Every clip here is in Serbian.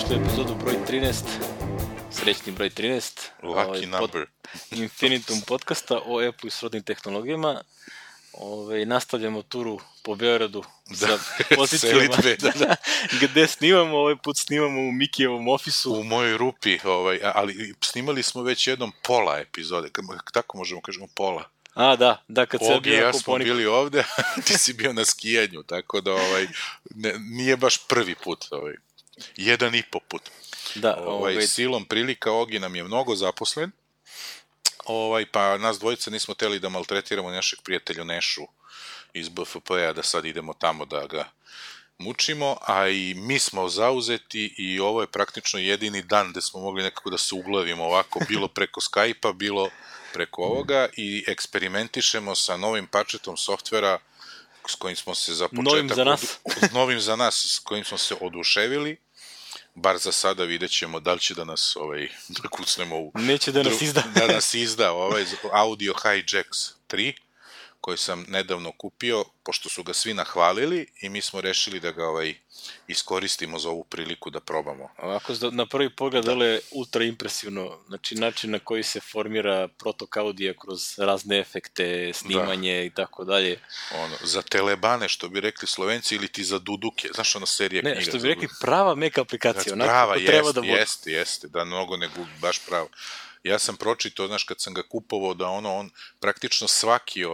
dobrodošli u epizodu broj 13, srećni broj 13. Lucky number. Infinitum podcasta o Apple i srodnim tehnologijama. Nastavljamo turu po Beogradu sa pozicijama gde snimamo, ovaj put snimamo u Mikijevom ofisu. U mojoj rupi, ali snimali smo već jednom pola epizode, tako možemo kažemo pola. Da, kad se ja smo bili ovde, ti si bio na skijanju, tako da nije baš prvi put, 1,5 put. Da, silom prilika Ogi nam je mnogo zaposlen, pa nas dvojica nismo hteli da maltretiramo našeg prijatelja Nešu iz BFP-a, da sad idemo tamo da ga mučimo, a i mi smo zauzeti i ovo je praktično jedini dan gde smo mogli nekako da se uglavimo ovako, bilo preko Skype-a, bilo preko ovoga i eksperimentišemo sa novim pačetom softvera s kojim smo se za početak... Novim za nas, s kojim smo se oduševili. Bar za sada vidjet ćemo da li će da nas da kucnemo u... Neće da nas izda. Da nas izda Audio Hijacks 3, koji sam nedavno kupio, pošto su ga svi nahvalili i mi smo rešili da ga iskoristimo za ovu priliku da probamo. Ovako, na prvi pogled, dole je ultra impresivno, znači način na koji se formira protok audija kroz razne efekte, snimanje i tako dalje. Za telebane, što bi rekli Slovenci, ili ti za duduke, znaš ona serija knjiga. Ne, što bi rekli prava Mac aplikacija, prava, jeste, da mnogo ne gubi, baš pravo. Ja sam pročitao, znaš, kad sam ga kupovao, da on praktično svaki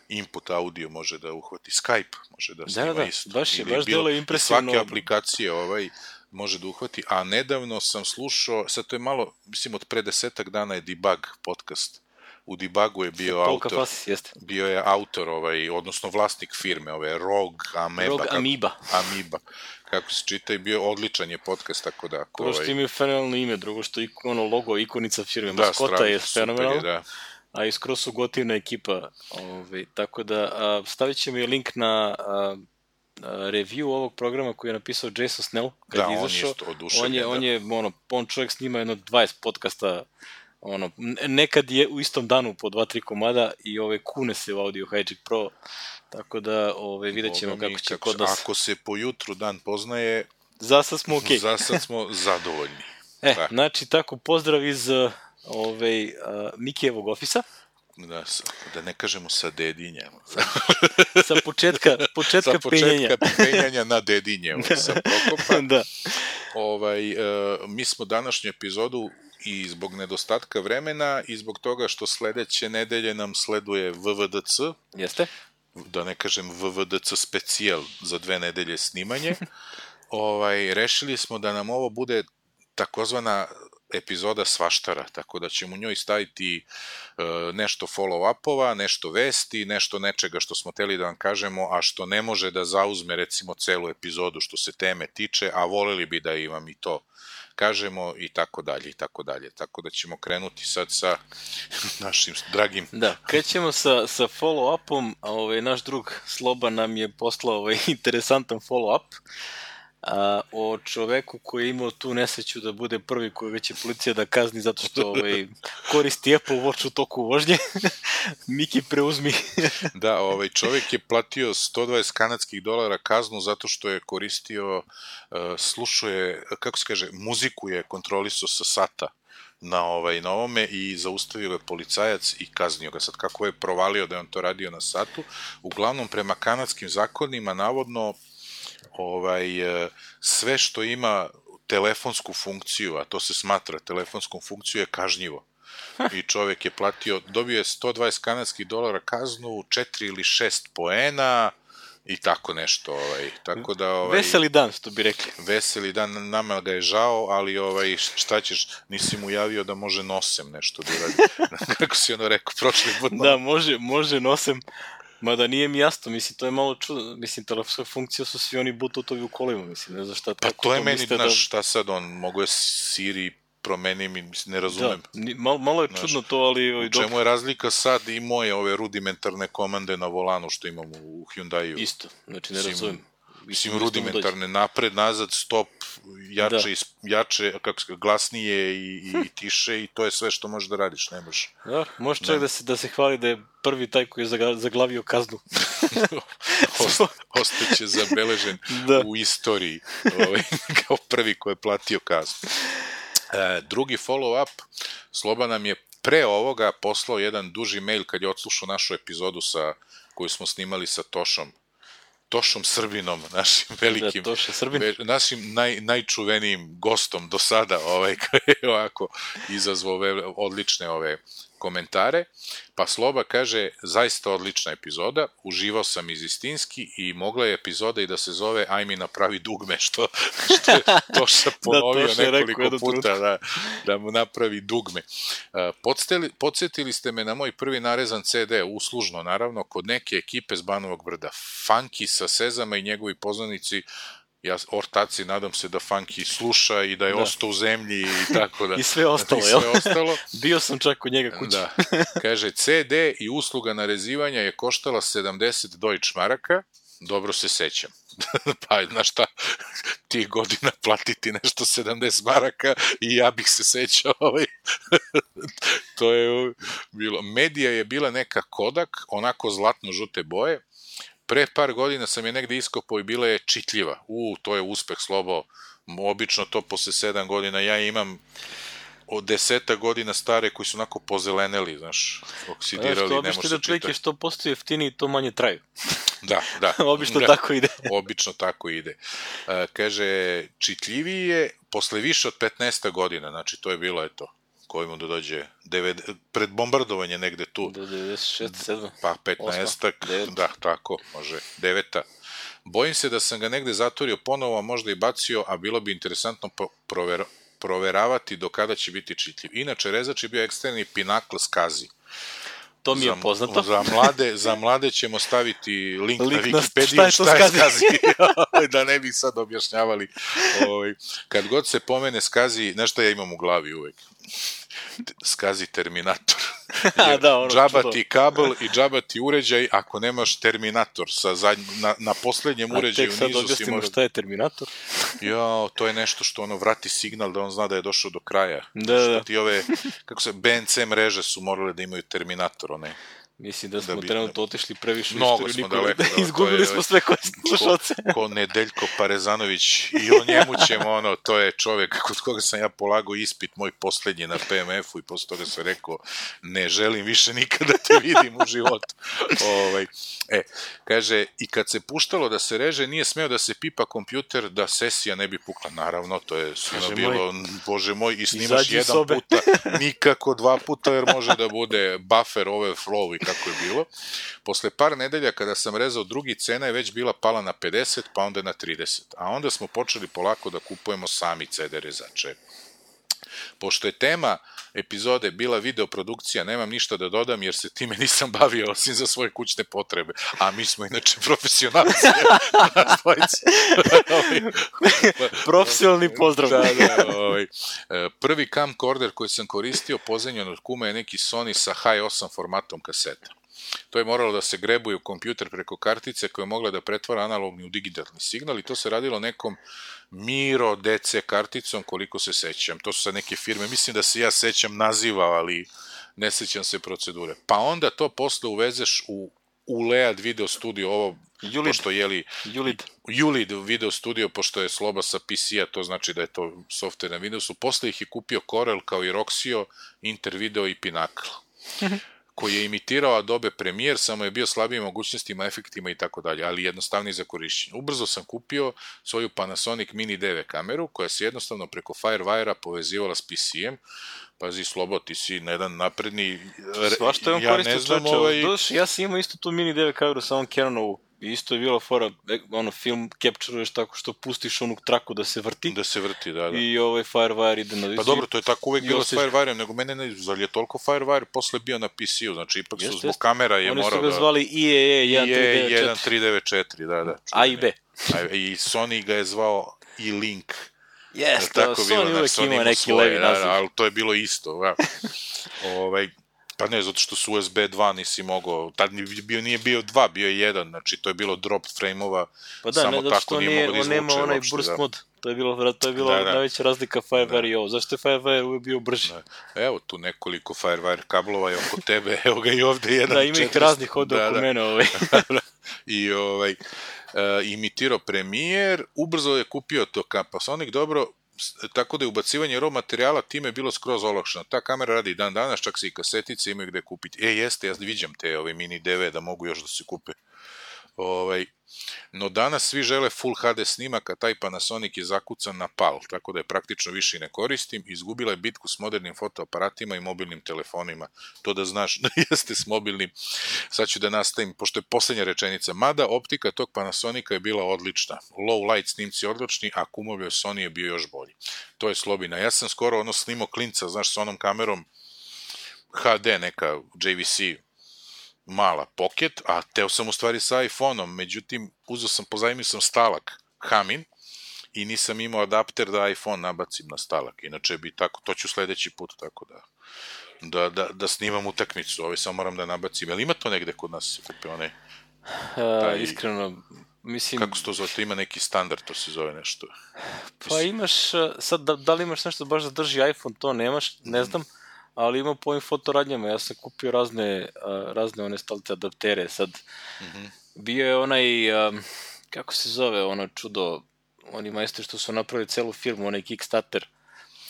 input audio može da uhvati. Skype može da snima isto. Baš delo impresivno. Svake aplikacije može da uhvati, a nedavno sam slušao, sad to je malo, mislim od pre 10 dana je Debug podcast. U Debugu je bio je autor, odnosno vlasnik firme, Rogue Amoeba. Kako se čita i bio odličan je podcast, tako da... Prvo što ima fenomenalno ime, drugo što logo, ikonica firme, maskota je fenomenalno, a i skroz su gotivna ekipa, tako da stavit ćemo i link na review ovog programa koji je napisao Jason Snell, kad je izašao. On čovjek snima jedno 20 podcasta, nekad je u istom danu po 2-3 komada i kune se u Audio Hijack Pro, tako da vidjet ćemo kako će kod nas... Ako se po jutru dan poznaje... Za sad smo okej. Za sad smo zadovoljni. Znači, tako, pozdrav iz Mikijevog ofisa. Da ne kažemo sa Dedinjem. Sa početka penjanja. Sa početka penjanja na Dedinjem, sa Prokopa. Da. Mi smo današnju epizodu i zbog nedostatka vremena i zbog toga što sledeće nedelje nam sleduje VVDC. Jeste. Da ne kažem VVDC specijal za 2 nedelje snimanje. Rešili smo da nam ovo bude takozvana epizoda svaštara, tako da ćemo u njoj staviti nešto follow-upova, nešto vesti, nešto nečega što smo hteli da vam kažemo, a što ne može da zauzme recimo celu epizodu što se teme tiče, a voleli bi da vam i to kažemo i tako dalje i tako dalje. Tako da ćemo krenuti sad sa našim dragim... Da, krećemo sa follow-upom, a naš drug Sloba nam je poslao interesantan follow-up o čoveku koji je imao tu nesreću da bude prvi kojega će policija da kazni zato što koristi Apple Watch u toku vožnje. Miki, preuzmi. Da, čovek je platio $120 kanadskih kaznu zato što je koristio, slušao je, kako se kaže, muziku je kontrolisao sa sata na ovome i zaustavio je policajac i kaznio ga. Sad kako je provalio da je on to radio na satu, uglavnom prema kanadskim zakonima navodno sve što ima telefonsku funkciju, a to se smatra telefonskom funkciju, je kažnjivo. I čovek je platio, dobio je $120 kanadskih kaznu, 4 ili 6 poena i tako nešto. Tako da, veseli dan, što bi rekli. Veseli dan, nama ga je žao, ali šta ćeš, nisi mu javio da može nosem nešto da uradi. Kako si rekao prošli put. Da, može nosem. Mada nije mi jasno, mislim, to je malo čudno, mislim, telefonska funkcija su svi oni bluetoothovi u kolima, mislim, ne znam šta tako... Pa to je meni, šta sad on, mogu je Siri promeni, mislim, ne razumem. Da, malo je čudno to, ali... U čemu je razlika sad i moje ove rudimentarne komande na volanu što imamo u Hyundai-u? Isto, znači ne razumem. Mislim, rudimentarne, napred, nazad, stop, jače, glasnije i tiše i to je sve što možeš da radiš, ne možeš. Da, možeš čak da se hvali da je prvi taj koji je zaglavio kaznu. Ostaće zabeležen u istoriji kao prvi koji je platio kaznu. Drugi follow-up, Sloba nam je pre ovoga poslao jedan duži mail kad je odslušao našu epizodu koju smo snimali sa Tošom Srbinom, našim velikim, našim najčuvenijim gostom do sada, koji je ovako izazvao odlične komentare, pa Sloba kaže, zaista odlična epizoda, uživao sam istinski i mogla je epizoda i da se zove Aj mi napravi dugme, što je Toša ponovio nekoliko puta da mu napravi dugme. Podsjetili ste me na moj prvi narezan CD, uslužno naravno, kod neke ekipe z Banovog Brda, Funky sa Sezama i njegovi poznanici, ja ortaci nadam se da Funky sluša i da je ostao u zemlji i tako da. I sve ostalo, jel? Bio sam čak kod njega kući. Da. Kaže, CD i usluga narezivanja je koštala 70 Deutsch maraka, dobro se sećam. Pa, znaš šta, tih godina platiti nešto 70 maraka i ja bih se sećao. To je bilo. Medija je bila neka Kodak, onako zlatno-žute boje. Pre par godina sam je negde iskopao i bila je čitljiva. To je uspeh, Slobo. Obično to posle 7 godina. Ja imam od 10 godina stare koji su onako pozeleneli, znaš, oksidirali, ne može se čitati. Obično što postoji jeftiniji, to manje traju. Da. Obično tako ide. Obično tako ide. Kaže, čitljiviji je posle više od 15 godina, znači to je bilo, eto, koji mu da dođe pred bombardovanje negde tu. Do 96, 7. Pa 15, da, tako, može, 9. Bojim se da sam ga negde zatvorio ponovo, a možda i bacio, a bilo bi interesantno proveravati do kada će biti čitljiv. Inače, rezač je bio eksterni pinakl Skazi. To mi je poznato. Za mlade ćemo staviti link na Wikipediju šta je Skazi. Da ne bi sad objašnjavali. Kad god se pomene Skazi, znaš šta ja imam u glavi uvek? Skazi Terminator. Džaba ti kabel i džaba ti uređaj ako nemaš Terminator. Na poslednjem uređaju nizu si mora... A tek sad objasnimo šta je Terminator? To je nešto što vrati signal da on zna da je došao do kraja. Da. Ti BNC mreže su morale da imaju Terminator, one... Mislim da smo trenutno otišli previše mnogo smo daleko. Izgubili smo sve koje slušalce. Ko Nedeljko Parezanović i o njemu ćemo, to je čovek kod koga sam ja polagao ispit moj poslednji na PMF-u i posle toga sam rekao, ne želim više nikada te vidim u životu. Kaže, i kad se puštalo da se reže, nije smeo da se pipa kompjuter da sesija ne bi pukla. Naravno, to je svima bilo, bože moj, i snimaš jedan puta, nikako 2 puta, jer može da bude buffer overflow i kako je bilo. Posle par nedelja kada sam rezao drugi, cena je već bila pala na 50, pa onda na 30. A onda smo počeli polako da kupujemo sami CD rezače. Pošto je tema epizode bila videoprodukcija, nemam ništa da dodam jer se time nisam bavio osim za svoje kućne potrebe. A mi smo inače profesionalci. Profesionalni pozdrav. Prvi camcorder koji sam koristio pozajmljen od kuma je neki Sony sa Hi8 formatom kaseta. To je moralo da se grebuje u kompjuter preko kartice koja je mogla da pretvara analogni u digitalni signal i to se radilo nekom Miro DC karticom, koliko se sećam. To su sad neke firme, mislim da se ja sećam naziva, ali ne sećam se procedure. Pa onda to posle uvezeš u ULEAD video studio, Julid video studio, pošto je Sloba sa PC-a, to znači da je to software na Windowsu. Posle ih je kupio Corel kao i Roxio, Intervideo i Pinnacle, koji je imitirao Adobe Premiere, samo je bio slabijim mogućnostima, efektima i tako dalje, ali jednostavniji za korišćenje. Ubrzo sam kupio svoju Panasonic Mini DV kameru, koja se jednostavno preko Firewire-a povezivala s PC-em. Pazi, Slobo, ti si na jedan napredni... Svašta je on koristio čoveče. Ja sam imao isto tu Mini DV kameru sa ovom Canonovu. Isto je bila fora, film capture-uješ tako što pustiš onu traku da se vrti. Da se vrti, da. I Firewire ide na viziju. Pa dobro, to je tako uvek bilo s Firewire-em, nego mene ne, zar je toliko Firewire posle bio na PC-u, znači ipak su zbog kamera je morao da... Oni su ga zvali IEE 1394, da. A i B. I Sony ga je zvao i-Link. Jeste, Sony uvek ima neki levi naziv. Ali to je bilo isto, Pa ne, zato što su USB 2 nisi mogao, tad nije bio 2, bio je 1, znači to je bilo drop frame-ova, pa da, samo tako nije mogao da izvuče. Nema onaj burst mod, to je bilo najveća razlika FireWire i ovo. Zašto je FireWire uvijek bio brži? Evo tu nekoliko FireWire kablova je oko tebe, evo ga i ovde jedan. Da, ima ih raznih od oko mene. I imitirao Premiere, ubrzo je kupio to Panasonic, dobro, tako da je ubacivanje RAW materijala time bilo skroz olakšano. Ta kamera radi dan danas, čak se i kasetice imaju gde kupiti. Jeste, ja viđam te mini DV da mogu još da se kupe. No danas svi žele Full HD snimak, a taj Panasonic je zakucan na PAL, tako da je praktično više i ne koristim. Izgubila je bitku s modernim fotoaparatima i mobilnim telefonima. To da znaš da jeste s mobilnim. Sad ću da nastavim, pošto je poslednja rečenica. Mada optika tog Panasonica je bila odlična. Low light snimci odlični, a kumovio Sony je bio još bolji. To je slobina. Ja sam skoro snimao klinca, znaš, s onom kamerom HD, neka JVC mala pocket, a teo sam u stvari sa iPhone-om, međutim, pozajmio sam stalak Hamin i nisam imao adapter da iPhone nabacim na stalak, inače bi tako, to ću sledeći put, tako da snimam utakmicu, samo moram da nabacim, jel ima to negde kod nas se kupe, onaj? Iskreno, mislim... Kako se to zove, to ima neki standard, to se zove nešto. Pa imaš, sad, da li imaš nešto baš da drži iPhone, to nemaš, ne znam, ali ima po ovim fotoradnjama, ja sam kupio razne one stolice adaptere, sad bio je onaj, kako se zove ono čudo, oni majstori što su napravili celu firmu, onaj Kickstarter,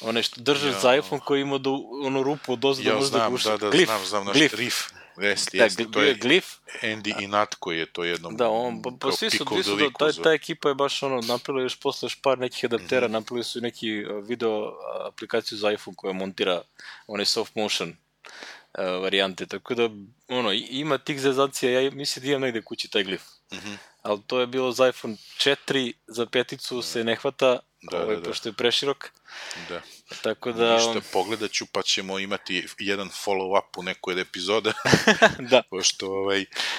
onaj što držaš za iPhone koji ima onu rupu od ozda možda guša. Znam, naš Riff. To je Glyph. Andy i Natko je to jednom pa svi su, ta ekipa je baš napravila još posle još par nekih adaptera, napravili su i neki video aplikaciju za iPhone koja montira one soft motion varijante, tako da ima tih zezancija, ja mislim da imam negde kući taj Glyph, ali to je bilo za iPhone 4, za peticu se ne hvata, pošto je preširok. Da. Tako da... Ništa, pogledat ću pa ćemo imati jedan follow-up u nekoj od epizoda. Da. Pošto,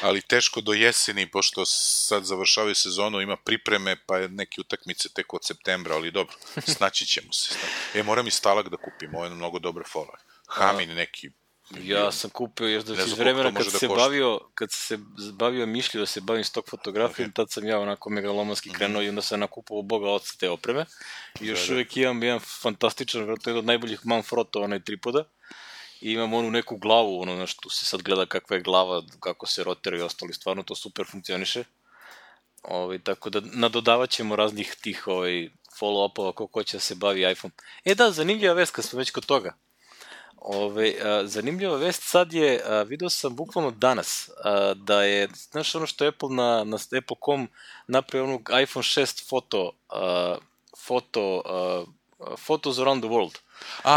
ali teško do jeseni, pošto sad završavaju sezonu, ima pripreme, pa je neke utakmice tek od septembra, ali dobro, snaći ćemo se. Moram i stalak da kupim, ovo je mnogo dobre follow. Hamin neki. Ja sam kupio još iz vremena kad se bavio mišlju da se bavim stok fotografijom, tad sam ja onako megalomanski krenuo i onda sam nakupovao boga oca te opreme i još uvijek imam jedan fantastičan, vjerojatno jedan od najboljih Manfrotto, onaj tripoda, i imam onu neku glavu, znaš, tu se sad gleda kakva je glava, kako se rotira i ostali, stvarno to super funkcioniše, tako da nadodavat ćemo raznih tih follow-upova ko će da se bavi iPhone. Da, zanimljiva vest kad smo već kod toga. Zanimljiva vest sad je, vidio sam bukvalno danas, da je, znaš ono što je Apple na Apple.com napravio onog iPhone 6 Photos around the world.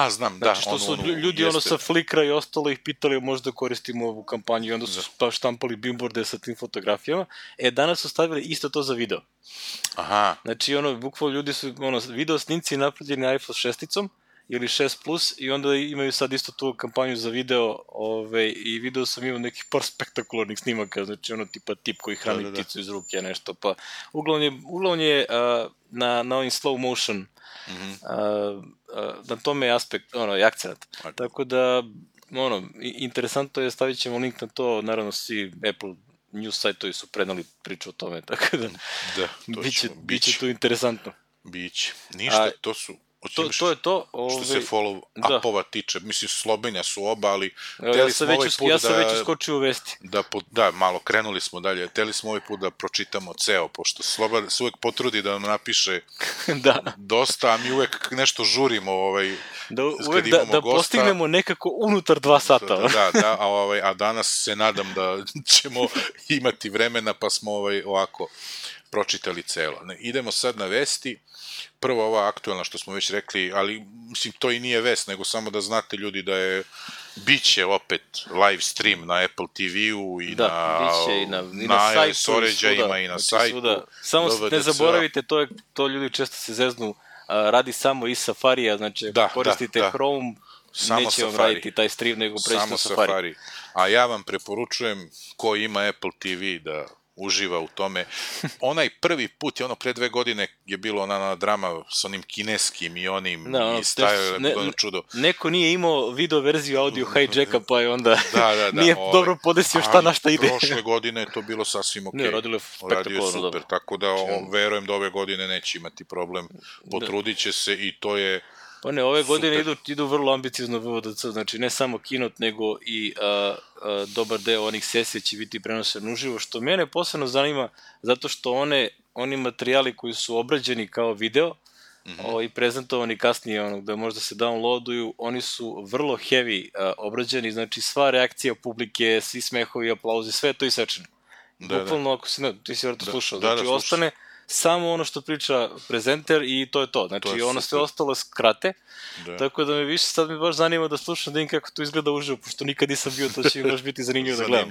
Znam, da. Znači što su ljudi sa Flickra i ostalo ih pitali možda koristimo ovu kampanju i onda su štampali billboarde sa tim fotografijama. Danas su stavili isto to za video. Aha. Znači bukvalno ljudi su, video snimci napravljeni iPhone 6-icom, ili 6 plus i onda imaju sad isto tu kampanju za video i video sam imao nekih par spektakularnih snimaka, znači tipa tip koji hrani pticu iz ruke, nešto, pa uglavnom je na ovim slow motion, na tome je aspekt, je akcenat, tako da, interesantno je, stavit ćemo link na to, naravno svi Apple news sajtovi su prenali priču o tome, tako da, biće tu interesantno. Biće, ništa, to su... To je to. Što se follow-upova tiče, mislim, slobenja su oba, ali... Ja sam već uskočio u vesti. Da, malo, krenuli smo dalje. Hteli smo ovaj put da pročitamo ceo, pošto Sloba se uvek potrudi da nam napiše dosta, a mi uvek nešto žurimo da postignemo nekako unutar 2 sata. A danas se nadam da ćemo imati vremena, pa smo ovako pročitali celo. Idemo sad na vesti. Prvo ova aktualna što smo već rekli, ali mislim to i nije vest, nego samo da znate ljudi da je biće opet live stream na Apple TV-u i na iOS uređajima i na sajtu. Samo ne zaboravite, to ljudi često se zeznu, radi samo iz Safarija, znači ako koristite Chrome, neće vam raditi taj stream, nego preći na Safari. A ja vam preporučujem ko ima Apple TV da uživa u tome. Onaj prvi put, ono pre 2 godine je bilo ona drama s onim kineskim i onim i stajao je bilo čudo. Neko nije imao video verziju audio hijacka, pa je onda nije dobro podesio šta na šta ide. Prošle godine je to bilo sasvim okej. Radio je super, tako da verujem da ove godine neće imati problem. Potrudit će se i to je Pa ne, ove godine idu vrlo ambiciozno VVDC, znači ne samo Keynote, nego i dobar deo onih sesija će biti prenošen uživo, što mene posebno zanima, zato što oni materijali koji su obrađeni kao video i prezentovani kasnije, gde možda se downloaduju, oni su vrlo heavy obrađeni, znači sva reakcija publike, svi smehovi, aplauzi, sve je to isečeno. Bukvalno, ako ti si vrlo slušao, znači ostane samo ono što priča prezenter i to je to. Znači, ono sve ostalo skrate. Tako da me više sad mi baš zanima da slušam da im kako to izgleda uživo, pošto nikad nisam bio, to će mi baš biti zanimljivo da gledam.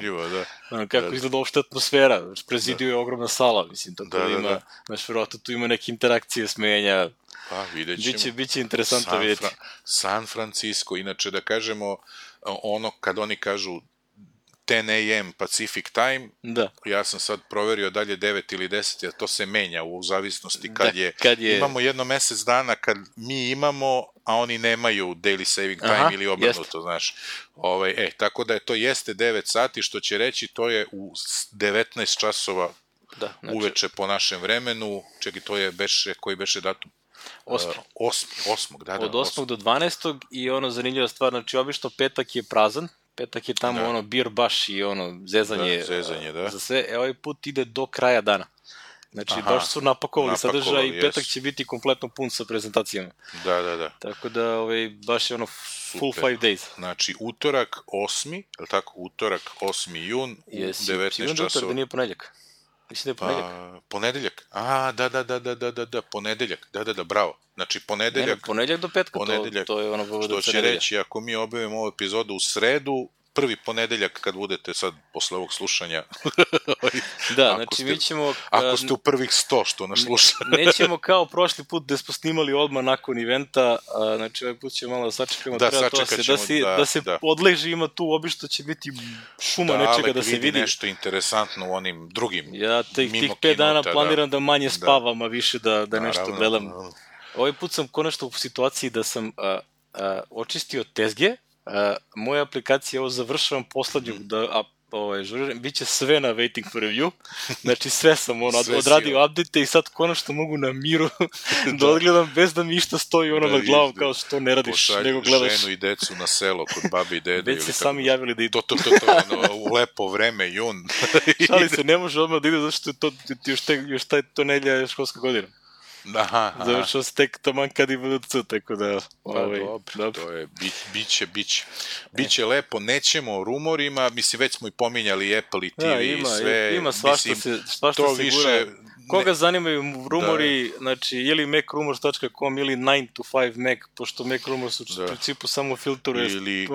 Kako izgleda uopšte atmosfera. Prezidio je ogromna sala, mislim, tako da ima, znaš, verovatno tu ima neke interakcije, smenja. Pa, vidjet ćemo. Biće interesantno vidjeti. San Francisco, inače da kažemo, ono kad oni kažu 10 AM Pacific Time, ja sam sad proverio dalje 9 ili 10, jer to se menja u zavisnosti kad je... Imamo jedno mesec dana kad mi imamo, a oni nemaju daily saving time ili obrnuto, znaš. Tako da to jeste 9 sati, što će reći to je u 19 časova uveče po našem vremenu. Čekaj, to je koji beše datum? 8. Od 8. do 12. i zanimljiva stvar, znači obično petak je prazan, petak je tamo beer baš i zezanje za sve, ovaj put ide do kraja dana. Znači, baš su napakovali sadržaj i petak će biti kompletno pun sa prezentacijama. Da. Tako da, baš je full 5 days. Znači, utorak 8. je li tako? Utorak 8. jun u 19 časova. Utorak da nije ponedjeljak. Mislim da je ponedjeljak. Ponedjeljak? Da, ponedjeljak. Da, bravo. Znači, ponedjeljak... Ponedjeljak do petka, to je ono... Što će reći, ako mi objavimo ovu epizodu u sredu, prvi ponedeljak kad budete sad posle ovog slušanja. Da, znači mi ćemo... Ako ste u prvih 100 što nas slušate. Nećemo kao prošli put gde smo snimali odmah nakon eventa, znači ovaj put ćemo malo da sačekamo. Da se odleži, ima tu obično će biti šuma nečega da se vidi. Nešto interesantno u onim drugim. Ja tih 5 dana planiram da manje spavam, a više da nešto gledam. Ovaj put sam konačno u situaciji da sam očistio tezge. Moja aplikacija, ovo završavam poslednju žuriram, bit će sve na waiting for review, znači sve sam odradio update i sad konačno mogu na miru da odgledam bez da mi išta stoji na glavu kao što ne radiš, nego gledaš. Pošalju ženu i decu na selo kod babi i dede. Već se sami javili da idu. To, u lepo vreme, jun. Šali se, ne može odmah da ide, zato što je još to nedlja školska godina. Završao se tek taman kad i VDC, tako da... Dobro, to je, biće lepo, nećemo o rumorima, mislim, već smo i pominjali Apple i TV i sve. Ima svašta se gura. Koga zanimaju rumori, znači, ili macrumors.com ili 9 to 5 Mac, pošto Mac Rumors u principu samo filtruje. Ili,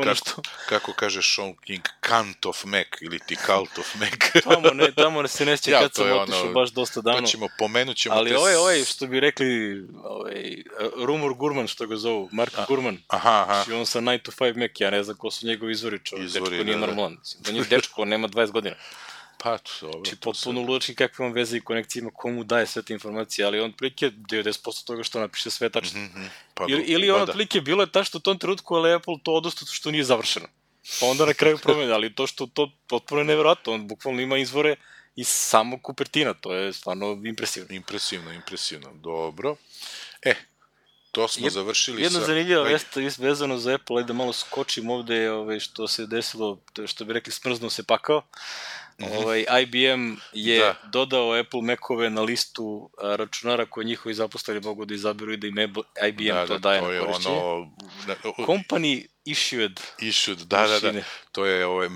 kako kaže Sean King, Cult of Mac, ili ti Cult of Mac. Tamo se neće kad sam otišao baš dosta davno. Pomenut ćemo ali što bi rekli, Rumor Gurman, što ga zovu, Mark Gurman, i on sa 9 to 5 Mac, ja ne znam ko su njegovi izvori, dečko nije normalan. Da nije dečko, nema 20 godina. Pa, dobro. Znači, potpuno ludački kakve vam veze i konekcije ima, komu daje sve te informacije, ali on prilike 90% toga što napiše sve tačno. Ili on otprilike bilo je tačno u tom trenutku, ali Apple to odnosno što nije završeno. Pa onda na kraju promene, ali to što to potpuno je nevjerojatno, on bukvalno ima izvore iz samog Kupertina, to je stvarno impresivno. Impresivno, dobro. To smo završili sa... Jedno zanimljivo vezano za Apple, da malo skočim ovde što se desilo, što bi rekli smrznuo se pakao. IBM je dodao Apple Mac-ove na listu računara koje njihovi zaposleni mogu da izaberu i da im IBM to daje na korišćenje. Company issued. Da. To je,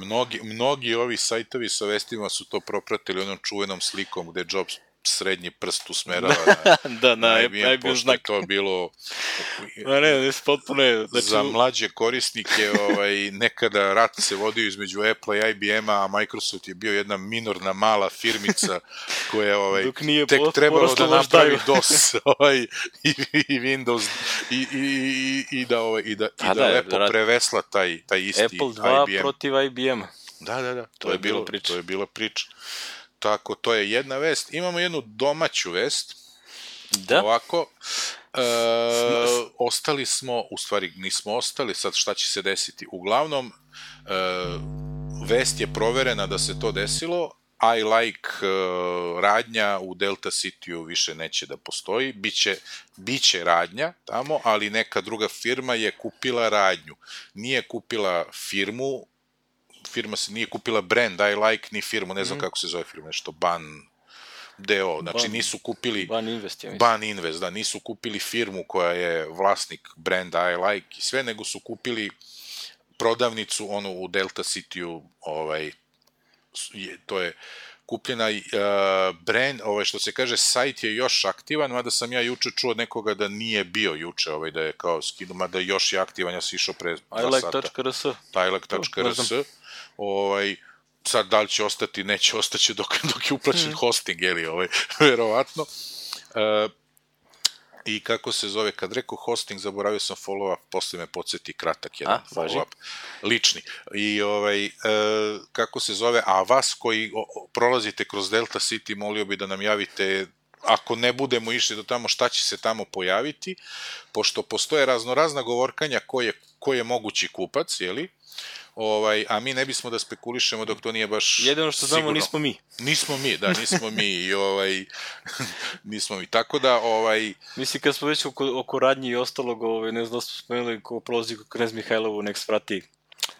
mnogi ovi sajtovi sa vestima su to propratili onom čuvenom slikom gde Jobs srednji prst usmerava na IBM, pošto je to bilo za mlađe korisnike. Nekada rat se vodio između Apple i IBM-a, a Microsoft je bio jedna minorna mala firmica koja tek trebalo da napravi DOS i Windows i da lepo prevesla taj isti IBM. Apple 2 protiv IBM-a. Da, to je bilo priča. tako, to je jedna vest. Imamo jednu domaću vest. Da. Ovako, ostali smo, u stvari nismo ostali, sad šta će se desiti. Uglavnom, vest je proverena da se to desilo, I like radnja u Delta City-u više neće da postoji, biće radnja tamo, ali neka druga firma je kupila radnju. Nije kupila firmu, firma se nije kupila brand I like, ni firmu, ne znam kako se zove firma, nešto Ban DO, znači nisu kupili Ban Invest, da, nisu kupili firmu koja je vlasnik brenda I like i sve, nego su kupili prodavnicu onu u Delta City-u, to je kupljena brand, što se kaže, sajt je još aktivan, mada sam ja juče čuo od nekoga da nije bio juče, da je kao skinu, mada još je aktivan, ja sam išao pre 2 sata. ilike.rs sad da li će ostati, neće ostaće dok je uplaćen hosting, verovatno. I kako se zove, kad rekao hosting, zaboravio sam follow-up, posle me podsjeti kratak jedan follow-up, lični. I kako se zove, a vas koji prolazite kroz Delta City, molio bi da nam javite, ako ne budemo išli do tamo, šta će se tamo pojaviti, pošto postoje raznorazna govorkanja ko je mogući kupac, jeli? A mi ne bismo da spekulišemo dok to nije baš sigurno. Jedino što znamo, nismo mi. Nismo mi, da, nismo mi. Nismo mi, tako da... Mislim, kad smo već oko radnji i ostalog, ne znam da smo spomenuli ko prolazi Knez Mihajlovu, nek svrati.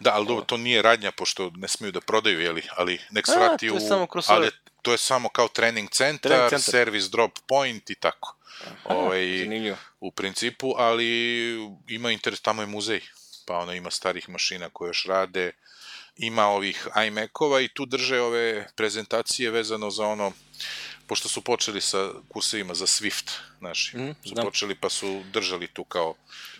Da, ali dobro, to nije radnja, pošto ne smiju da prodaju, jeli, ali nek svrati u... Ali to je samo kao trening centar, service drop point i tako. U principu, ali ima interes, tamo je muzej. Pa ima starih mašina koje još rade, ima ovih iMac-ova i tu drže ove prezentacije vezano za pošto su počeli sa kursevima za Swift, su počeli pa su držali tu kao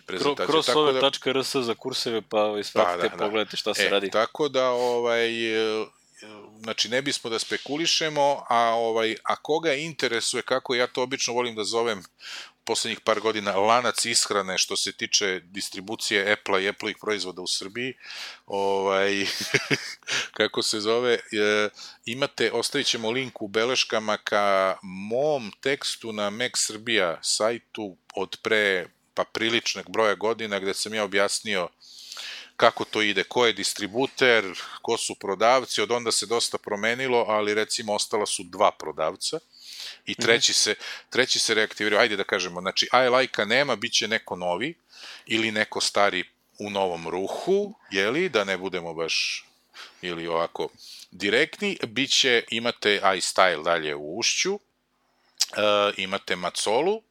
prezentaciju. Crossove.rs za kurseve, pa ispratite, pogledajte šta se radi. Tako da, znači ne bismo da spekulišemo, a koga interesuje, kako ja to obično volim da zovem poslednjih par godina, lanac ishrane što se tiče distribucije Apple-a i Apple-ih proizvoda u Srbiji, kako se zove, ostavit ćemo link u beleškama ka mom tekstu na Mac Srbija sajtu od pre priličnog broja godina, gde sam ja objasnio kako to ide, ko je distributer, ko su prodavci, od onda se dosta promenilo, ali recimo ostala su 2 prodavca i treći se reaktivirao, ajde da kažemo, znači I like-a nema, bit će neko novi ili neko stari u novom ruhu, jeli, da ne budemo baš ili ovako direktni, imate iStyle dalje u Ušću, imate Macolu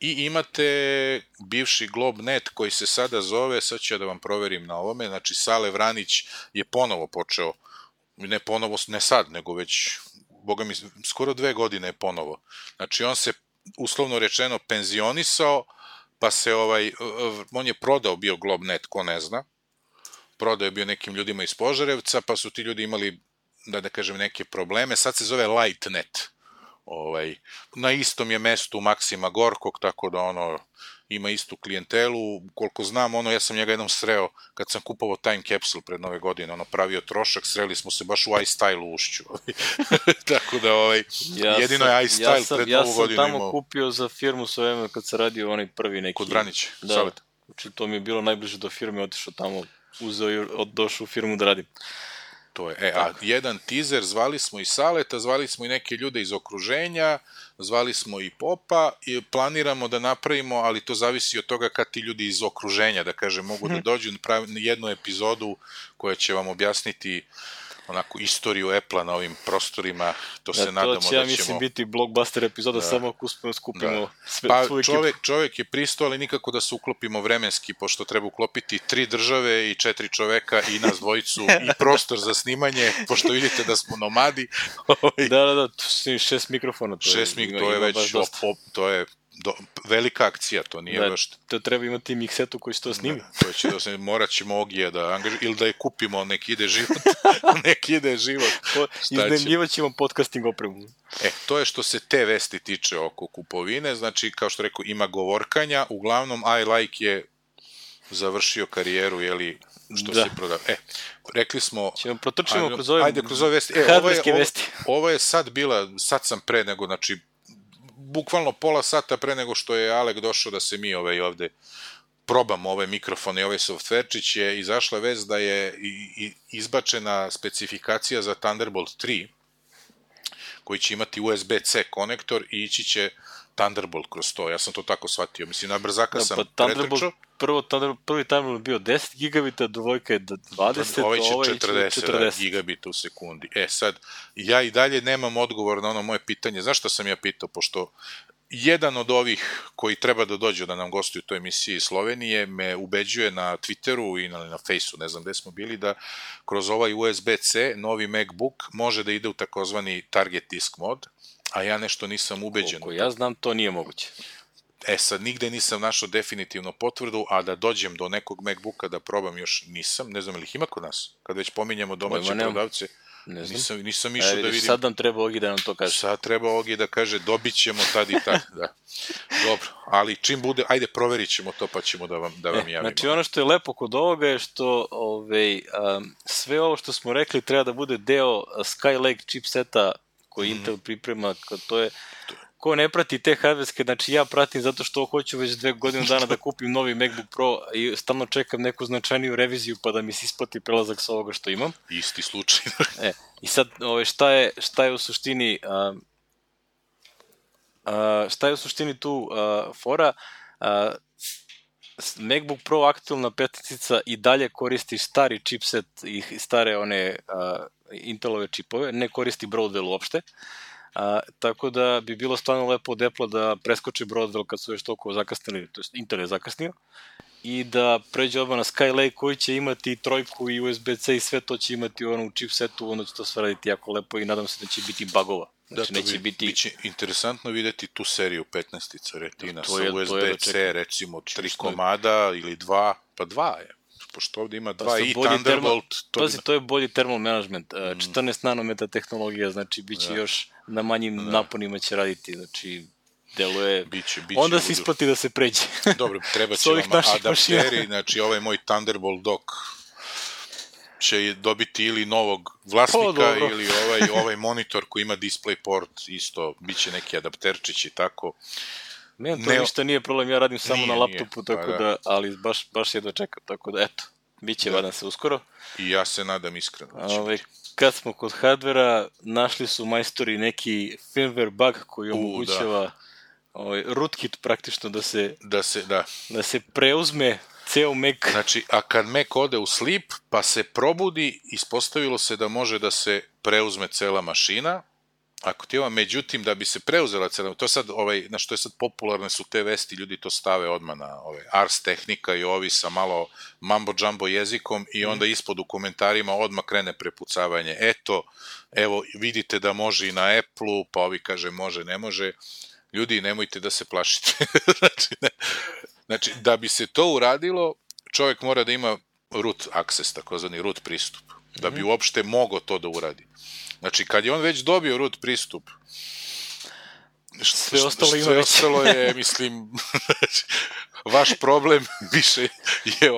i imate bivši Globnet koji se sada zove, sad ću ja da vam proverim na ovome, znači Sale Vranić je ponovo počeo, ne sad, nego već boga mi, skoro 2 godine je ponovo. Znači, on se, uslovno rečeno, penzionisao, pa se on je prodao bio Globnet, ko ne zna, prodao je bio nekim ljudima iz Požarevca, pa su ti ljudi imali, da kažem, neke probleme, sad se zove Lightnet. Na istom je mestu Maksima Gorkog, tako da ima istu klijentelu, koliko znam, ja sam njega jednom sreo kad sam kupovao Time Capsule pred Nove godine, pravio trošak, sreli smo se baš u iStyle u Ušću. Tako da, jedino je iStyle pred Novu godinu imao. Ja sam tamo kupio za firmu sve vreme kad se radio onaj prvi neki... Kod Vranića, Savet. Znači, to mi je bilo najbliže do firme, otišao tamo, uzeo i došao u firmu da radim. To je, a jedan teaser, zvali smo i Saleta, zvali smo i neke ljude iz okruženja, zvali smo i Popa i planiramo da napravimo, ali to zavisi od toga kad ti ljudi iz okruženja, da kažem, mogu da dođu na jednu epizodu koja će vam objasniti onako istoriju Apple-a na ovim prostorima, to se nadamo da ćemo... To će, ja mislim, biti blockbuster epizoda, samo ako skupimo svoju ekipu. Čovek je pristao, ali nikako da se uklopimo vremenski, pošto treba uklopiti 3 države i 4 čoveka i nas dvojicu i prostor za snimanje, pošto vidite da smo nomadi. Da, 6 mikrofona. 6 to je već, to je velika akcija, to nije baš... To treba imati miksetu koji će to snimi. Morat ćemo Ogija da angažujemo, ili da je kupimo, nek ide život. Iznajmljivat ćemo podcasting opremu. To je što se te vesti tiče oko kupovine, znači, kao što rekao, ima govorkanja, uglavnom I like je završio karijeru, jeli, što se prodao. Rekli smo... Ćemo protrčimo kroz ove vesti. Ovo je sad sam pre nego, znači, bukvalno pola sata pre nego što je Alek došao da se mi ovde probamo ove mikrofone i ovaj softverčić, je izašla vest da je izbačena specifikacija za Thunderbolt 3, koji će imati USB-C konektor i ići će Thunderbolt kroz to. Ja sam to tako shvatio. Mislim, na brzaka sam pretrčao. Prvi Thunderbolt bio 10 gigabita, dvojka je 20, ovaj će 40 gigabita u sekundi. Sad, ja i dalje nemam odgovor na ono moje pitanje. Zašto sam ja pitao? Pošto jedan od ovih koji treba da dođu da nam gostuju u toj emisiji iz Slovenije me ubeđuje na Twitteru i na Faceu, ne znam gde smo bili, da kroz ovaj USB-C novi MacBook može da ide u takozvani target disk mod, a ja nešto nisam ubeđen. Koliko ja znam, to nije moguće. Sad, nigde nisam našao definitivno potvrdu, a da dođem do nekog MacBooka da probam još nisam. Ne znam, ili ih ima kod nas? Kad već pominjemo domaće prodavce, nisam išao da vidim. Sad nam treba Ogi da nam to kaže. Sad treba Ogi da kaže, dobit ćemo tad i tad. Da. Dobro, ali čim bude, ajde proverit ćemo to pa ćemo da vam javimo. Znači, ono što je lepo kod ovoga je što sve ovo što smo rekli treba da bude deo Skylake chipseta koji Intel priprema, to je... Ko ne prati te hardverske, znači ja pratim zato što hoću već 2 godine dana da kupim novi MacBook Pro i stalno čekam neku značajniju reviziju pa da mi se isplati prelazak sa ovoga što imam. Isti slučaj. I sad, šta je u suštini tu fora? MacBook Pro aktualna petica i dalje koristi stari chipset i stare one Intelove čipove, ne koristi Broadwell uopšte. Tako da bi bilo stvarno lepo od Apple da preskoče Broadwell kad su već toliko zakasnili, to je Intel je zakasnio, i da pređe odmah na Skylake koji će imati trojku i USB-C i sve to će imati u chipsetu, onda će to sve raditi jako lepo i nadam se da će biti bugova. Znači, biće interesantno videti tu seriju 15-ica Retina sa USB-C, recimo 3 komada ili 2, pa 2 je. Pošto ovde ima 2 i Thunderbolt... To je bolji thermal management. 14 nanometra tehnologija, znači bit će još na manjim naponima će raditi, znači deluje... Onda se isplati da se pređe. Dobro, treba će vam adapteri, znači ovaj moj Thunderbolt dock će dobiti ili novog vlasnika ili ovaj monitor koji ima DisplayPort isto, bit će neki adapterčić i tako. Meni to ništa nije problem, ja radim samo na laptopu, tako da, ali baš jedva čekam, tako da, eto, bit će vadan se uskoro. I ja se nadam iskreno. Kad smo kod hardvera, našli su majstori neki firmware bug koji omogućava rootkit praktično da se preuzme ceo Mac. Znači, a kad Mac ode u sleep, pa se probudi, ispostavilo se da može da se preuzme cela mašina. Ako ti međutim, da bi se preuzela cela, to sad, na što je sad popularne su te vesti, ljudi to stave odmah na Ars Technica i ovi sa malo mambo-jumbo jezikom i onda ispod u komentarima odmah krene prepucavanje. Evo, vidite da može i na Apple-u, pa ovi kaže može, ne može. Ljudi, nemojte da se plašite. Znači, da bi se to uradilo, čovjek mora da ima root access, takozvani root pristup, da bi uopšte mogao to da uradi. Znači, kad je on već dobio root pristup, sve ostalo je, mislim, vaš problem više je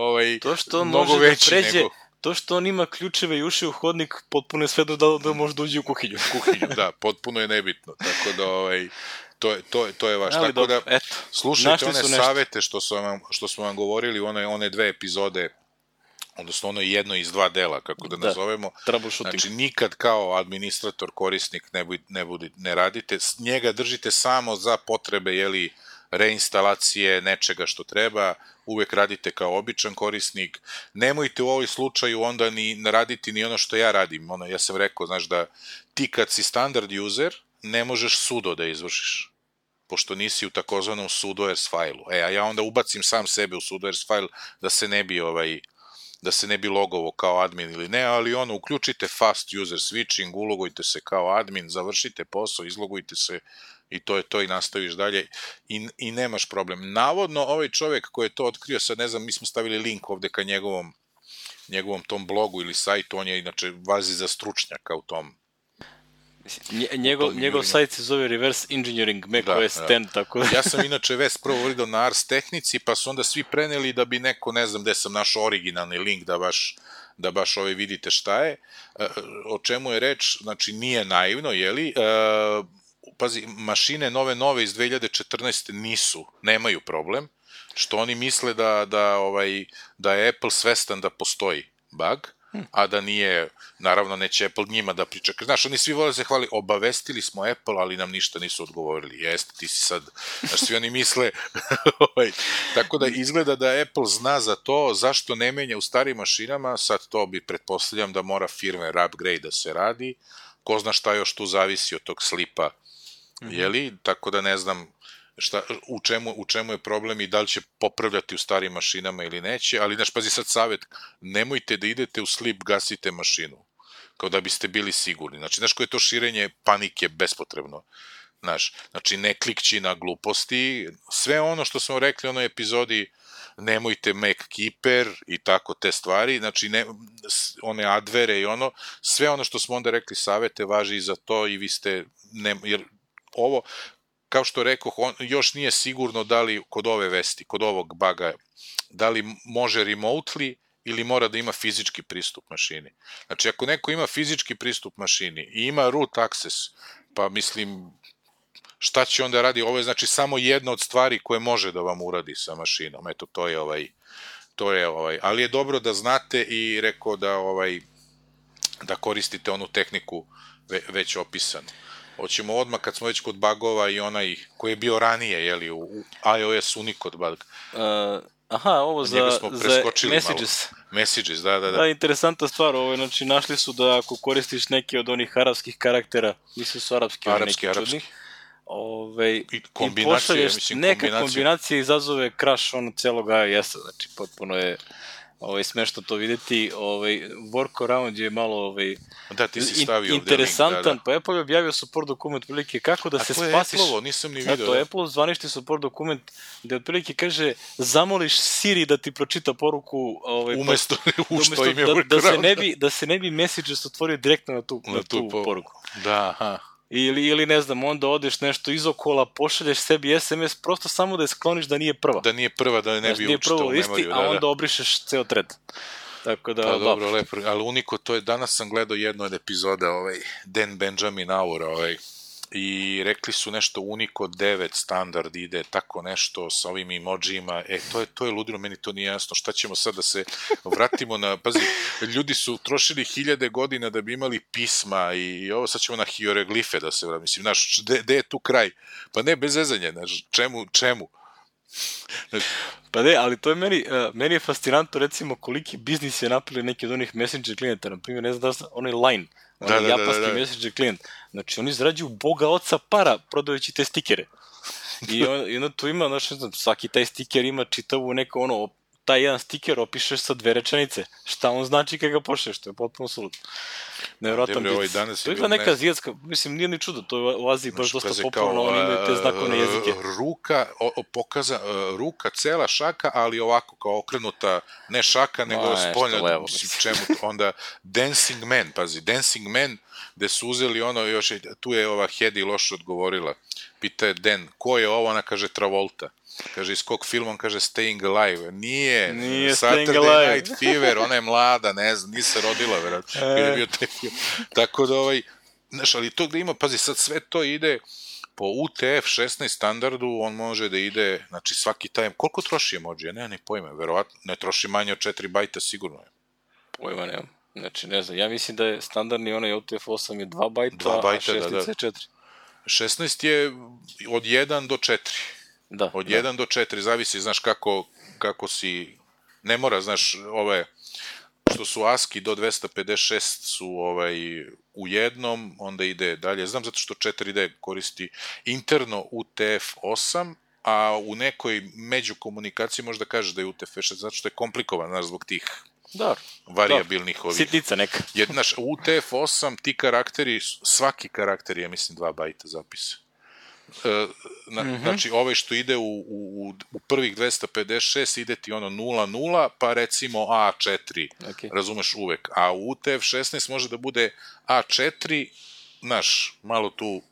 mnogo veći nego... To što on ima ključeve i uši u hodnik, potpuno je sve da može da uđe u kuhinju. Da, potpuno je nebitno, tako da to je vaš. Tako da, slušajte one savete što smo vam govorili, one 2 epizode, odnosno ono jedno iz 2 dela, kako da nazovemo. Znači, nikad kao administrator, korisnik ne radite, njega držite samo za potrebe, reinstalacije nečega što treba, uvek radite kao običan korisnik, nemojte u ovoj slučaju onda ni raditi ni ono što ja radim, ja sam rekao, znaš, da ti kad si standard user, ne možeš sudo da izvršiš, pošto nisi u takozvanom sudoers failu, a ja onda ubacim sam sebe u sudoers file da se ne bi logovo kao admin ili ne, ali uključite fast user switching, ulogujte se kao admin, završite posao, izlogujte se i to je to i nastaviš dalje i nemaš problem. Navodno, ovaj čovjek koji je to otkrio, sad ne znam, mi smo stavili link ovde ka njegovom tom blogu ili sajtu, on je inače vazi za stručnjaka u tom Njegov sajt se zove Reverse Engineering macOS 10, tako da... Ja sam inače vest prvo vidio na Ars Tehnici, pa su onda svi preneli da bi neko, ne znam gde sam našao originalni link da baš vidite šta je. O čemu je reč, znači nije naivno, jeli? Pazi, mašine nove iz 2014. nemaju problem, što oni misle da je Apple svestan da postoji bug, a da nije, naravno neće Apple njima da priča. Znaš, oni svi vole se hvali, obavestili smo Apple, ali nam ništa nisu odgovorili. Jeste, ti si sad, znaš, svi oni misle, tako da izgleda da Apple zna za to, zašto ne menja u starim mašinama, sad to bi pretpostavljam da mora firmware upgrade da se radi, ko zna šta još tu zavisi od tog slipa, jeli, tako da ne znam u čemu je problem i da li će popravljati u starim mašinama ili neće, ali znaš, pazi sad savjet, nemojte da idete u slip, gasite mašinu, kao da biste bili sigurni. Znači, znaš koje je to širenje panike bespotrebno. Znači, ne klikći na gluposti, sve ono što smo rekli u onoj epizodi, nemojte MacKeeper i tako te stvari, znači one advere i sve ono što smo onda rekli savjete važi i za to i vi ste, jer ovo, kao što rekoh, još nije sigurno da li kod ove vesti, kod ovog buga, da li može remotely ili mora da ima fizički pristup mašini. Znači, ako neko ima fizički pristup mašini i ima root access, pa mislim, šta će onda radi? Ovo je znači samo jedna od stvari koje može da vam uradi sa mašinom. Eto, to je ali je dobro da znate i rekao da koristite onu tehniku već opisanu. Hoćemo odmah, kad smo već kod bugova i onaj koji je bio ranije, jeli, u iOS Unicode bug. Ovo za Messages. Messages, da. Da, interesantna stvar, znači našli su da ako koristiš neke od onih arapskih karaktera, mislim su arapski. I pošalješ neka kombinacija izazove crash celog iOS-a, znači potpuno je smešno to videti, workaround je malo interesantan, pa Apple je objavio support dokument prilike kako da se spasiš. Nisam ni vidio. To je Apple zvanični support dokument gde otprilike kaže zamoliš Siri da ti pročita poruku umesto što im je workaround. Da se ne bi Messages otvorio direktno na tu poruku. Da, aha. Ili ne znam, onda odeš nešto izokola, pošalješ sebi SMS, prosto samo da je skloniš da nije prva. Da nije prva, da ne bi učitao u memoriju. A onda obrišeš ceo thread. Tako da, pa dobro, lepo. Ali uniko, to je, danas sam gledao jednu od epizoda, Dan Benjamin Hour, i rekli su nešto Unico 9 standard ide, tako nešto sa ovim emojima, to je ludilo, meni to nije jasno, šta ćemo sad da se vratimo na, pazi, ljudi su trošili 1000 godina da bi imali pisma i ovo sad ćemo na hieroglife da se vratimo, mislim, znaš, gde je tu kraj? Pa ne, bez zezanja, znaš, čemu? Pa ne, ali to je meni je fascinantno, recimo, koliki biznis je napravili neki od onih messenger klijenta, na primjer, ne znam da sam, onaj Line, japanski messenger klijent, znači oni zarađuju boga oca para prodajući te stikere. I onda tu ima, znaš, ne znam, svaki taj stiker ima čitavu neko taj jedan stiker opišeš sa 2 rečenice. Šta on znači kada ga pošleš, to je potpuno suludno. Nevjerojatan biznis. To je neka azijatska, mislim, nije ni čudo, to je u Aziji baš dosta popularno, oni imaju te znakovne jezike. Ruka, cela šaka, ali ovako kao okrenuta, ne šaka, nego spoljno, čemu, onda Dancing Man, pazi, Dancing Man, gde su uzeli još, tu je ova Hedi loše odgovorila, pita je Dan, ko je ovo, ona kaže Travolta. Kaže, iz kog filma, on kaže Staying Alive. Nije Saturday Night Fever, ona je mlada, ne znam, nije se rodila, vjerojatno. Tako da, znaš, ali to gde ima, pazi, sad sve to ide po UTF-16 standardu, on može da ide, znači svaki taj, koliko troši emoji? Ja nemam ni pojma, verovatno, ne troši manje od 4 bajta, sigurno je. Pojma nemam, znači ne znam, ja mislim da je standardni onaj UTF-8 je 2 bajta, a 16 je 4. 16 je od 1 do 4. Od 1 do 4, zavisi, znaš, kako si, ne mora, znaš, što su ASCII do 256 su u jednom, onda ide dalje, znam zato što 4D koristi interno UTF-8, a u nekoj međukomunikaciji možda kažeš da je UTF-6, zato što je komplikovan, znaš, zbog tih variabilnih ovih. Sitnica neka. Znaš, UTF-8, ti karakteri, svaki karakter je, mislim, 2 bajta zapisa. Znači, što ide u prvih 256 ide ti 0,0, pa recimo A4, razumeš uvek, a u UTF-16 može da bude A4 znaš, malo tu,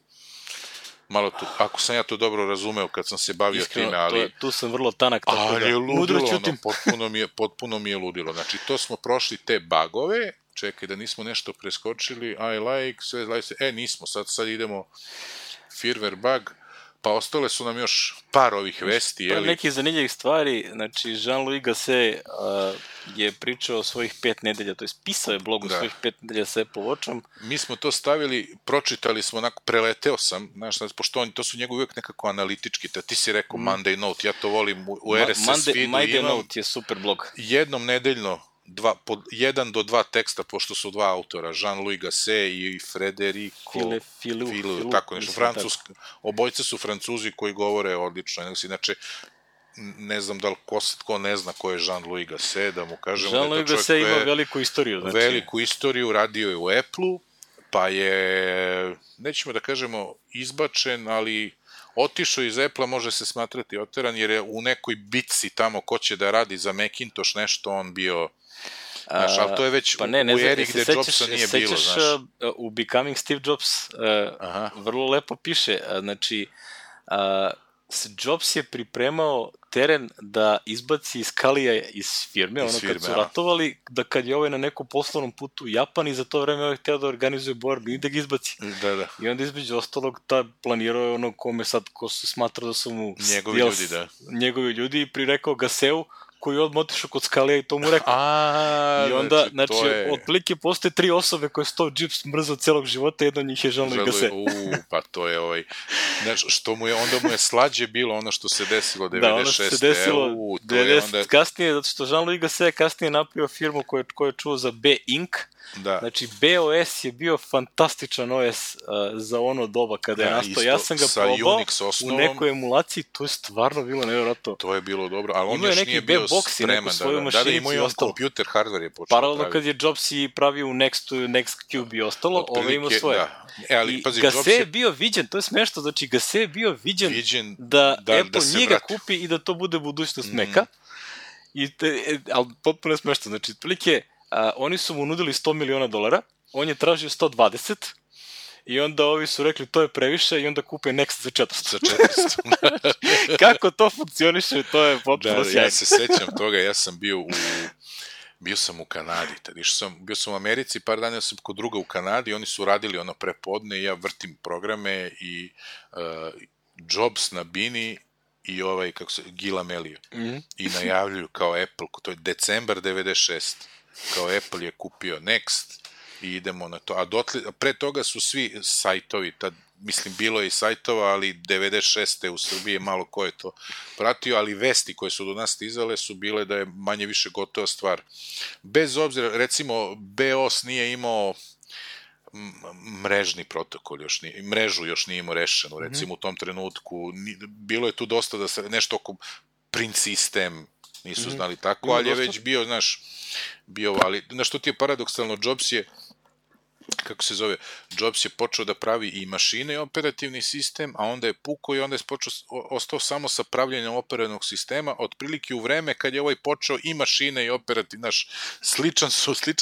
ako sam ja to dobro razumeo kad sam se bavio iskreno, time, ali... Tu sam vrlo tanak, tako ali je ludilo, potpuno mi je ludilo. Znači, to smo prošli te bagove, čekaj da nismo nešto preskočili, I like, sve like, nismo, sad idemo firmware bug, pa ostale su nam još par ovih vesti. To je neki zanimljivih stvari, znači Jean-Louis Gasset je pričao o svojih 5 nedelja, to je pisao je blog o svojih 5 nedelja sa Apple Watchom. Mi smo to stavili, pročitali smo, onako, preleteo sam, znaš, pošto to su njegovi uvijek nekako analitički, ti si rekao Monday Note, ja to volim u RSS feedu. Monday Note je super blog. Jednom nedeljno, 1 do 2 teksta, pošto su 2 autora, Jean-Louis Gasset i Federico Filou, tako nešto, obojice su Francuzi koji govore odlično, znači, ne znam da li ko ne zna ko je Jean-Louis Gasset, da mu kažemo Jean-Louis Gasset ima veliku istoriju. Znači, veliku istoriju, radio je u Apple-u, pa je, nećemo da kažemo izbačen, ali otišao iz Apple-a, može se smatrati oteran, jer je u nekoj bitci tamo ko će da radi za Macintosh nešto on bio... Znaš, ali to je već u eri gde Jobsa nije bilo, znaš. U Becoming Steve Jobs vrlo lepo piše, znači, Jobs je pripremao teren da izbaci Scullyja iz firme, kad su ratovali, da kad je ovaj na nekom poslovnom putu u Japan i za to vreme ovaj hteo da organizuje borbu i da ga izbaci. Da. I onda između ostalog planirao je ono kome sad, ko su smatrao da su mu njegovi ljudi i prirekao Gasseu, koji je odmah otišao kod Scullyja i to mu rekao. I onda, znači, otprilike postoje 3 osobe koje su to Jobs mrzao celog života, jedno od njih je Jean-Louis Gasset. Pa to je znači, onda mu je slađe bilo ono što se desilo 96. Da, ono što se desilo 90 kasnije, zato što Jean-Louis Gasset kasnije napravio firmu koju je čuo za B-Inc. Znači, BOS je bio fantastičan OS za ono doba kada je nastao. Ja sam ga probao u nekoj emulaciji, to je stvarno bilo nevjerojatno. To je bilo dobro, ali on još nije bio spreman. Da, imao je on kompjuter, hardware je počeo. Paralelno kad je Jobs i pravio u Nextcube i ostalo, ove imao svoje. I Gasset je bio viđen, to je smešno, znači Gasset je bio viđen da Apple njega kupi i da to bude budućnost Maca. Ali potpuno je smešno, znači, otprilike oni su mu nudili $100 miliona, on je tražio 120 i onda ovi su rekli to je previše i onda kupe Next za 400. Kako to funkcioniše, to je potpuno sjajno. Ja se sećam toga, ja sam bio sam u Kanadi, bio sam u Americi, par dana sam kod druga u Kanadi, oni su radili ono prepodne i ja vrtim programe i Jobs na bini i Gil Amelio i najavljuju kao Apple, to je decembar 96. kao Apple je kupio Next i idemo na to. A pre toga su svi sajtovi, mislim bilo je i sajtova, ali 96. u Srbiji malo ko je to pratio, ali vesti koje su do nas stizale su bile da je manje više gotova stvar. Bez obzira, recimo, BOS nije imao mrežni protokol, mrežu još nije imao rešenu, recimo u tom trenutku. Bilo je tu dosta da se nešto oko print sistem nisu znali tako, ali je već bio, ali što ti je paradoksalno, Jobs je počeo da pravi i mašine i operativni sistem, a onda je pukao i onda je ostao samo sa pravljenjem operativnog sistema, otprilike u vreme kad je ovaj počeo i mašine i operativni, sličan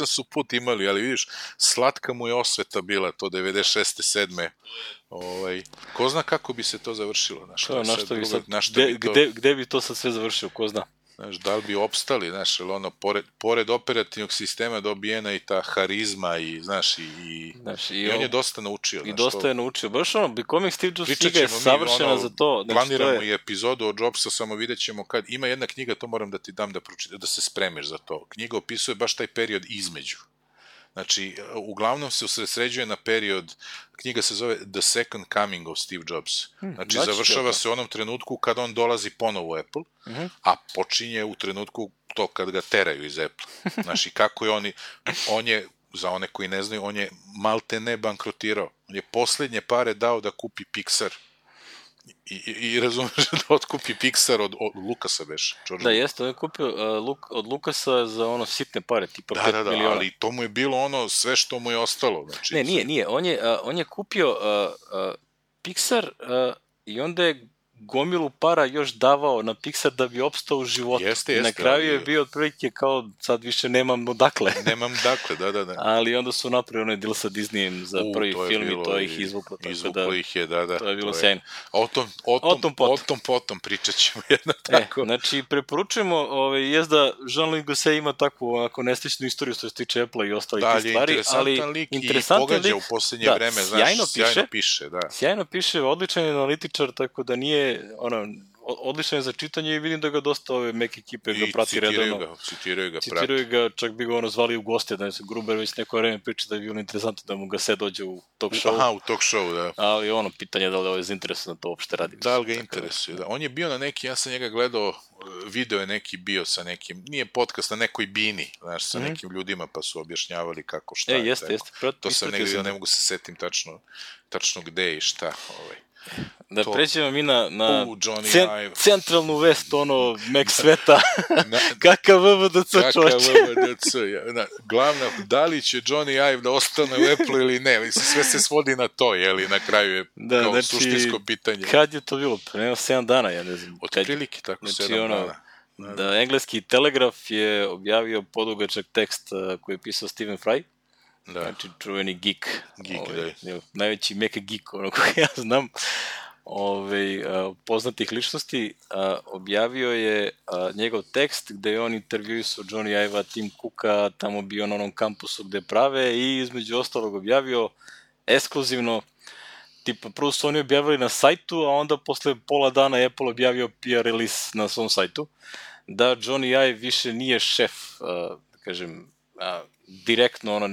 su put imali, ali vidiš, slatka mu je osveta bila to 96. 7. Ko zna kako bi se to završilo? Gde bi to sad sve završilo, ko zna? Da li bi opstali, pored operativnog sistema dobijena i ta harizma i on je dosta naučio. I dosta je naučio. Baš Becoming Steve Jobs knjiga je savršena za to. Planiramo i epizodu o Jobsa, samo vidjet ćemo kad. Ima jedna knjiga, to moram da ti dam da se spremiš za to. Knjiga opisuje baš taj period između. Znači, uglavnom se usredsređuje na period, knjiga se zove The Second Coming of Steve Jobs. Znači, završava se u onom trenutku kad on dolazi ponovo u Apple, a počinje u trenutku to kad ga teraju iz Apple. Znači, kako je on je, za one koji ne znaju, on je malte ne bankrotirao. On je poslednje pare dao da kupi Pixar. I razumeš da otkupi Pixar od Lucasa već. Da, jeste, on je kupio od Lucasa za sitne pare, tipa 5 miliona. Da, ali to mu je bilo sve što mu je ostalo. Ne, nije. On je kupio Pixar i onda je gomilu para još davao na Pixar da bi opstao u životu. Jeste, na kraju je bio otprilike kao sad više nemam dakle. Nemam dakle, da. Ali onda su napravili onaj deal sa Disneyem za prvi film i to ih izvuklo. Izvuklo ih je, da. To je bilo sjajno. O tom potom pričat ćemo jedno tako. Znači, preporučujemo, jest da Jean-Luc Gosset ima takvu onako nesličnu istoriju što se tiče Apple i ostalih stvari, ali interesantan lik i pogađa u posljednje vreme, sjajno piše. Sjajno piše, odličan je analitičar, tako da nije, odličan je za čitanje i vidim da ga dosta ove Mac ekipe ga prati redovno. Citiraju ga, čak bi ga zvali u goste, da se Gruber već neko vreme priča da je bilo interesantno da mu Gosset dođe u talk show. Aha, u talk show, da. Ali pitanje je da li je zainteresovan da to uopšte radi. Da li ga interesuje, da. On je bio na neki, ja sam njega gledao, video je neki bio sa nekim, nije podcast, na nekoj bini, znaš, sa nekim ljudima, pa su objašnjavali kako, šta je. Jeste. To sam negdje vidio, ne mogu se setim tačno gde i šta. Da pređemo mi na centralnu vest, Mac sveta. Kakav VVDC čoče. Glavna, da li će Johnny Ive da ostane u Apple ili ne, sve se svodi na to, jeli, na kraju je kao suštinsko pitanje. Kad je to bilo? Prema 7 dana, ja ne znam. Otprilike tako 7 dana. Da, engleski Telegraf je objavio podugačak tekst koji je pisao Stephen Fry. Znači, čuveni geek, najveći Mac geek, koga ja znam, poznatih ličnosti, objavio je njegov tekst gde je on intervjuisao Johnny Ive-a, Tim Cooka, tamo bio na onom kampusu gde prave i između ostalog objavio ekskluzivno, tipa prvo su oni objavili na sajtu, a onda posle pola dana Apple objavio PR release na svom sajtu, da Johnny Ive više nije šef, da kažem, direktno,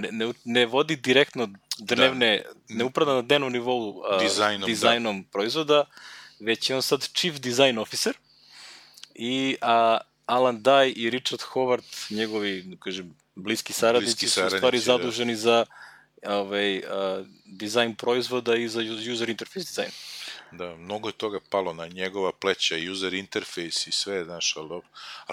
ne vodi direktno dnevne, ne upravlja na dnevnom nivou dizajnom proizvoda, već je on sad Chief Design Officer i Alan Dye i Richard Howard, njegovi, kažem, bliski saradnici su u stvari zaduženi za dizajn proizvoda i za user interface dizajn. Da, mnogo je toga palo na njegova pleća, user interface i sve, znaš, ali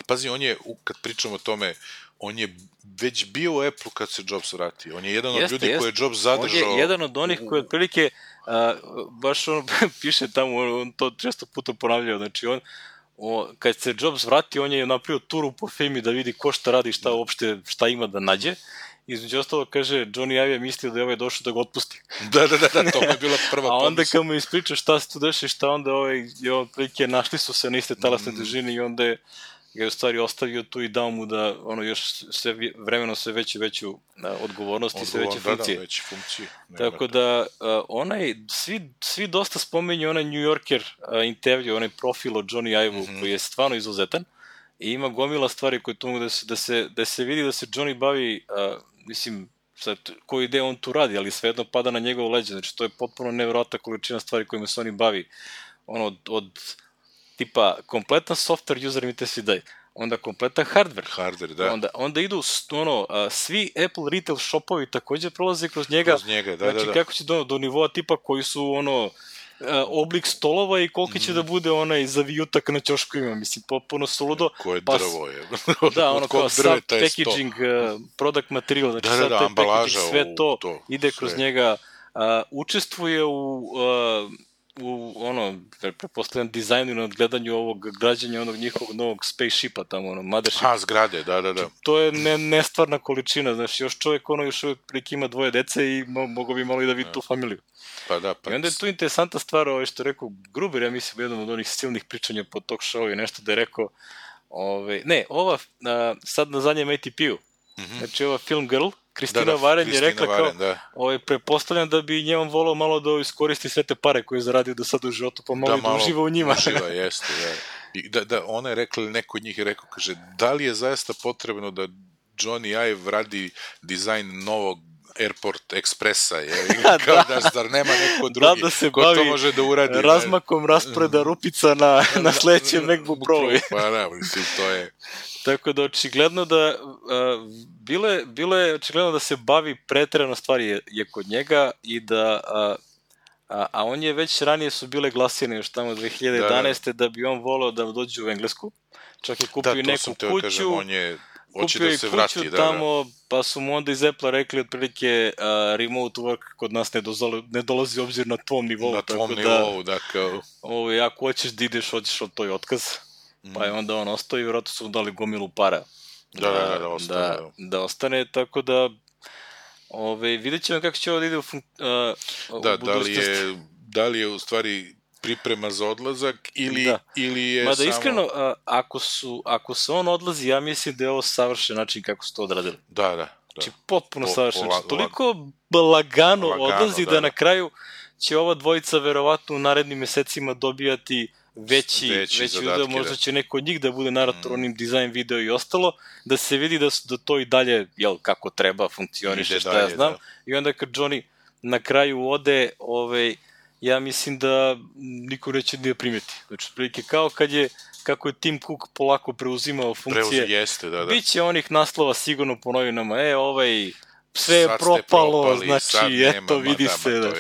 pazi, on je, kad pričamo o tome, on je već bio u Apple kad se Jobs vratio. On je jedan od ljudi koji je Jobs zadržao. On je jedan od onih koji otprilike, baš piše tamo, on to često puta ponavljao, znači kad se Jobs vratio, on je napravio turu po firmi da vidi ko šta radi, šta ima da nađe. Između ostalo, kaže, Johnny Ive je mislio da je ovaj došao da ga otpusti. Da, to je bila prva pomisla. A onda kad mu ispriča šta se tu deša i šta, onda otprilike našli su se na iste talasne težine i onda je ga u stvari ostavio tu i dao mu da još vremeno sve veću odgovornost i sve veće funkcije. Tako da svi dosta spomenju onaj New Yorker intervju, onaj profil o Johnny Ive-u koji je stvarno izuzetan i ima gomila stvari koje tu mogu da se vidi da se Johnny bavi, mislim, koju ide on tu radi, ali svejedno pada na njegovo leđe, znači to je potpuno nevjerojatna količina stvari kojima se oni bavi, od tipa kompletan software user interface daje, onda kompletan hardware, da. Onda idu svi Apple retail shopovi također prolaze kroz njega, znači kako će do nivoa tipa koji su oblik stolova i koliko će da bude onaj zavijutak na ćoškovima, mislim, potpuno suludo. Koje drvo je. Da, kao sad packaging, product material, znači sad taj packaging, sve to ide kroz njega, učestvuje u prepostavljam dizajnu i nadgledanju ovog građanja onog njihovog novog spaceshipa tamo, mothership. Zgrade, da. To je nestvarna količina, znači još čovjek još uvijek prilike ima 2 dece i mogo bi malo i da vidi tu familiju. I onda je tu interesantna stvar, što je rekao Gruber, ja mislim, jedan od onih silnih pričanja po talk show i nešto da je rekao, sad na zadnjem ATP-u, znači ova Film Girl, Kristina Varen je rekla kao, prepostavljam da bi njemu volao malo da iskoristi sve te pare koje je zaradio do sada u životu, pa malo da uživa u njima. Uživa, jeste, da. Ona je rekla, ili neko od njih je rekao, kaže, da li je zaista potrebno da Johnny Ive radi dizajn novog Airport Expressa, kao zar nema neko drugi ko to može da uradi. Da se bavi razmakom rasporeda rupica na sledećem MacBook Pro. Pa da, mislim, to je... Tako da očigledno da bilo je očigledno da se bavi preterano stvari je kod njega i da a on je već ranije su bile glasine još tamo 2011. da bi on voleo da dođe u Englesku, čak je kupio neku kuću, kupio i kuću tamo, pa su mu onda iz Apple-a rekli otprilike remote work kod nas ne dolazi obzir na tvom nivou. Na tvom nivou, da kao... Ako hoćeš da ideš, hoćeš od toj otkaz. Pa je onda on ostao i vjerojatno su mu dali gomilu para. Da ostane, tako da vidjet ćemo kako će ovo da ide u budućnosti. Da li je u stvari priprema za odlazak ili je samo... Mada iskreno, ako se on odlazi, ja mislim da je ovo savršen način kako su to odradili. Da. Znači, potpuno savršen. Toliko lagano odlazi da na kraju će ova dvojica verovatno u narednim mesecima dobijati veći video, možda će neko od njih da bude narator onim dizajn video i ostalo, da se vidi da to i dalje, kako treba, funkcioniše, šta ja znam. I onda kad Johnny na kraju ode, ja mislim da niko neće da primeti. Znači, prilike kao kako je Tim Cook polako preuzimao funkcije, bit će onih naslova sigurno po novinama, sve je propalo, znači, eto, vidi se.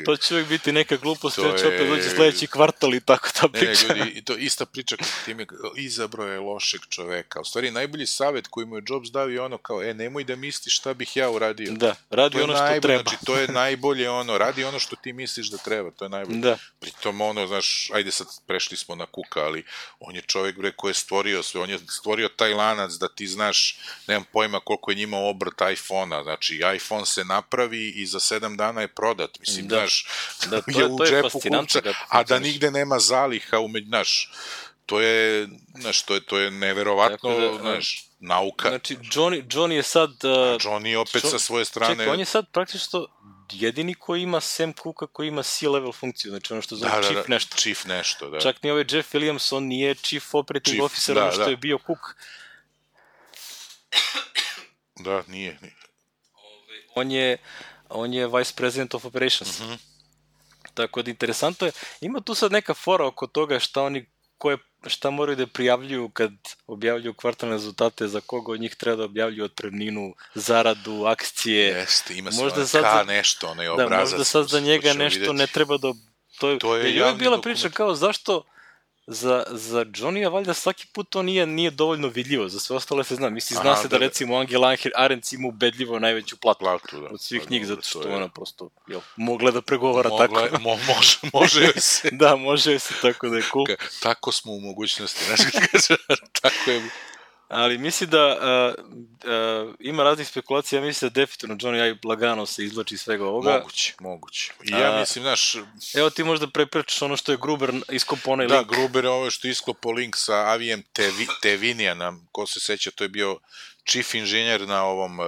To će uvijek biti neka glupost, jer će opet doći sledeći kvartal i tako ta priča. I to ista priča kod time, izabrao je lošeg čoveka. U stvari, najbolji savjet koji mu je Jobs dao je ono kao, nemoj da misliš šta bih ja uradio. Da, radi ono što treba. Znači, to je najbolje radi ono što ti misliš da treba, to je najbolje. Pritom znaš, ajde sad prešli smo na Cooka, ali on je čovek koji je stvorio sve, on je stvorio taj lanac da ti znaš, nemam pojma koliko je njima obrt iPhone-a, znači iPhone se napravi i za 7 dana je prodat, mislim, znaš, je u džepu kupca, a da nigde nema zaliha, znaš, to je neverovatno, znaš, nauka. Znači, Johnny je sad... Johnny opet sa svoje strane... Čekaj, on je sad praktično jedini koji ima Sam Cooka, koji ima C-level funkciju, znači ono što zove Chief nešto. Chief nešto, da. Čak ni ovaj Jeff Williams, on nije Chief Operating Officer, ono što je bio Cook. Da, nije. On je Vice President of Operations. Tako da interesantno je. Ima tu sad neka fora oko toga šta moraju da prijavljuju kad objavljuju kvartalne rezultate, za koga od njih treba da objavljuju otpremninu, zaradu, akcije. Jeste, ima svoj nešto, onaj obrazac. Da, možda sad za njega nešto ne treba da... To je bila priča kao zašto za Johnny-a valjda svaki put to nije dovoljno vidljivo, za sve ostale se zna. Mislim, zna se da recimo Angela Arendt ima ubedljivo najveću platu od svih njih, zato što ona prosto mogla da pregovara tako. Može joj se. Da, može joj se, tako da je cool. Tako smo u mogućnosti, tako je. Ali mislim da ima raznih spekulacija, ja mislim da definitivno Johnny lagano se izvlači iz svega ovoga. Moguće. I ja mislim, znaš... Evo ti možda prepričaš ono što je Gruber iskopao onaj link. Da, Gruber je ovo što je iskopao link sa Avijem Tevinija, ko se seća, to je bio chief inženjer na ovom...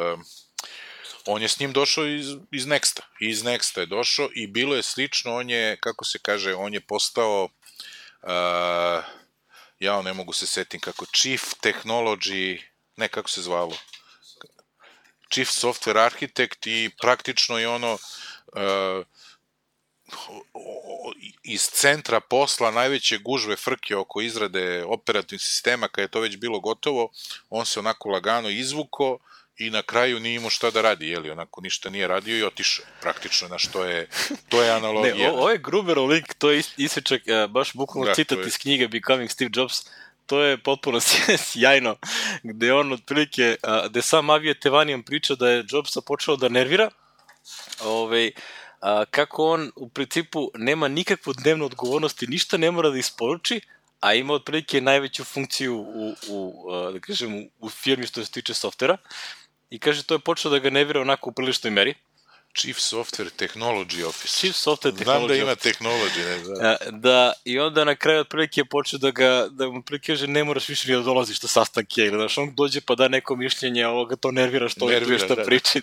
On je s njim došao iz Nexta. Iz Nexta je došao i bilo je slično, on je, kako se kaže, on je postao... Ja ne mogu se setim kako, Chief Technology, ne kako se zvalo, Chief Software Architect i praktično je iz centra posla najveće gužve frke oko izrade operativnih sistema, kad je to već bilo gotovo, on se onako lagano izvuko i na kraju nije imao šta da radi, onako ništa nije radio i otišao, praktično, znaš, to je analogija. Ne, ovo je Gruberov link, to je isečak, baš bukvalno citat iz knjige Becoming Steve Jobs, to je potpuno sjajno, gde on otprilike, gde sam Avije Tevanijan priča da je Jobsa počeo da nervira, kako on u principu nema nikakvu dnevnu odgovornost i ništa ne mora da isporuči, a ima otprilike najveću funkciju u firmi što se tiče softvera. I kaže, to je počeo da ga nervira onako u priličnoj meri. Chief Software Technology Office. Chief Software Technology Znam da ima technology, ne znam. I onda na kraju otprilike je počeo da mu otprilike kaže, ne moraš više ni da dolaziš na sastanke, ili znaš, on dođe pa da neko mišljenje, ovoga to nervira što je tu ništa priči.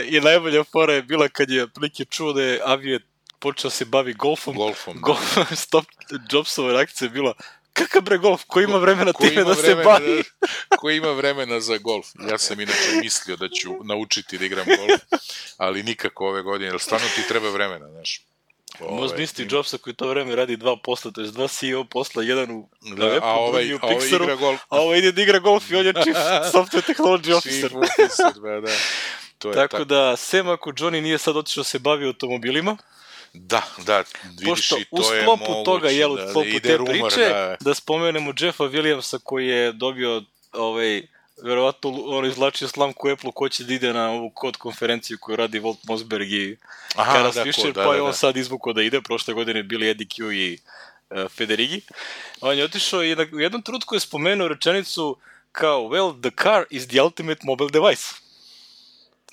I najbolja fora je bila kad je otprilike čuo da je Avije počeo se bavi golfom. Stop Jobsova reakcija je bila, kakav bre golf, ko ima vremena time da se bavi? Ko ima vremena za golf? Ja sam inače mislio da ću naučiti da igram golf, ali nikako ove godine, jer stvarno ti treba vremena, znaš. Možda isti Jobsa koji to vreme radi 2 posla, to je 2 CEO posla, jedan u Apple, drugi u Pixaru, a ovo ide da igra golf i on je Chief Software Technology Officer. Tako da, sem ako Johnny nije sad otišao se bavi automobilima, da, vidiš i to je moguće. U sklopu toga, u sklopu te priče, da spomenemo Jeffa Williamsa koji je dobio verovatno on izvlačio slamku Apple ko će da ide na ovu kod konferenciju koju radi Walt Mossberg i Karas Fisher, pa je on sad izvukao da ide, prošle godine bili Eddie Q i Federighi. On je otišao i u jednom trenutku je spomenuo rečenicu kao, well, the car is the ultimate mobile device.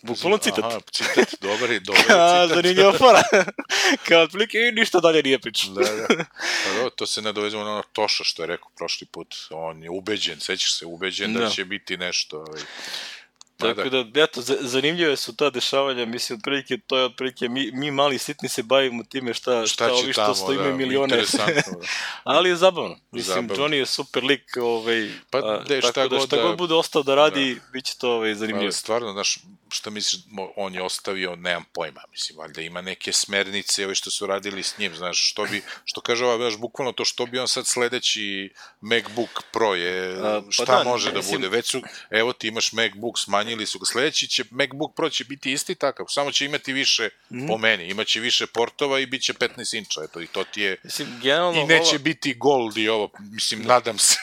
Bukvalno citat. Aha, citat, dobar je citat. Zanimljiva fora. Kao otprilike i ništa dalje nije pričao. Da. Pa to se nadovezamo na ono Toša što je rekao prošli put. On je ubeđen, sećaš se, ubeđen da će biti nešto. Tako da, eto, zanimljive su ta dešavanja, mislim, otprilike, to je otprilike, mi mali sitni se bavimo time šta ovi što sto imaju milione. Ali je zabavno. Mislim, Johnny je super lik, tako da šta god bude ostao da radi, bit će to zanimljivo. Ali stvarno, znaš, šta misliš, on je ostavio, nemam pojma, mislim, valjda ima neke smernice, što su radili s njim, znaš, što kaže znaš, bukvalno to što bi on sad sledeći MacBook Pro je, šta može da bude, već su, evo ti imaš MacBook, smanjili su ga, sledeći će, MacBook Pro će biti isti takav, samo će imati više, po meni, imaće više portova i bit će 15 inča, eto, i to ti je, i neće biti Gold i ovo, mislim, nadam se,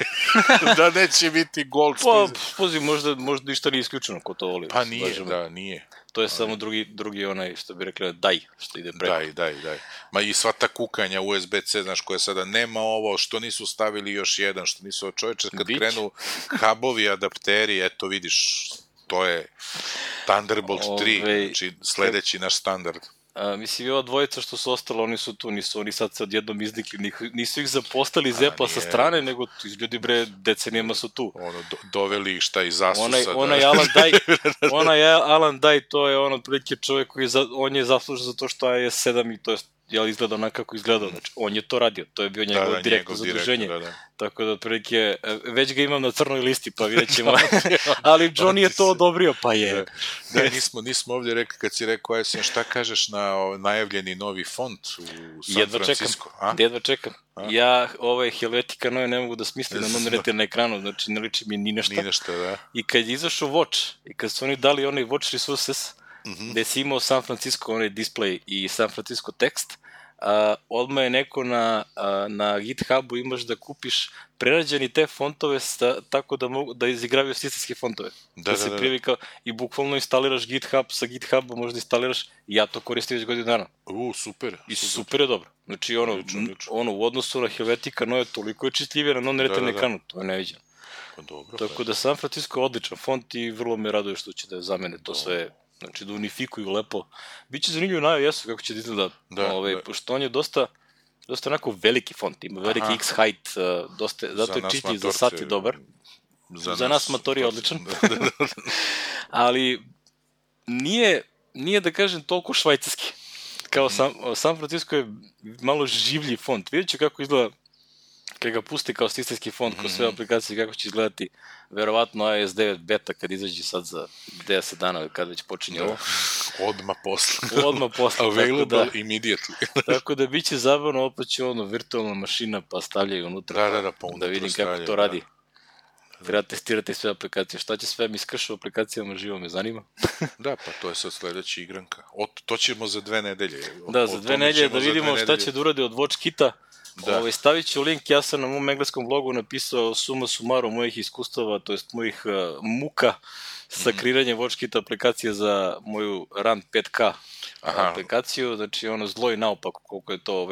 da neće biti Gold. Pa, poziv, možda ništa nije isključeno ko to voli. Pa nije, da, nije. To je samo drugi onaj, što bi rekli, daj, što ide preko. Daj. Ma i sva ta kukanja USB-C, znaš, koja sada nema ovo, što nisu stavili još jedan, što nisu, čoveče, kad krenu hubovi, adapteri, eto vidiš, to je Thunderbolt 3, znači sledeći naš standard. Mislim, i ova dvojica što su ostalo, oni su tu, nisu oni sad se odjednom iznikli, nisu ih zapostali iz Apple sa strane, nego ljudi bre decenijama su tu. Doveli ih šta iz Asusa. Onaj Alan Dye, to je on otprilike čovjek koji on je zaslužen za to što je 7 i to je izgleda onako kako izgledao, znači on je to radio, to je bio njegovo direktno zaduženje, tako da otprilike, već ga imam na crnoj listi, pa vidjet ćemo, ali Johnny je to odobrio, pa je. Da, nismo ovdje rekli, kad si rekao, šta kažeš na najavljeni novi font u San Francisco? Jedva čekam. Ja Helvetica Neue ne mogu da smislim na non-retina na ekranu, znači ne liči mi ni nešto. I kad je izašao Watch, i kad su oni dali onaj Watch Resources, gde si imao San Francisco, onaj display i San Francisco tekst, odmah je neko na GitHubu imaš da kupiš prerađeni te fontove tako da izigravaju sistemske fontove. Da se privikao i bukvalno instaliraš GitHub, sa GitHubom možda instaliraš i ja to koristim već godinu dana. Super. I super je dobro. Znači u odnosu na Helvetica Neue toliko je čitljivije na non-retina ekranu, to je neviđeno. Tako da San Francisco je odličan font i vrlo me raduje što će da zamene to sve. Znači da unifikuju lepo. Biće zanimljivo jesu kako će da izgleda, pošto on je dosta onako veliki font, ima veliki X-height, zato je čitljiv, za sat je dobar. Za nas motor je odličan. Ali nije da kažem toliko švajcarski. Kao San Francisco je malo življi font. Vidjet ću kako izgleda kad ga pusti kao sistemski font, kao sve aplikacije, kako će izgledati, verovatno iOS 9 beta kad izađe sad za 10 dana, kad već počinje ovo. Odmah posle. Available immediately. Tako da bit će zabavno, opet će virtualna mašina, pa stavljaju unutra, da vidim kako to radi. Treba testirati sve aplikacije. Šta će sve mi skršu aplikacijama, živo me zanima. Da, pa to je sad sledeća igranka. To ćemo za 2 nedelje. Da, za 2 nedelje da vidimo šta će da uradi od WatchKita. Stavit ću link, ja sam na mom engleskom blogu napisao suma sumaru mojih iskustava, to jest mojih muka sa kreiranjem WatchKita aplikacije za moju Run 5K aplikaciju, znači zlo i naopako koliko je to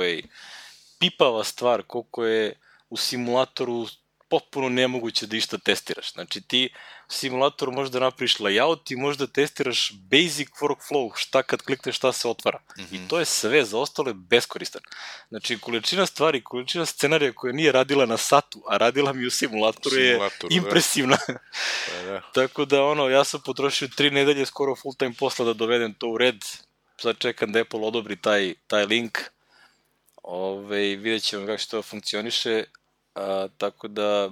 pipava stvar, koliko je u simulatoru potpuno nemoguće da išta testiraš. Znači ti u simulatoru možda napraviš layout i možda testiraš basic workflow, šta kad klikneš šta se otvara. I to je sve, za ostalo je beskoristan. Znači količina stvari, količina scenarija koja nije radila na satu, a radila mi u simulatoru je impresivna. Tako da ja sam potrošio 3 nedelje skoro full time posla da dovedem to u red. Sad čekam da Apple odobri taj link. Vidjet ćemo kako će to funkcioniše. Tako da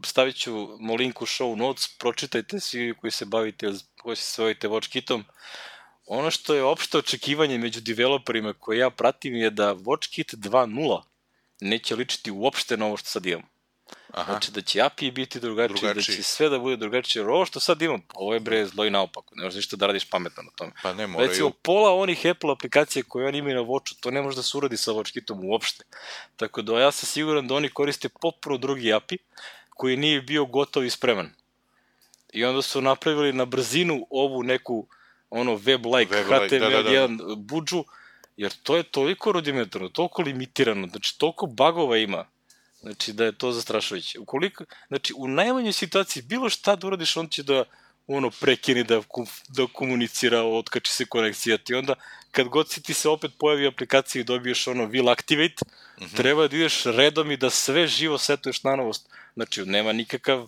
stavit ću link u show notes, pročitajte svi koji se bavite, koji se bavite WatchKitom. Ono što je opšte očekivanje među developerima koje ja pratim je da WatchKit 2.0 neće ličiti uopšte na ovo što sad imamo. Znači da će API biti drugačiji, da će sve da bude drugačije. Ovo što sad imam, ovo je bre zlo i naopako, ne možeš ništa da radiš pametno na tome. Pa ne moraju. Recimo, pola onih Apple aplikacija koje oni imaju na Watchu, to ne može da se uradi sa WatchKitom uopšte. Tako da ja sam siguran da oni koriste potpuno drugi API koji nije bio gotov i spreman. I onda su napravili na brzinu ovu neku web-like HTML1 budžu, jer to je toliko rudimentarno, toliko limitirano, znači toliko bagova ima, znači da je to zastrašujuće. Znači u najmanjoj situaciji bilo šta da uradiš, on će da prekini da komunicira, otkači se konekcija ti, onda kad god ti se opet pojavi aplikacija i dobiješ will activate, treba da ideš redom i da sve živo setuješ na novost. Znači nema nikakav,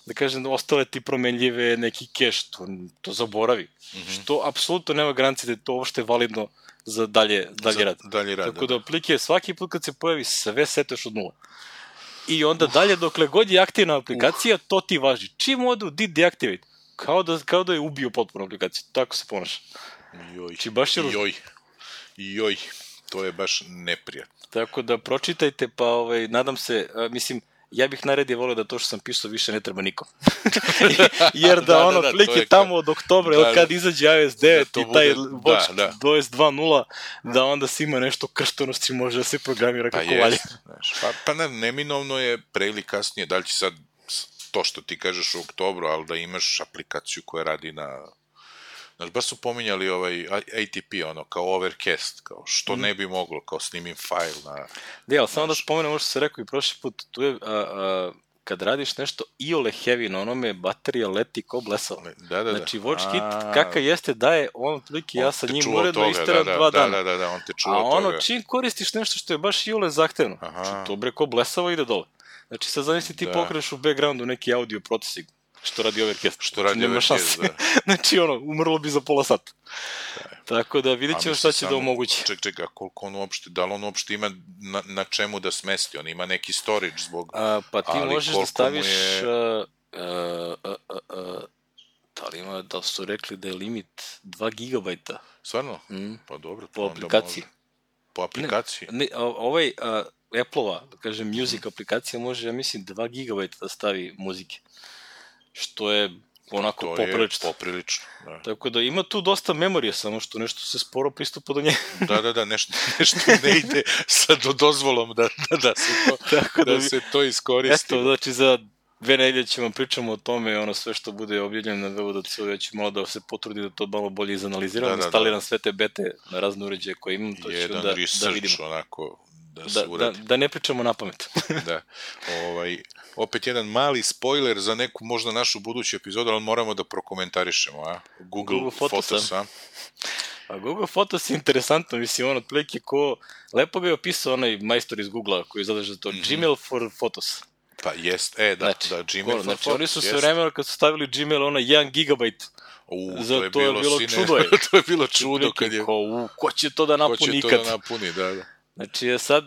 da kažem, ostale ti promenljive neki keš, to zaboravi. Što apsolutno nema garancije da je to uopšte validno za dalje rad. Tako da aplike, svaki put kad se pojavi, sve setuješ od nula. I onda dalje, dokle god je aktivna aplikacija, to ti važi. Čim odu did deactivate, kao da je ubio potpuno aplikaciju. Tako se ponaša. Joj, to je baš neprijatno. Tako da pročitajte, pa nadam se, mislim, ja bih najradije volio da to što sam pisao više ne treba nikom. Jer da plike tamo od oktobra, kad izađe iOS 9 i taj Watch 2.0, da onda si ima nešto krštonosti, može da se programira kako valje. Pa neminovno je pre ili kasnije, da li će sad to što ti kažeš u oktobru, ali da imaš aplikaciju koja radi na... Znaš, baš su pominjali ATP, kao Overcast, kao što ne bi moglo, kao snimim fajl na... Ali samo da spomenem ovo što se rekao i prošli put, tu je, kad radiš nešto iole heavy, na onome baterija leti ko blesao. Znači, Watch Kit, kakav jeste, daje, otprilike ja sa njim uredno isteram 2 dana. Da, on te čuva od toga. A čim koristiš nešto što je baš iole zahtevno, znači, to bre ko blesavo ide dole. Znači, sad zamisli ti pokreneš u backgroundu neki audio procesing, što radi Overcast. Da. Znači, umrlo bi za pola sata. Tako da vidjet ćemo šta će da omogući. Čekaj, koliko on uopšte, da li on uopšte ima na čemu da smesti? On ima neki storage zbog... Pa ti možeš da staviš... Da su rekli da je limit 2 gigabajta. Stvarno? Pa dobro. Po aplikaciji. Po aplikaciji? Apple-ova, da kažem, music aplikacija može, ja mislim, 2 gigabajta da stavi muzike. Što je onako poprilično. Tako da ima tu dosta memorije, samo što nešto se sporo pristupa do nje. Da, nešto ne ide sa dozvolom da se to iskoristi. Eto, znači za 2 nedelje ćemo pričamo o tome, sve što bude objavljeno na www.dc, ja ću malo da se potrudi da to malo bolje izanaliziram, instaliram sve te bete na razne uređaje koje imam, to ću da vidimo. Onako, da se uradi. Da ne pričamo na pamet. Da. Opet jedan mali spoiler za neku možda našu buduću epizodu, ali moramo da prokomentarišemo, Google Photos, A Google Photos je interesantno, mislim, otprilike lepo ga je opisao onaj majstor iz Google-a koji zadaže za to, Gmail for Photos. Pa jest, Gmail for Photos. Znači, oni su sve vremena kad su stavili Gmail, 1 gigabajt, to je bilo čudo. To je bilo čudo kad je... Ko će to da napuni ikad? Da.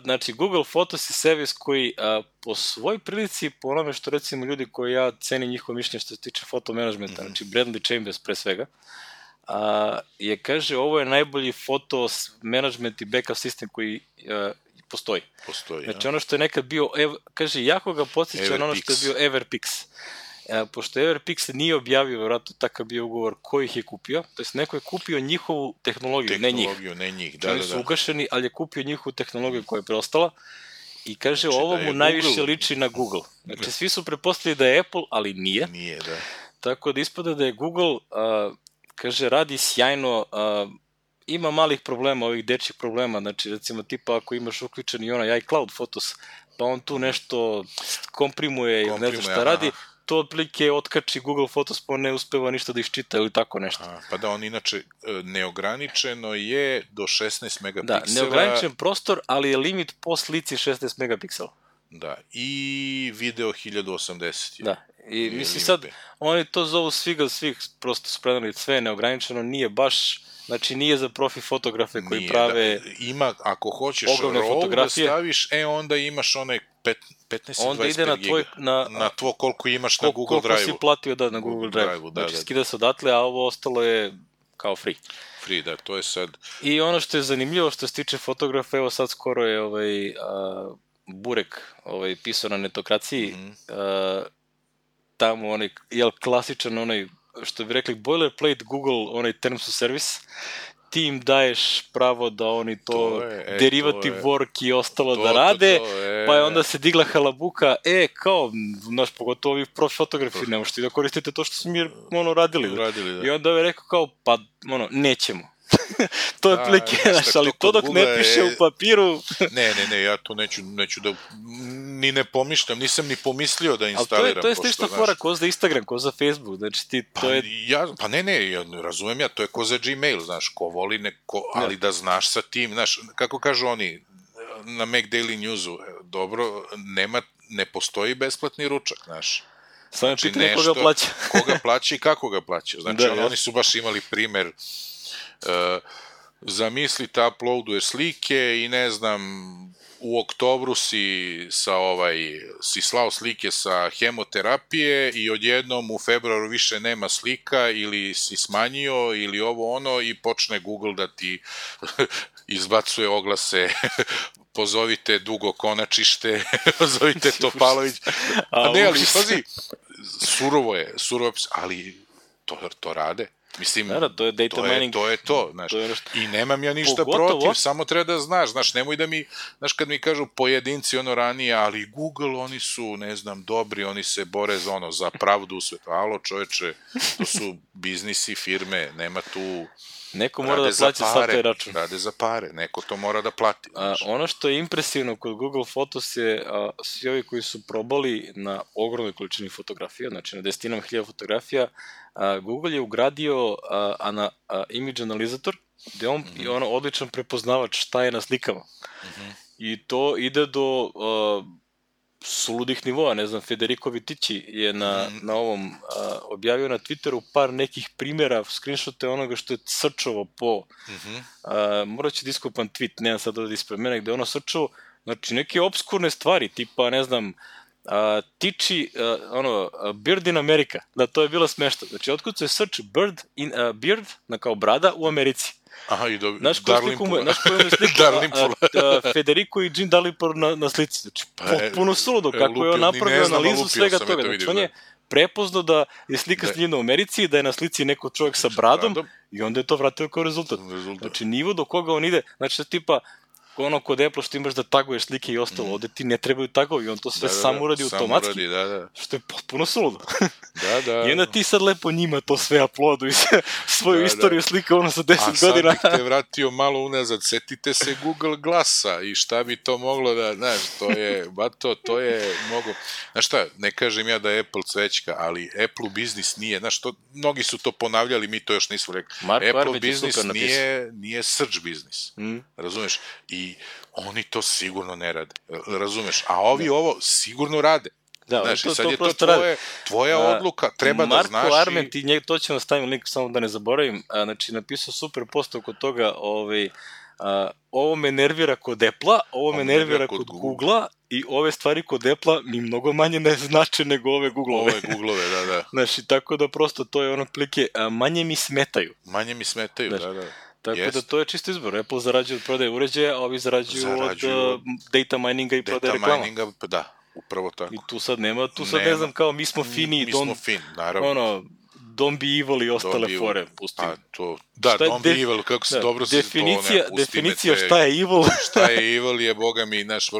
Znači, Google Photos je servis koji po svoj prilici, po onome što recimo ljudi koji ja cenim njihovo mišljenje što se tiče fotomenadžmenta, znači Bradley Chambers pre svega, kaže ovo je najbolji foto management i backup sistem koji postoji. Znači ono što je nekad bio, kaže, jako ga podsjeća na ono što je bio Everpix. Pošto Everpix nije objavio, vjerojatno takav bio ugovor ko ih je kupio, to jest neko je kupio njihovu tehnologiju, ne njih. Oni su ugašeni, ali je kupio njihovu tehnologiju koja je preostala i kaže ovo mu najviše liči na Google. Znači svi su prepostavili da je Apple, ali nije. Nije, da. Tako da ispada da je Google, kaže, radi sjajno, ima malih problema, ovih dečjih problema, znači recimo tipa ako imaš uključen i onaj iCloud Photos, pa on tu nešto komprimuje ili ne znam šta radi, to otprilike otkači Google Photos pa ne uspeva ništa da iščita ili tako nešto. Pa da, on inače neograničeno je do 16 megapiksela. Da, neograničen prostor, ali je limit po slici 16 megapiksela. Da, i video 1080. Da, i mislim sad, oni to zovu svih prosto spredali sve neograničeno, nije baš, znači nije za profi fotografe koji prave ima, ako hoćeš RAW da staviš, onda imaš onaj 15-25 giga. Na tvo koliko imaš na Google Drive-u. Koliko si platio na Google Drive-u. Znači skida se odatle, a ovo ostalo je kao free. Free, da, to je sad. I ono što je zanimljivo što se tiče fotografa, evo sad skoro je Burek pisao na Netokraciji, tamo klasičan što bi rekli boilerplate Google, terms of service, ti im daješ pravo da oni to derivative work i ostalo da rade, pa je onda se digla halabuka, kao, znaš, pogotovo ovi profi fotografi, ne možete da koristite to što smo mi radili. I onda je rekao kao, pa, nećemo. To je plike, ali to dok ne piše u papiru... Ne, ja to neću da... Ni ne pomišljam, nisam ni pomislio da instaliram. Ali to je slična fora ko za Instagram, ko za Facebook, znači ti to je... Pa ne, razumem ja, to je ko za Gmail, znaš, ko voli neko, ali da znaš sa tim, znaš, kako kažu oni na Mac Daily Newsu, dobro, ne postoji besplatni ručak, znaš. Samo pitanje koga plaća. Koga plaća i kako ga plaća, znači oni su baš imali primer... zamislite, uploaduješ slike i ne znam, u oktobru si slao slike sa hemoterapije i odjednom u februaru više nema slika ili si smanjio ili ovo ono i počne Google da ti izbacuje oglase pozovite Dugo Konačište, pozovite Topalović. Ne, ali pazi, surovo je, ali to rade. Mislim, to je data mining. To je to, znaš. I nemam ja ništa protiv, samo treba da znaš, nemoj da mi, znaš, kad mi kažu pojedinci ranije, ali Google, oni su, ne znam, dobri, oni se bore za pravdu u svetu. Alo, čoveče, to su biznisi, firme, nema tu... Neko mora da plaća sad taj račun. Rade za pare, neko to mora da plati. Ono što je impresivno kod Google Photos je svi ovi koji su probali na ogromnoj količini fotografija, znači na desetinama hiljada fotografija, Google je ugradio image analizator, gde on je odličan prepoznavač šta je na slikama. I to ide do suludih nivoa, ne znam, Federico Vitici je na ovom objavio na Twitteru par nekih primjera, screenshote onoga što je srčovo po, morat ću da iskopam tweet, nemam sad ovdje ispred mene, gde ono srčovo, znači neke obskurne stvari, tipa, ne znam, tiči, Bird in America, da, to je bilo smešno, znači otkucuje search Bird, kao brada u Americi. Aha, i dobro. Znaš koju je sliku Federico i Jean Dalrymple na slici. Znači, potpuno suludo, kako je on napravio analizu svega toga. Znači, on je prepoznao da je slika snimljena u Americi, da je na slici neko čovjek sa bradom i onda je to vratio kao rezultat. Znači, nivo do koga on ide, znači, tipa, ono kod Apple što imaš da taguješ slike i ostalo, ovde ti ne trebaju tagovi, on to sve sam uradi automatski, što je potpuno suludo. I onda ti sad lepo njima to sve uploaduj, svoju istoriju slika ono sa 10 godina. A sad bih te vratio malo unazad, setite se Google Glassa i šta bi to moglo da, znaš, to je mogo, znaš šta, ne kažem ja da je Apple cvećka, ali Apple biznis nije, znaš, mnogi su to ponavljali, mi to još nismo rekli, Apple biznis nije search biznis, razumeš, i oni to sigurno ne rade, razumeš, a ovi ovo sigurno rade. Znaš, i sad je to tvoja odluka, treba da znaš i... Marko Arment, i to ćemo staviti link, samo da ne zaboravim, znači napisao super post oko toga, ovo me nervira kod Apple-a, ovo me nervira kod Google-a i ove stvari kod Apple-a mi mnogo manje ne znače nego ove Google-ove. Ove Google-ove, da. Znači, tako da prosto to je ono plike, manje mi smetaju. Manje mi smetaju, da. Tako da to je čisto izbor. Apple zarađuje od prodaje uređaja, a ovi zarađuju od data mininga i prodaje reklama. Data mininga, da, upravo tako. I tu sad nema, ne znam kao mi smo fini, naravno. Don't be evil i ostale fore, pustim. Da, don't be evil, kako se dobro se to ne pustime. Definicija šta je evil. Šta je evil je, boga mi, naš,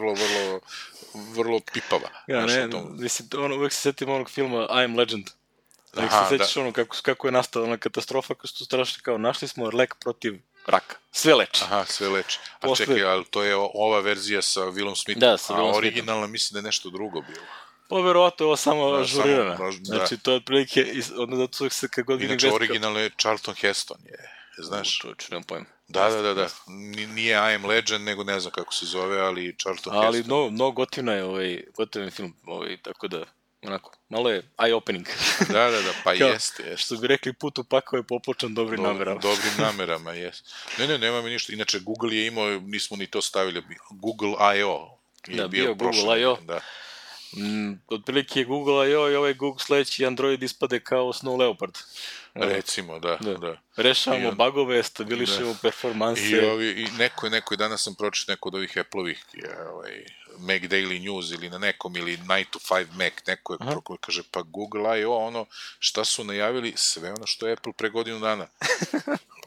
vrlo pipava. Ja, ne, mislim, uvek se setim onog filma I'm Legend. Nek se sećaš ono kako je nastala ona katastrofa, kako su strašno kao našli smo lek protiv raka. Sve leči. Aha, sve leči. A čekaj, ali to je ova verzija sa Willom Smithom. Da, sa Willom Smithom. A originalna mislim da je nešto drugo bilo. Pa verovatno je ovo samo ažurirana. Znači, to je otprilike, zato se kad god vidim... Inače, originalno je Charlton Heston, znaš. To je nemam pojma. Da. Nije I Am Legend, nego ne znam kako se zove, ali Charlton Heston. Ali mnogo gotivna je gotivan film, tako da, onako, malo je eye-opening. Da, pa jeste. Što bi rekli, put u pakao je popločan dobrim namerama. Dobrim namerama, jeste. Ne, nema mi ništa. Inače, Google je imao, nismo ni to stavili, Google I.O. Da, bio Google I.O. Da. Otprilike je Google I.O. i ovaj Google sledeći Android ispade kao Snow Leopard. Recimo, da. Rešavamo bagove, stabilišemo performanse. I neko danas sam pročitao neko od ovih Apple-ovih Mac Daily News ili na nekom, ili 9 to 5 Mac, neko je kaže, pa Google I.O. šta su najavili, sve ono što je Apple pre godinu dana.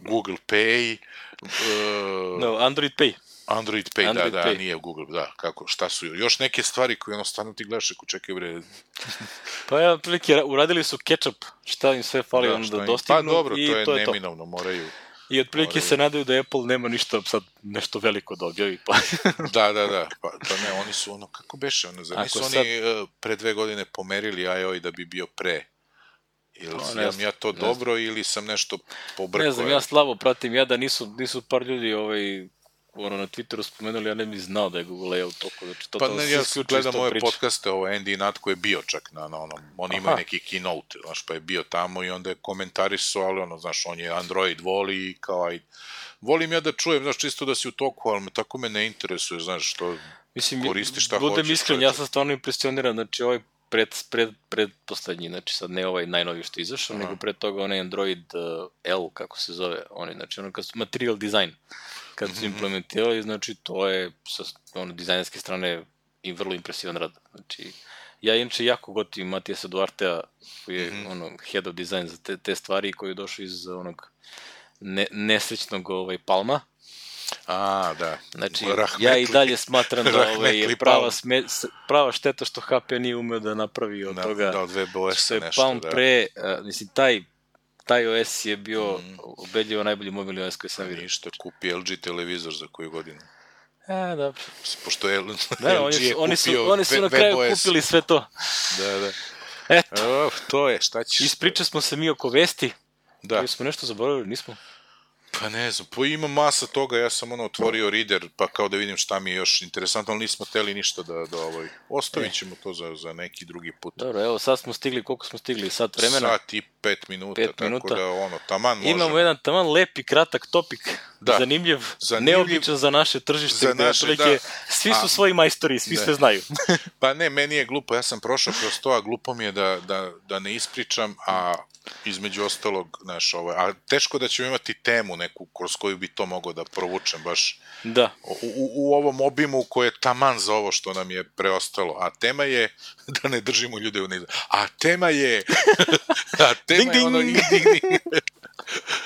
Google Pay. No, Android Pay. Android Pay, da, nije Google, da, šta su još neke stvari koje stvarno ti gledaš, ako čekaj bre. Pa ja, prilike, uradili su ketchup, šta im sve fali da dostignu. Pa dobro, to je neminovno, moraju. I otprilike se nadaju da Apple nema ništa, sad nešto veliko da objavi. Pa. Da, pa ne, oni su kako beše, zar nisu oni pre 2 godine pomerili iOS da bi bio pre? Ili sam ja to dobro ili sam nešto pobrkao? Ne znam, ja slabo pratim, ja da nisu par ljudi na Twitteru spomenuli, ja ne bih znao da je Google layout toliko. Pa ne, ja gledam ove podcaste, Andy Nutt koji je bio čak na onom, oni imaju neki keynote, znaš, pa je bio tamo i onda je komentarisao, ali znaš, on je Android voli i kao, volim ja da čujem, znaš, čisto da si u toku, ali tako me ne interesuje, znaš, što koristi šta hoćeš. Budem iskren, ja sam stvarno impresioniran, znači ovaj predposlednji, znači sad ne ovaj najnoviji što je izašao, nego pred toga onaj Android L, kako se zove, znači material design. Kad su implementirali, znači to je sa dizajnerske strane i vrlo impresivan rad. Znači, ja inače jako gotivim Matijasa Duartea, koji je head of design za te stvari, koji je došao iz onog nesrećnog Palma. Da. Znači, ja i dalje smatram da je prava šteta što HP nije umeo da napravi od toga. Da, od WebOS-a nešto, Palm pre, mislim, taj OS je bio ubedljivo najbolji mobilni OS koji sam vidio. Ništa, kupi LG televizor za koju godinu. Da. Pošto je LG oni su na kraju kupili sve to. Da. Eto. To je, šta ćeš? Ispričali smo se mi oko vesti. Da. Ali smo nešto zaboravili, nismo? Pa ne znam, ima masa toga, ja sam otvorio reader, pa kao da vidim šta mi je još interesantno, ali nismo hteli ništa da ostavit ćemo to za neki drugi put. Dobro, evo sad smo stigli, koliko smo stigli, sat vremena? Sat i 5 minuta, tako da taman možemo. Imamo jedan taman lepi, kratak topik, zanimljiv, neobičan za naše tržište, svi su svoji majstori, svi sve znaju. Pa ne, meni je glupo, ja sam prošao kroz to, a glupo mi je da ne ispričam, a između ostalog, znaš, a teško da ćemo imati temu neku kroz koju bi to mogao da provučem baš u ovom obimu koje je taman za ovo što nam je preostalo, a tema je da ne držimo ljude u nizu, a tema je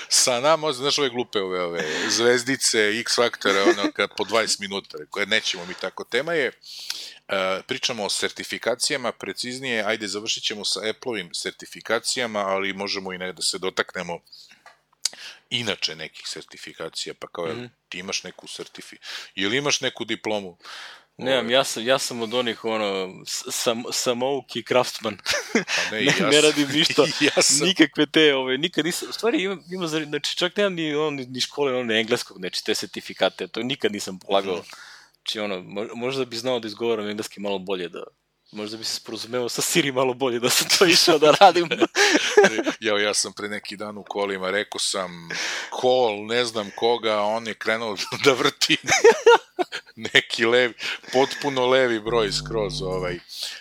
sa nama, znaš, ove glupe ove zvezdice, X-faktore, po 20 minuta, koje nećemo mi tako, tema je pričamo o sertifikacijama, preciznije, ajde završit ćemo sa Apple-ovim sertifikacijama, ali možemo i da se dotaknemo inače nekih sertifikacija, pa kao ti imaš neku ili imaš neku diplomu? Nemam, ja sam od onih samouk i craftsman. Ne radim ništa, nikakve te, nikad nisam, u stvari ima, znači čak nemam ni škole engleskog, znači te sertifikate, to nikad nisam polagao. Znači možda bi znao da izgovaram engleski malo bolje, možda bi se sporozumeo sa Siri malo bolje da sam to išao da radim. Ja sam pre neki dan u kolima, rekao sam call, ne znam koga, on je krenuo da vrti neki levi, potpuno levi broj skroz.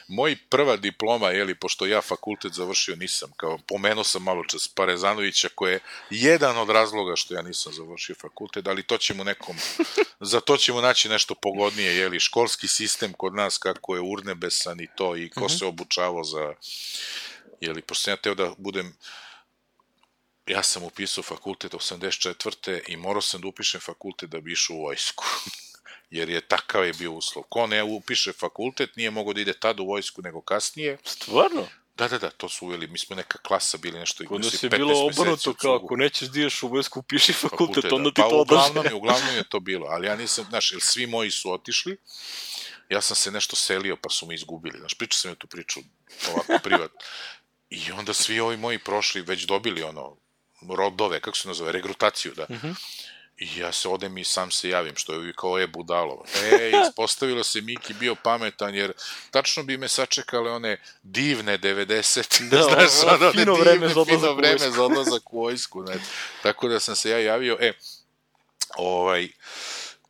Moj prva diploma, pošto ja fakultet završio nisam, kao pomenuo sam malo čas Parezanovića, koji je jedan od razloga što ja nisam završio fakultet, ali za to ćemo naći nešto pogodnije, školski sistem kod nas kako je urnebesan i to, i ko se obučavao za, pošto sam ja teo da budem, ja sam upisao fakultet 84. i morao sam da upišem fakultet da bi išao u vojsku. Jer je takav je bio uslov. Ko ne upiše fakultet, nije mogao da ide tada u vojsku nego kasnije. Stvarno? Da, to su uveli, mi smo neka klasa bili nešto. Kod nas je bilo obrnuto, kao ako nećeš da ideš u vojsku, upiši fakultet, onda ti to odlaže. Uglavnom je to bilo, ali ja nisam, znaš, jer svi moji su otišli, ja sam se nešto selio pa su me izgubili, znaš, pričao sam ja tu priču ovako privat. I onda svi ovi moji prošli, već dobili rodove, kako se nazove, regrutaciju, da. I ja se odem i sam se javim, što je kao budalo. Ispostavilo se Miki bio pametan, jer tačno bi me sačekale one divne 90. Da, znaš, fino vreme za odlazak u vojsku. Tako da sam se ja javio.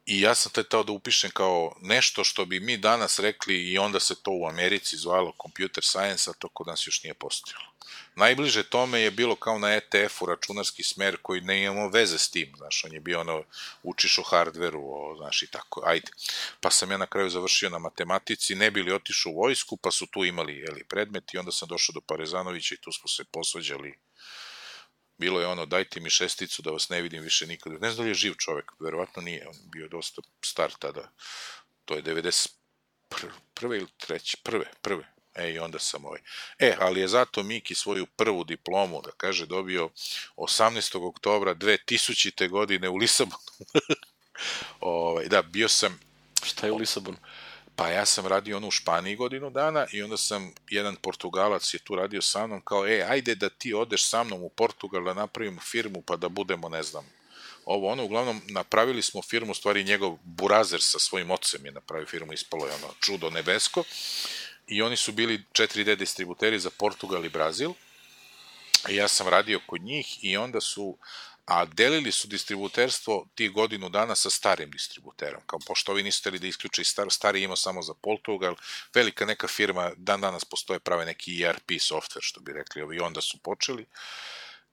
I ja sam teo da upišem kao nešto što bi mi danas rekli i onda se to u Americi zvalo computer science, a to kod nas još nije postojalo. Najbliže tome je bilo kao na ETF-u računarski smer koji ne imamo veze s tim, znaš, on je bio učiš o hardveru, znaš, i tako, ajde. Pa sam ja na kraju završio na matematici, ne bili otišao u vojsku, pa su tu imali predmet i onda sam došao do Parezanovića i tu smo se posvađali bilo je ono, dajte mi 6 da vas ne vidim više nikada. Ne znam da li je živ čovek, verovatno nije, on bio dosta star tada. To je 91. ili 3. Prve. I onda sam ali je zato Miki svoju prvu diplomu, da kaže, dobio 18. oktobra 2000. godine u Lisabonu. Da, bio sam... Šta je u Lisabonu? Pa ja sam radio ono u Španiji godinu dana i onda sam, jedan Portugalac je tu radio sa mnom, kao, ajde da ti odeš sa mnom u Portugal da napravimo firmu pa da budemo, ne znam, uglavnom napravili smo firmu, stvari njegov burazer sa svojim ocem je napravio firmu, ispalo je ono čudo nebesko i oni su bili 4D distributeri za Portugal i Brazil i ja sam radio kod njih i onda su, a delili su distributerstvo tih godinu dana sa starim distributerom, kao pošto ovi nisu hteli da isključe i stari imao samo za Portugal, velika neka firma, dan danas postoje, prave neki ERP software, što bi rekli ovi, i onda su počeli.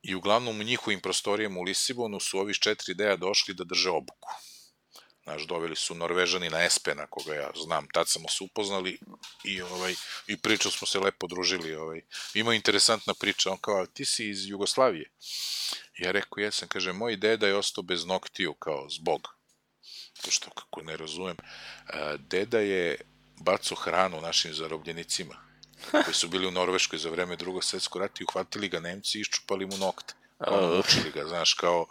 I uglavnom u njihovim prostorijama u Lisabonu su ovi iz 4D-a došli da drže obuku. Znaš, doveli su Norvežani na Espena, koga ja znam, tad smo se upoznali i pričali smo se, lepo družili. Ima interesantna priča, on kao, ti si iz Jugoslavije. Ja rekao, jesam, kaže, moj deda je ostao bez noktiju, kao zbog. To što, kako ne razumem, deda je bacao hranu našim zarobljenicima, koji su bili u Norveškoj za vreme Drugog svjetskog rata i uhvatili ga Nemci i iščupali mu nokte. Učili ga, znaš, kao,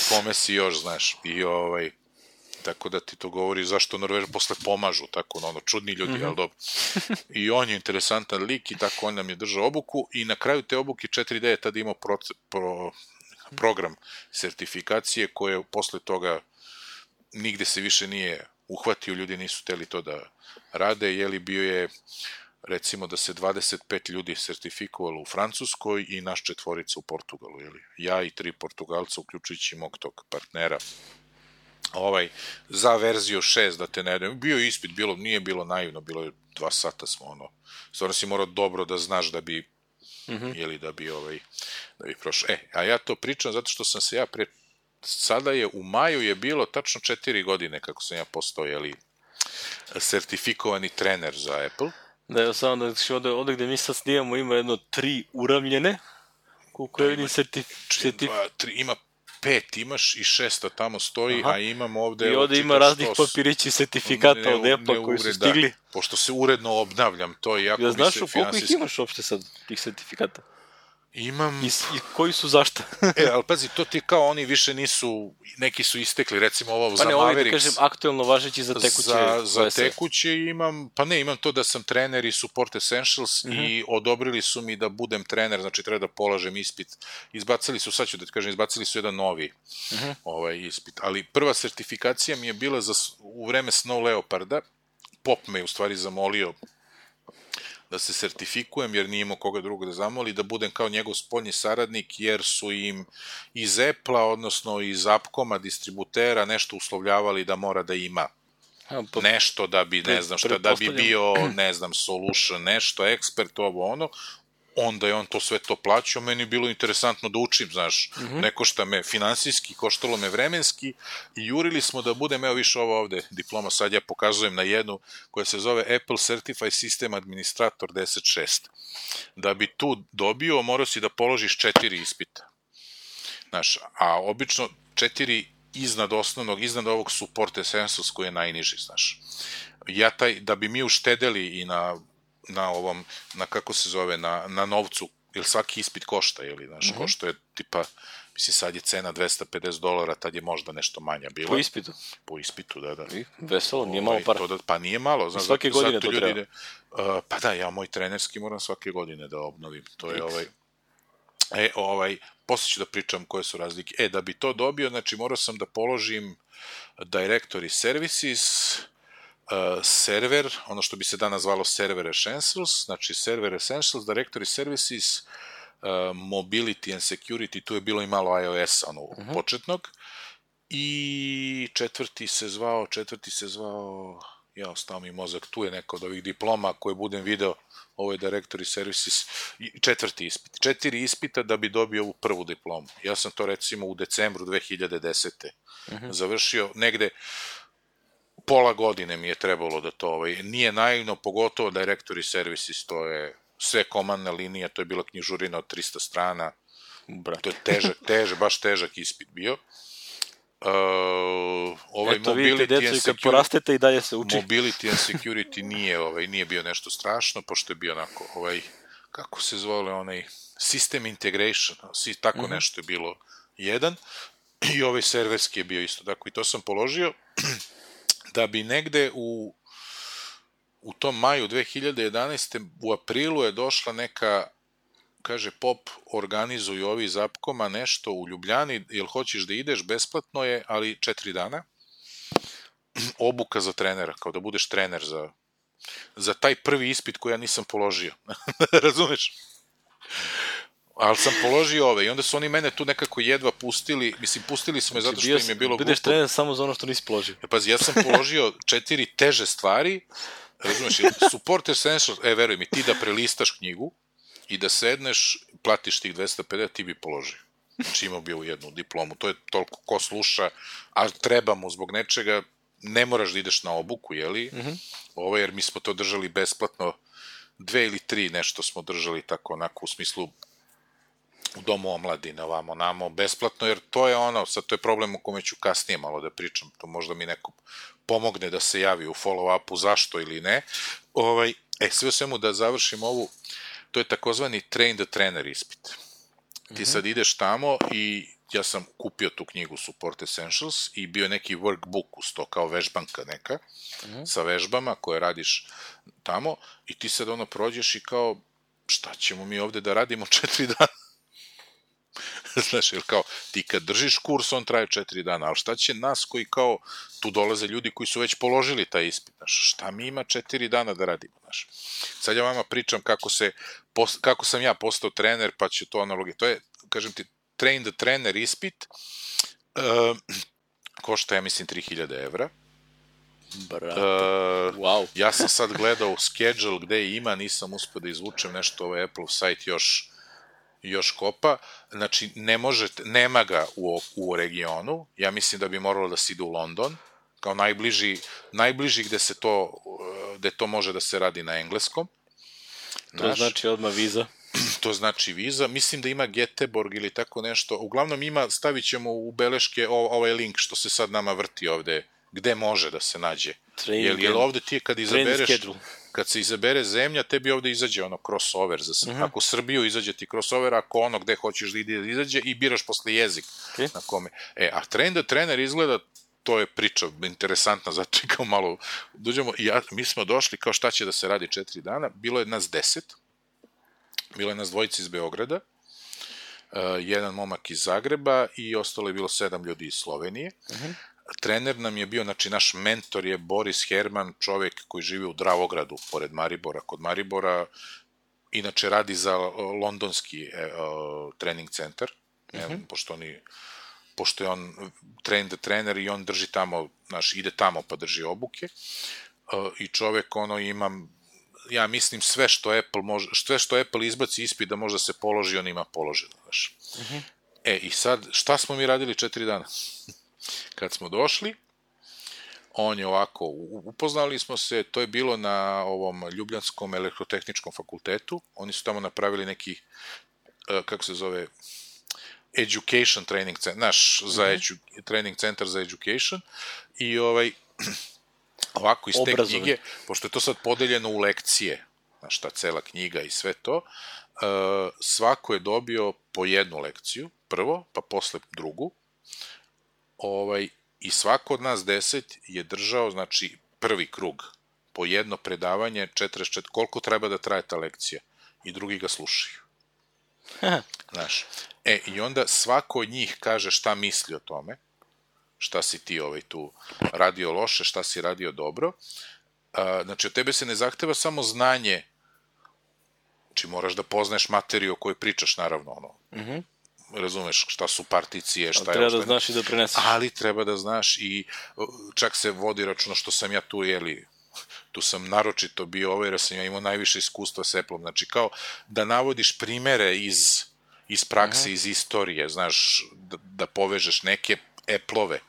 kome si još, znaš, i tako da ti to govori zašto Norveža posle pomažu, tako, čudni ljudi, ali dobro. I on je interesantan lik i tako on nam je držao obuku i na kraju te obuke 4D je tada imao program sertifikacije koje posle toga nigde se više nije uhvatio, ljudi nisu hteli to da rade, jeli bio je recimo da se 25 ljudi sertifikovalo u Francuskoj i naš 4 u Portugalu, jeli? Ja i 3 Portugalca, uključujući mog tog partnera. Za verziju 6, da te ne idem, bio je ispit, nije bilo naivno, bilo je 2 sata smo, stvarno si morao dobro da znaš da bi, jeli, da bi prošao. A ja to pričam zato što sam se sada je, u maju je bilo tačno 4 godine kako sam ja postao, jeli, sertifikovani trener za Apple. Da, evo samo da ovde gde mi sad snijamo ima jedno 3 uravljene, koliko je vidim ima 5 imaš i 6 tamo stoji, a imam ovde... I ovde ima raznih papirići sertifikata od Apple koji su stigli. Pošto se uredno obnavljam to, iako mi se finansijski... Znaš koliko ih imaš uopšte sad, tih sertifikata? Imam... I koji su zašta? Ali pazi, to ti kao oni više nisu, neki su istekli, recimo ovo za Mavericks. Pa ne, ovo da kažem aktuelno važeći za tekuće. Za tekuće imam, imam to da sam trener i Support Essentials i odobrili su mi da budem trener, znači treba da polažem ispit. Izbacili su, sad ću da ti kažem, izbacili su jedan novi ispit. Ali prva sertifikacija mi je bila u vreme Snow Leoparda. Pop me u stvari zamolio da se sertifikujem, jer nije imao koga drugo da zamoli, da budem kao njegov spoljni saradnik, jer su im iz Apple-a, odnosno iz Appcoma, distributera, nešto uslovljavali da mora da ima nešto da bi, ne znam šta, da bi bio, ne znam, solution, nešto, ekspert, onda je on to sve to plaćao, meni je bilo interesantno da učim, znaš, ne košta me finansijski, koštalo me vremenski i jurili smo da budem, evo više ovo ovde diploma, sad ja pokazujem na jednu koja se zove Apple Certified System Administrator 10.6. Da bi tu dobio, morao si da položiš 4 ispita. Znaš, a obično 4 iznad osnovnog, iznad ovog Support Essentials koji je najniži, znaš. Ja da bi mi uštedeli i na ovom, kako se zove, na novcu, jer svaki ispit košta, jeli, znaš, košta je tipa, mislim, sad je cena $250, tad je možda nešto manja bila. Po ispitu? Po ispitu, da. Veselo, nije malo para. Pa nije malo, znaš. Svake godine to treba. Pa da, ja moj trenerski moram svake godine da obnovim, to je posle ću da pričam koje su razlike. Da bi to dobio, znači morao sam da položim Directory Services, server, ono što bi se danas zvalo Server Essentials, znači Server Essentials, Directory Services, Mobility and Security, tu je bilo i malo iOS-a, početnog, i četvrti se zvao, ja, ostao mi mozak, tu je neko od ovih diploma koje budem video, ovo je Directory Services, 4. ispit. 4 ispita da bi dobio ovu prvu diplomu. Ja sam to recimo u decembru 2010. završio, negde pola godine mi je trebalo da to, nije naivno, pogotovo Directory Services, to je sve komandna linija, to je bila knjižurina od 300 strana, To je baš težak ispit bio. Eto, vidite, djeco, i kad porastete i dalje se uči. Mobility and security nije bio nešto strašno, pošto je bio onako, kako se zvole, system integration, tako nešto je bilo jedan, i serverski je bio isto tako, i to sam položio, da bi negde u tom maju 2011. u aprilu je došla neka, kaže, POP organizuju ovi iz Apkoma nešto u Ljubljani, jel hoćeš da ideš, besplatno je, ali 4 dana, obuka za trenera, kao da budeš trener za taj prvi ispit koji ja nisam položio. Razumeš? Ali sam položio i onda su oni mene tu nekako jedva pustili, mislim, pustili su me zato što im je bilo glupo. Budeš trener samo za ono što nisi položio. Pazi, ja sam položio 4 teže stvari, razumeš, support essentials, veruj mi, ti da prelistaš knjigu i da sedneš, platiš tih 250, ti bi položio. Znači imao bi u jednu diplomu, to je toliko ko sluša, a treba mu zbog nečega, ne moraš da ideš na obuku, jeli? Jer mi smo to držali besplatno, 2 ili 3 nešto smo držali tako onako u smislu u domu omladine, ovamo, namo, besplatno, jer to je sad to je problem o kome ću kasnije malo da pričam, to možda mi neko pomogne da se javi u follow-upu zašto ili ne. Sve o svemu da završim ovu, to je takozvani train the trainer ispit. Ti sad ideš tamo i ja sam kupio tu knjigu Support Essentials i bio neki workbook uz to, kao vežbanka neka, sa vežbama koje radiš tamo i ti sad prođeš i kao, šta ćemo mi ovde da radimo 4 dana? Znaš, jer kao, ti kad držiš kurs, on traje 4 dana, ali šta će nas koji kao, tu dolaze ljudi koji su već položili taj ispit, znaš, šta mi ima 4 dana da radimo, znaš. Sad ja vama pričam kako sam ja postao trener, pa će to analogije. To je, kažem ti, train the trainer ispit, košta, ja mislim, 3000 evra. Wow. Ja sam sad gledao schedule gde ima, nisam uspio da izvučem nešto, ovaj Apple site još kopa, znači nema ga u regionu, ja mislim da bi moralo da se ide u London, kao najbliži gde to može da se radi na engleskom. To znači odmah viza. To znači viza, mislim da ima Göteborg ili tako nešto, uglavnom stavit ćemo u beleške ovaj link što se sad nama vrti ovde, gde može da se nađe. Jer ovde ti kad se izabere zemlja, tebi ovde izađe crossover, ako Srbiju izađe ti crossover, ako gde hoćeš da izađe i biraš posle jezik na kome. A train the trainer izgleda, to je priča interesantna, zato i kao malo dođemo, mi smo došli kao šta će da se radi 4 dana, bilo je nas 10, bilo je nas 2 iz Beograda, jedan momak iz Zagreba i ostalo je bilo 7 ljudi iz Slovenije. Trener nam je bio, znači naš mentor je Boris Herman, čovek koji živi u Dravogradu, pored Maribora, kod Maribora, inače radi za londonski trening centar, pošto je on train the trainer i on drži tamo, ide tamo pa drži obuke, i čovek ima, ja mislim, sve što Apple izbaci ispit da može da se položi, on ima položeno, znaš. I sad, šta smo mi radili 4 dana? Kad smo došli, on je ovako, upoznali smo se, to je bilo na ovom Ljubljanskom elektrotehničkom fakultetu, oni su tamo napravili neki, kako se zove, education training center, training centar za education, i ovako iz te knjige, pošto je to sad podeljeno u lekcije, znaš, ta cela knjiga i sve to, svako je dobio po jednu lekciju, prvo, pa posle drugu, i svako od nas 10 je držao, znači, prvi krug, po jedno predavanje, 44, koliko treba da traje ta lekcija, i drugi ga slušaju. Znaš, i onda svako od njih kaže šta misli o tome, šta si ti tu radio loše, šta si radio dobro. Znači, od tebe se ne zahteva samo znanje, znači moraš da poznaješ materiju o kojoj pričaš, naravno, razumeš šta su particije, šta je... Treba da znaš i da preneseš. Ali treba da znaš i čak se vodi računa što sam ja tu, tu sam naročito bio jer sam ja imao najviše iskustva s Apple-om, znači kao da navodiš primere iz prakse, iz istorije, znaš, da povežeš neke Apple-ove,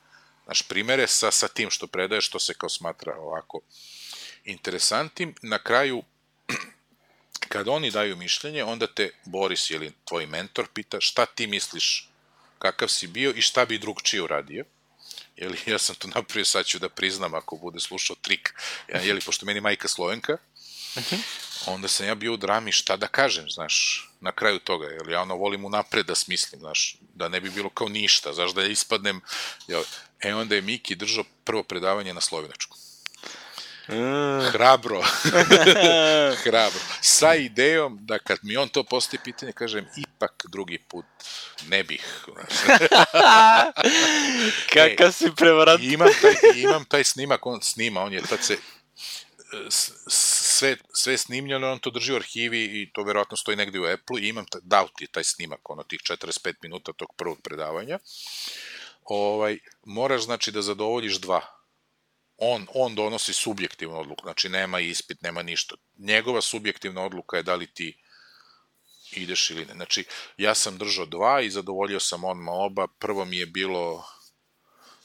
znaš, primere sa tim što predaješ, što se kao smatra ovako interesantnim. Na kraju kad oni daju mišljenje, onda te Boris ili tvoj mentor pita šta ti misliš, kakav si bio i šta bi drugčije uradio. Jeli, ja sam to napravio, sad ću da priznam ako bude slušao trik. Jeli, pošto meni majka Slovenka, onda sam ja bio u drami šta da kažem, znaš, na kraju toga, jer ja volim unapred da smislim, znaš, da ne bi bilo kao ništa, znaš, da ja ispadnem. Onda je Miki držao prvo predavanje na slovenačku. Hrabro. Sa idejom da kad mi on to postavi pitanje, kažem, ipak drugi put ne bih. Kakav si prevarant. Imam taj snimak, on snima, on je tad se sve snimljeno, on to drži u arhivi i to verovatno stoji negde u Apple-u i imam, dao ti taj snimak, tih 45 minuta tog prvog predavanja. Moraš, znači, da zadovoljiš dva. On donosi subjektivnu odluku, znači nema ispit, nema ništa. Njegova subjektivna odluka je da li ti ideš ili ne. Znači, ja sam držao dva i zadovoljio sam odmah oba. Prvo mi je bilo,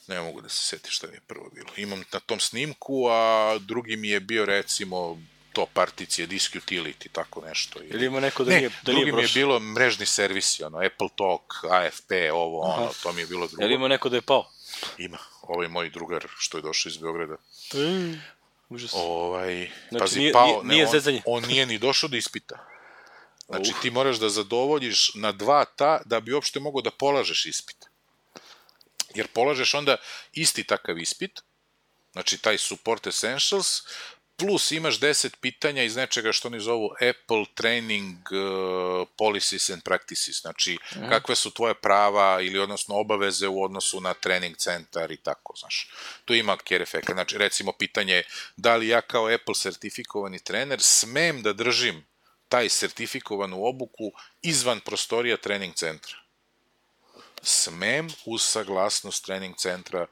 ne mogu da se setim šta mi je prvo bilo. Imam na tom snimku, a drugi mi je bio, recimo, to particije, disk utility, tako nešto. Ili ima neko da nije prošlo? Drugi mi je bilo mrežni servisi, Apple Talk, AFP, to mi je bilo drugo. Ili ima neko da je pao? Ima. Ovo je moj drugar što je došao iz Beograda. Užas. Pazi, nije zezanje. On nije ni došao da ispita. Znači, ti moraš da zadovoljiš na dva da bi uopšte mogao da polažeš ispit. Jer polažeš onda isti takav ispit, znači taj Support Essentials, plus imaš 10 pitanja iz nečega što oni zovu Apple Training Policies and Practices, znači kakve su tvoje prava ili odnosno obaveze u odnosu na trening centar i tako, znaš. Tu ima care efekt, znači recimo pitanje da li ja kao Apple sertifikovani trener smem da držim taj sertifikovanu obuku izvan prostorija trening centra. Smem uz saglasnost trening centra,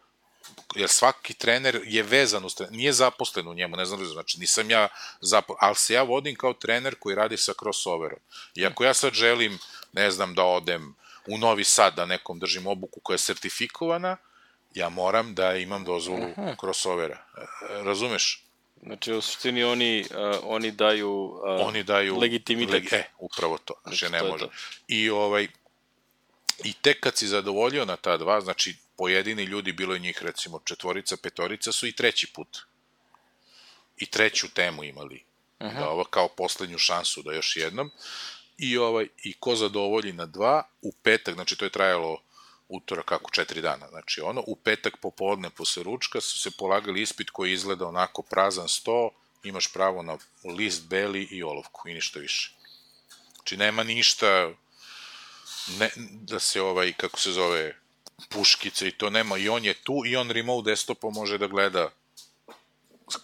jer svaki trener je vezan uz trener, nije zaposlen u njemu, ne znam, znači nisam ja zaposlen, ali se ja vodim kao trener koji radi sa crossoverom. I ako ja sad želim, ne znam, da odem u Novi Sad da nekom držim obuku koja je sertifikovana, ja moram da imam dozvolu crossovera. Razumeš? Znači, u suštini oni daju legitimitet. Upravo to. Znači, ne može. I tek kad si zadovoljio na ta dva, znači, pojedini ljudi, bilo je njih recimo 4, 5 su i treći put. I treću temu imali. Da ovo kao poslednju šansu da još jednom. I ko zadovolji na dva, u petak, znači to je trajalo utorak 4 dana. Znači u petak popodne posle ručka su se polagali ispit koji izgleda onako prazan sto, imaš pravo na list beli i olovku i ništa više. Znači nema ništa da se kako se zove, puškice i to nema, i on je tu i on remote desktopom može da gleda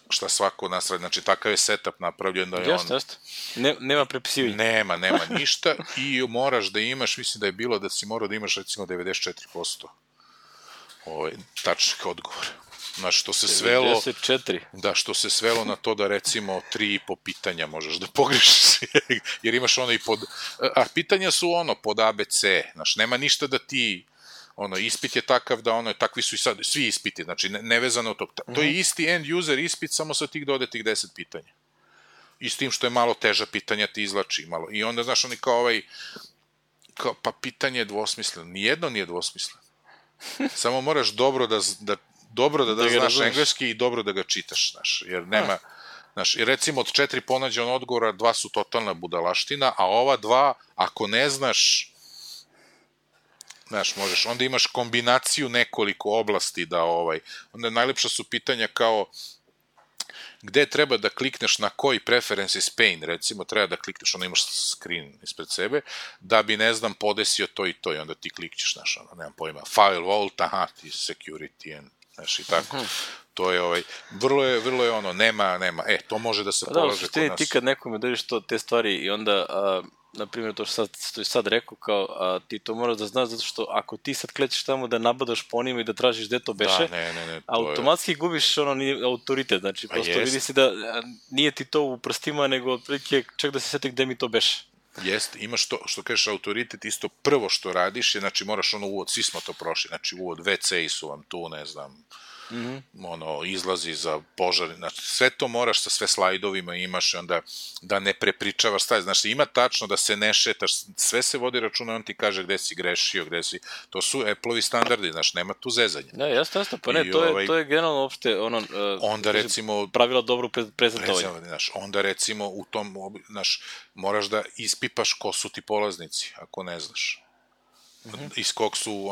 šta svako od nas radi, znači takav je setup napravljen da je on... Jeste. Nema prepisivanja. Nema ništa i moraš da imaš, mislim da je bilo da si morao da imaš recimo 94% tačnih odgovora. Znači, što se svelo... 94? Da, što se svelo na to da recimo 3,5 pitanja možeš da pogrešiš, jer imaš i pod... A pitanja su pod ABC, znači, nema ništa da ti... ispit je takav da takvi su i sad, svi ispiti, znači nevezano od tog. To je isti end user ispit, samo sa tih dodatih 10 pitanja. I s tim što je malo teža pitanja ti izlači malo. I onda, znaš, oni kao pa pitanje je dvosmisleno. Nijedno nije dvosmisleno. Samo moraš dobro da znaš engleski i dobro da ga čitaš, znaš, jer nema... Znaš, i recimo od 4 ponađena odgovora 2 su totalna budalaština, a ova 2, ako ne znaš, znaš, možeš, onda imaš kombinaciju nekoliko oblasti da onda najlepša su pitanja kao gde treba da klikneš na koji preferences pane, recimo, treba da klikneš, onda imaš screen ispred sebe, da bi, ne znam, podesio to i to, i onda ti klikćeš, znaš, nemam pojma, firewall, ti security, znaš, i tako. To je, vrlo je nema, to može da se polaže kod nas. Ti kad nekome dođeš te stvari i onda... Na primjer, to što je sad rekao, kao ti to moraš da znaš, zato što ako ti sad klećeš tamo da nabadaš po njima i da tražiš gde to beše, automatski gubiš autoritet, znači prosto vidi si da nije ti to u prstima, nego otprilike čak da se seti gde mi to beše. Jeste, imaš to, što kažeš autoritet, isto prvo što radiš je, znači moraš uvod, svi smo to prošli, znači uvod, WC-i su vam tu, ne znam, izlazi za požar, znači sve to moraš sa sve slajdovima imaš i onda da ne prepričavaš staje, znači ima tačno da se ne šetaš, sve se vodi računa, on ti kaže gde si grešio, to su Apple-ovi standardi, znači nema tu zezanja. Da, jasno, pa ne, to je generalno uopšte onda recimo pravila dobro prezentovanja. Onda recimo u tom, moraš da ispipaš ko su ti polaznici, ako ne znaš. Iz kog su,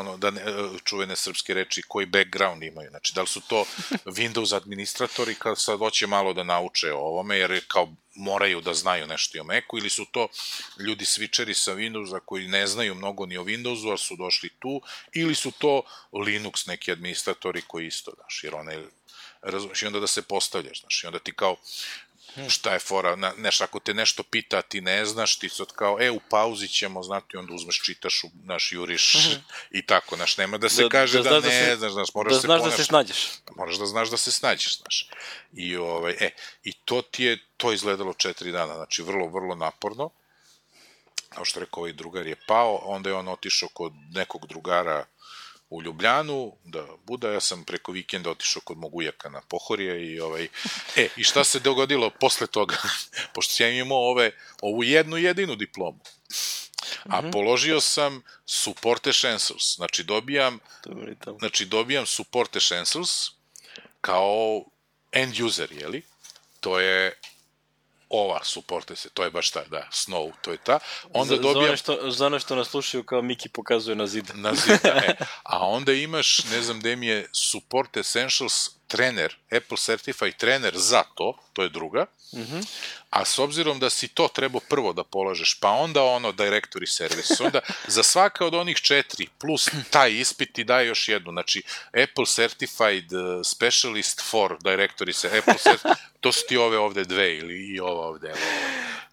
čuvene srpske reči, koji background imaju. Znači, da li su to Windows administratori kad sad hoće malo da nauče o ovome, jer kao moraju da znaju nešto i o Macu, ili su to ljudi switcheri sa Windowsa koji ne znaju mnogo ni o Windowsu, ali su došli tu, ili su to Linux neki administratori koji isto, znaš, jer razumiješ, i onda da se postavljaš, znaš, i onda ti kao, šta je fora, ako te nešto pita, ti ne znaš, ti sad kao, u pauzi ćemo, znati, onda uzmeš, čitaš, juriš i tako, nema da se kaže da ne znaš, moraš da znaš da se snađeš. Moraš da znaš da se snađeš, znaš. I to ti je, to izgledalo 4 dana, znači vrlo, vrlo naporno. Kao što rekao, ovaj drugar je pao, onda je on otišao kod nekog drugara u Ljubljanu, da buda, ja sam preko vikenda otišao kod mog ujaka na Pohorje i šta se dogodilo posle toga, pošto sam imao ovu jednu jedinu diplomu, a položio sam Support Essentials, znači dobijam Support Essentials kao end user, jeli? To je ova Support, to je baš ta, da, Snow, to je ta. Onda dobijam... Za ono što nas slušaju kao Miki pokazuje na zid. Na zid, a onda imaš, ne znam gde mi je Support Essentials trener, Apple Certified trener za to je druga, a s obzirom da si to trebao prvo da polažeš, pa onda Directory Service, onda za svaka od onih 4 plus taj ispit ti daje još jednu, znači Apple Certified Specialist for Directory Service, to su ti ove ovde dve ili i ova ovde,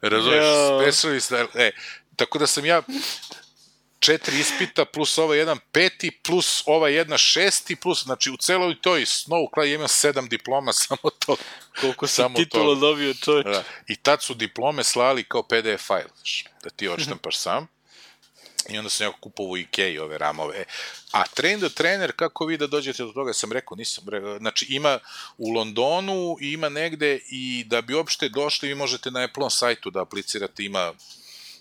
razumiješ, Specialist, tako da sam ja 4 ispita, plus ova jedan 5, plus ova jedna 6, plus, znači u celoj toj Snow Cloud imam 7 diploma, samo to. Koliko sam titula dobio, čovječ. I tad su diplome slali kao PDF file, da ti odštampaš sam. I onda sam ja kupovao u Ikei ove ramove. A Train the Trainer, kako vi da dođete do toga, sam rekao, znači ima u Londonu i ima negde i da bi uopšte došli, vi možete na Apple sajtu da aplicirate, ima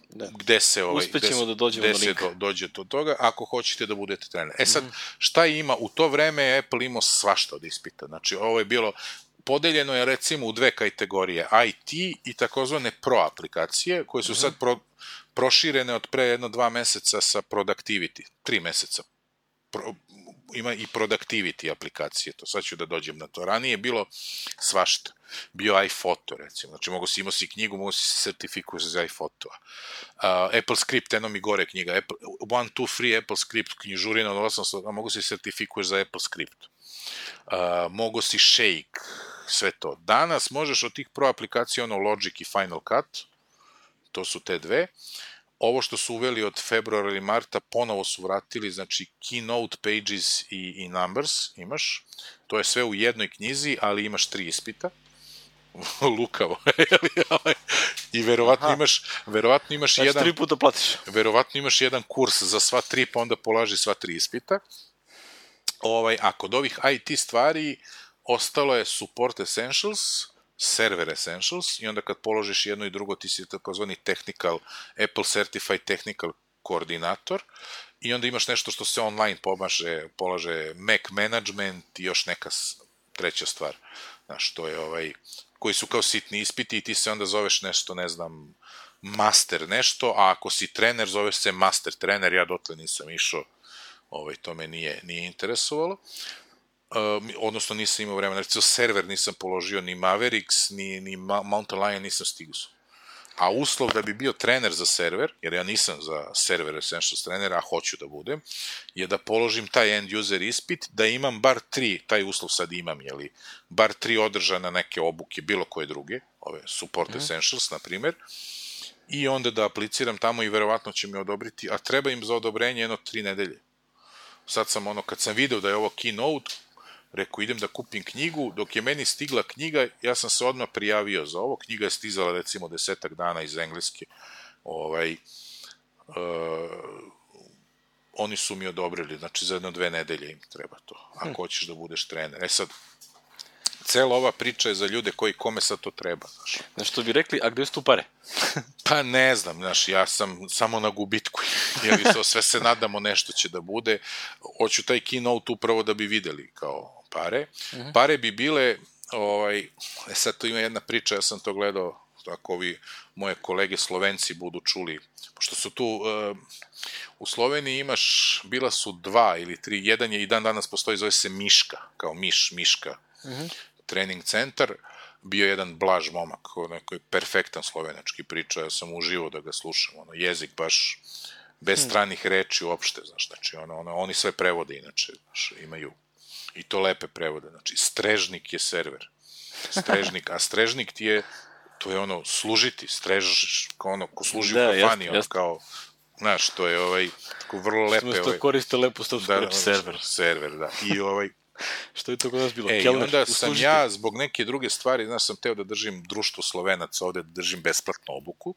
gde se uspećemo da dođemo do linka. Dođe do toga, ako hoćete da budete trener. Sad, šta ima? U to vreme je Apple imao svašta od ispita. Znači, ovo je bilo, podeljeno je recimo u 2 kategorije, IT i takozvane pro aplikacije, koje su sad proširene od pre 2 meseca sa productivity, 3 meseca. Ima i productivity aplikacije, to sad ću da dođem na to. Ranije je bilo svašta. Bio iPhoto, recimo. Znači, imao si knjigu, mogu si se sertifikuješ za iPhoto-a. Apple Script, eno mi gore knjiga. 1, 2, 3 Apple Script, knjižurina od 800, a mogu si sertifikuješ za Apple Script. Mogu si Shake, sve to. Danas možeš od tih pro aplikacija, Logic i Final Cut, to su te dve. Ovo što su uveli od februara ili marta, ponovo su vratili, znači Keynote, Pages i Numbers imaš. To je sve u jednoj knjizi, ali imaš 3 ispita. Lukavo. I verovatno imaš jedan... Znači 3 puta platiš. Verovatno imaš jedan kurs za sva 3, pa onda polaži sva 3 ispita. A kod ovih IT stvari ostalo je Support Essentials, Server Essentials, i onda kad položiš jedno i drugo ti si takozvani Apple Certified Technical Koordinator, i onda imaš nešto što se online polaže Mac Management i još neka treća stvar. Znaš, to je koji su kao sitni ispiti i ti se onda zoveš nešto, ne znam, master nešto, a ako si trener, zoveš se master trener, ja dotle nisam išao, to me nije interesovalo. Odnosno nisam imao vremena, recimo server nisam položio, ni Mavericks, ni Mountain Lion nisam stigao. A uslov da bi bio trener za server, jer ja nisam za server Essentials trener, a hoću da budem, je da položim taj end user ispit, da imam bar 3, taj uslov sad imam, bar 3 održane neke obuke, bilo koje druge, ove Support Essentials, na primer, i onda da apliciram tamo i verovatno će mi odobriti, a treba im za odobrenje 3 nedelje. Sad sam kad sam video da je ovo Keynote, rekao, idem da kupim knjigu, dok je meni stigla knjiga, ja sam se odmah prijavio za ovo, knjiga je stizala recimo 10 dana iz engleske, oni su mi odobrili, znači za 1-2 nedelje im treba to, ako hoćeš da budeš trener. Sad, cela ova priča je za ljude kome sad to treba, znaš. Znaš što bi rekli, a gde su tu pare? Pa ne znam, znaš, ja sam samo na gubitku, jer sve se nadamo nešto će da bude. Hoću taj keynote upravo da bi videli kao pare. Pare bi bile, sad tu ima jedna priča, ja sam to gledao, ako ovi moje kolege Slovenci budu čuli, pošto su tu, u Sloveniji bila su 2 ili 3, jedan je i dan danas postoji, zove se Miška, kao Miška, trening centar, bio jedan Blaž momak, neko je perfektan slovenački priča, ja sam uživao da ga slušam, jezik baš bez stranih reči uopšte, znaš, znači, oni sve prevode inače, znaš, imaju, i to lepe prevode, znači, strežnik je server, a strežnik ti je, to je služiti, strež, ko služi u kafani, kao, znaš, to je tako vrlo lepe. Smo to koriste lepo srpsku reč, server. Server, da, i Što je to kod nas bilo? I onda sam ja, zbog neke druge stvari, znaš, sam teo da držim društvo Slovenaca ovde, da držim besplatnu obuku,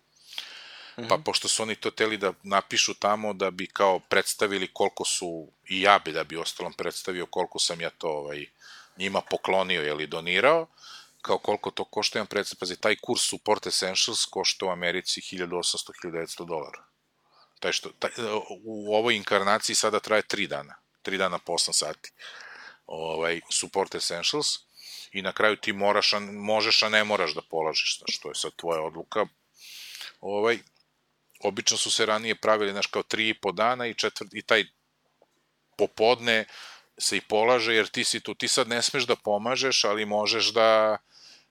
pa pošto su oni to teli da napišu tamo da bi kao predstavili koliko su, i ja bi da bi ostalom predstavio koliko sam ja to njima poklonio ili donirao, kao koliko to košta, imam predstav, pazi, taj kurs Support Essentials košta u Americi $1,800-1,900. U ovoj inkarnaciji sada traje 3 dana, 3 dana po 8 sati. Support Essentials i na kraju ti možeš, a ne moraš da polažiš, znaš, to je sad tvoja odluka. Obično su se ranije pravili, znaš, kao 3,5 dana i taj popodne se i polaže, jer ti si tu, ti sad ne smeš da pomažeš, ali možeš da,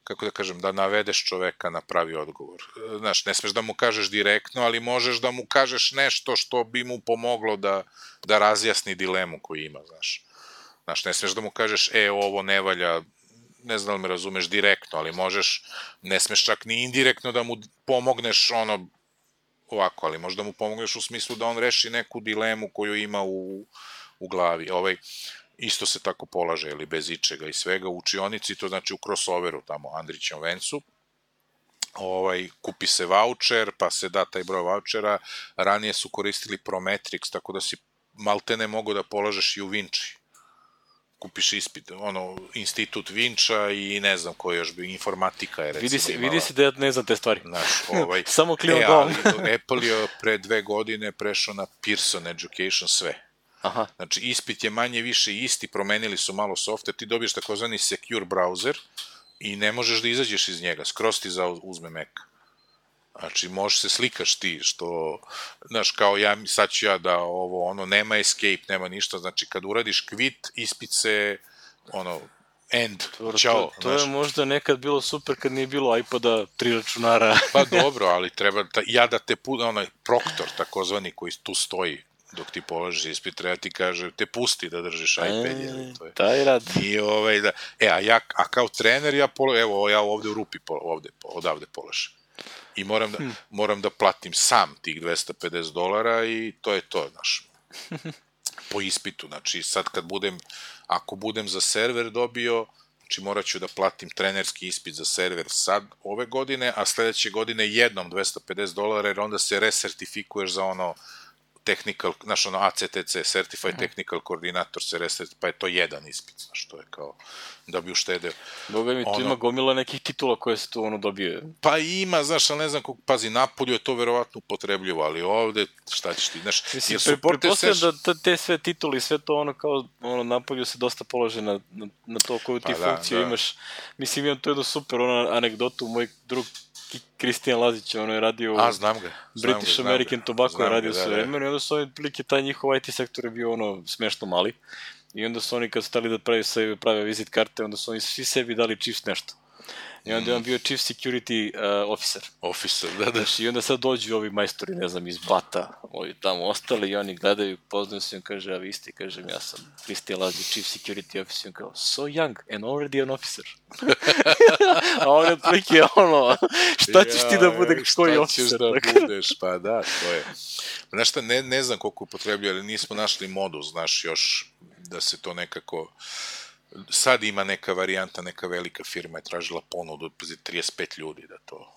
kako da kažem, da navedeš čoveka na pravi odgovor. Znaš, ne smeš da mu kažeš direktno, ali možeš da mu kažeš nešto što bi mu pomoglo da razjasni dilemu koju ima, znaš. Znaš, ne smeš da mu kažeš, ovo ne valja, ne znam da li me razumeš direktno, ali možeš, ne smeš čak ni indirektno da mu pomogneš ovako, ali možda mu pomogneš u smislu da on reši neku dilemu koju ima u glavi. Isto se tako polaže, ili bez ičega i svega, u učionici, to znači u crossoveru tamo, Andrićem vencu, kupi se voucher, pa se da taj broj vouchera, ranije su koristili Prometrix, tako da si maltene mogo da polažeš i u Vinči. Kupiš ispit, institut Vinča i ne znam koji još bi, informatika je recimo imala. Vidi se da ja ne znam te stvari. Znaš, samo klimam glavom. Apple je pre 2 godine prešao na Pearson Education sve. Aha. Znači, ispit je manje više isti, promenili su malo software, ti dobiješ takozvani secure browser i ne možeš da izađeš iz njega, skroz ti uzme Mac. Znači, možeš se slikaš ti, što, znaš, kao sad ću ja da nema escape, nema ništa, znači, kad uradiš quit, ispit se, end, čao. To je možda nekad bilo super kad nije bilo iPoda, 3 računara. Pa dobro, ali treba, da te, proktor, takozvani, koji tu stoji, dok ti položiš ispit, treba ti kaže, te pusti da držiš iPad. Taj rad. A kao trener, ja ovde u rupi, odavde polažem. I moram da platim sam tih $250 i to je to, znaš, po ispitu. Znači, sad ako budem za server dobio, znači morat ću da platim trenerski ispit za server sad, ove godine, a sledeće godine jednom $250, jer onda se resertifikuješ za technical, znaš, ACTC, Certified Technical Coordinator se pa je to jedan ispit, znaš, to je kao da bi uštedeo. Boga mi, tu ima gomila nekih titula koje se tu dobije. Pa ima, znaš, ali ne znam kako, pazi, napolju je to verovatno upotrebljivo, ali ovde, šta ćeš ti, znaš, jer pretpostavljam da te sve tituli, sve to kao napolju se dosta polože na to koju ti funkciju imaš. Mislim, imam to jednu super anegdotu, moj drug Kristijan Lazić, je radio u British American Tobacco, je radio sve vremena i onda su oni, prilike, taj njihov IT sektor je bio smešno mali i onda su oni kad su stali da prave vizit karte, onda su oni svi sebi dali Chiefs nešto. I onda je on bio Chief Security Officer. Da. I onda sad dođu ovi majstori, ne znam, iz Bata, ovi tamo ostali i oni gledaju, poznaju se i on kaže, a vi ste, kažem, ja sam Kristijan Lazić, Chief Security Officer, i on kao, so young and already an officer. A on je otprilike šta ćeš ti da budeš koji officer? Šta ćeš da budeš, pa da, to je. Znaš šta, ne znam koliko upotrebljaju, ali nismo našli modu, znaš, još da se to nekako... Sad ima neka varijanta, neka velika firma je tražila ponudu od 35 ljudi da to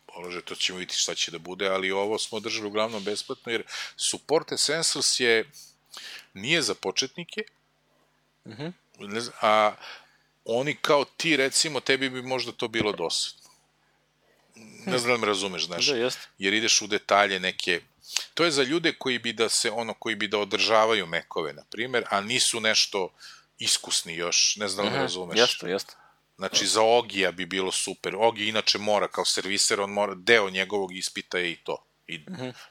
polože, to ćemo vidjeti šta će da bude, ali ovo smo držali uglavnom besplatno, jer Support Essentials je nije za početnike, a oni kao ti, recimo, tebi bi možda to bilo dosadno. Ne znam da me razumeš, znaš, jer ideš u detalje neke. To je za ljude koji bi da održavaju mekove, na primjer, a nisu nešto iskusni još, ne znam da me razumeš. Jeste. Znači, za Ogija bi bilo super. Ogi inače mora, kao serviser, on mora, deo njegovog ispita je i to.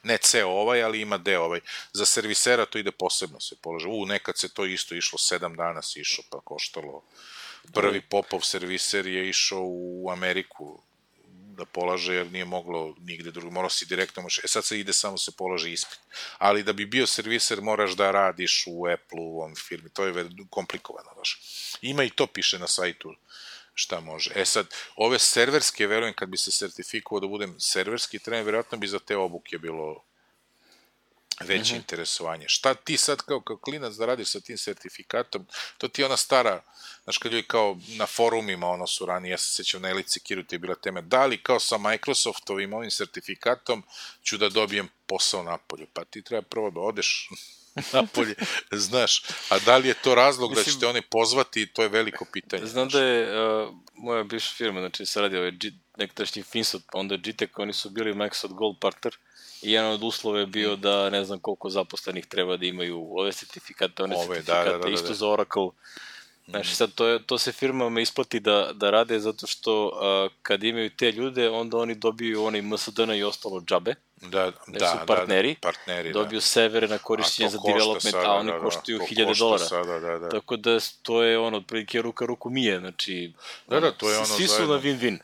Ne ceo ali ima deo ovaj. Za servisera to ide posebno se polože. Nekad se to isto išlo, 7 dana se išlo, pa koštalo. Prvi Popov serviser je išao u Ameriku da polaže, jer nije moglo nigde drugo, morao si direktno, sad se ide, samo se polaže ispit. Ali da bi bio serviser moraš da radiš u Apple-u, u ovom firmi, to je komplikovano baš. Ima i to piše na sajtu šta može. Sad, ove serverske, verujem, kad bi se sertifikovao da budem serverski trener, verovatno bi za te obuke bilo veće interesovanje. Šta ti sad kao klinac da radiš sa tim sertifikatom, to ti je ona stara, znaš, kad ljudi kao na forumima su ranije, ja se sećam na Elite Security je bila tema, da li kao sa Microsoftovim ovim sertifikatom ću da dobijem posao napolju, pa ti treba prvo da odeš napolje, znaš, a da li je to razlog da ćete oni pozvati, to je veliko pitanje. Znam da je moja bivša firma, znači se radi nekadašnji Finsot, pa onda GTEC, oni su bili Microsoft Gold partner i jedan od uslova je bio da ne znam koliko zaposlenih treba da imaju ove sertifikate, isto za Oracle. Znači sad to se firmama isplati da rade zato što kad imaju te ljude, onda oni dobiju onaj MSDN i ostalo džabe. Da, su partneri, dobiju servere na korišćenje za development, a oni koštaju $1000. Tako da to je otprilike ruku mije, znači svi su na win-win.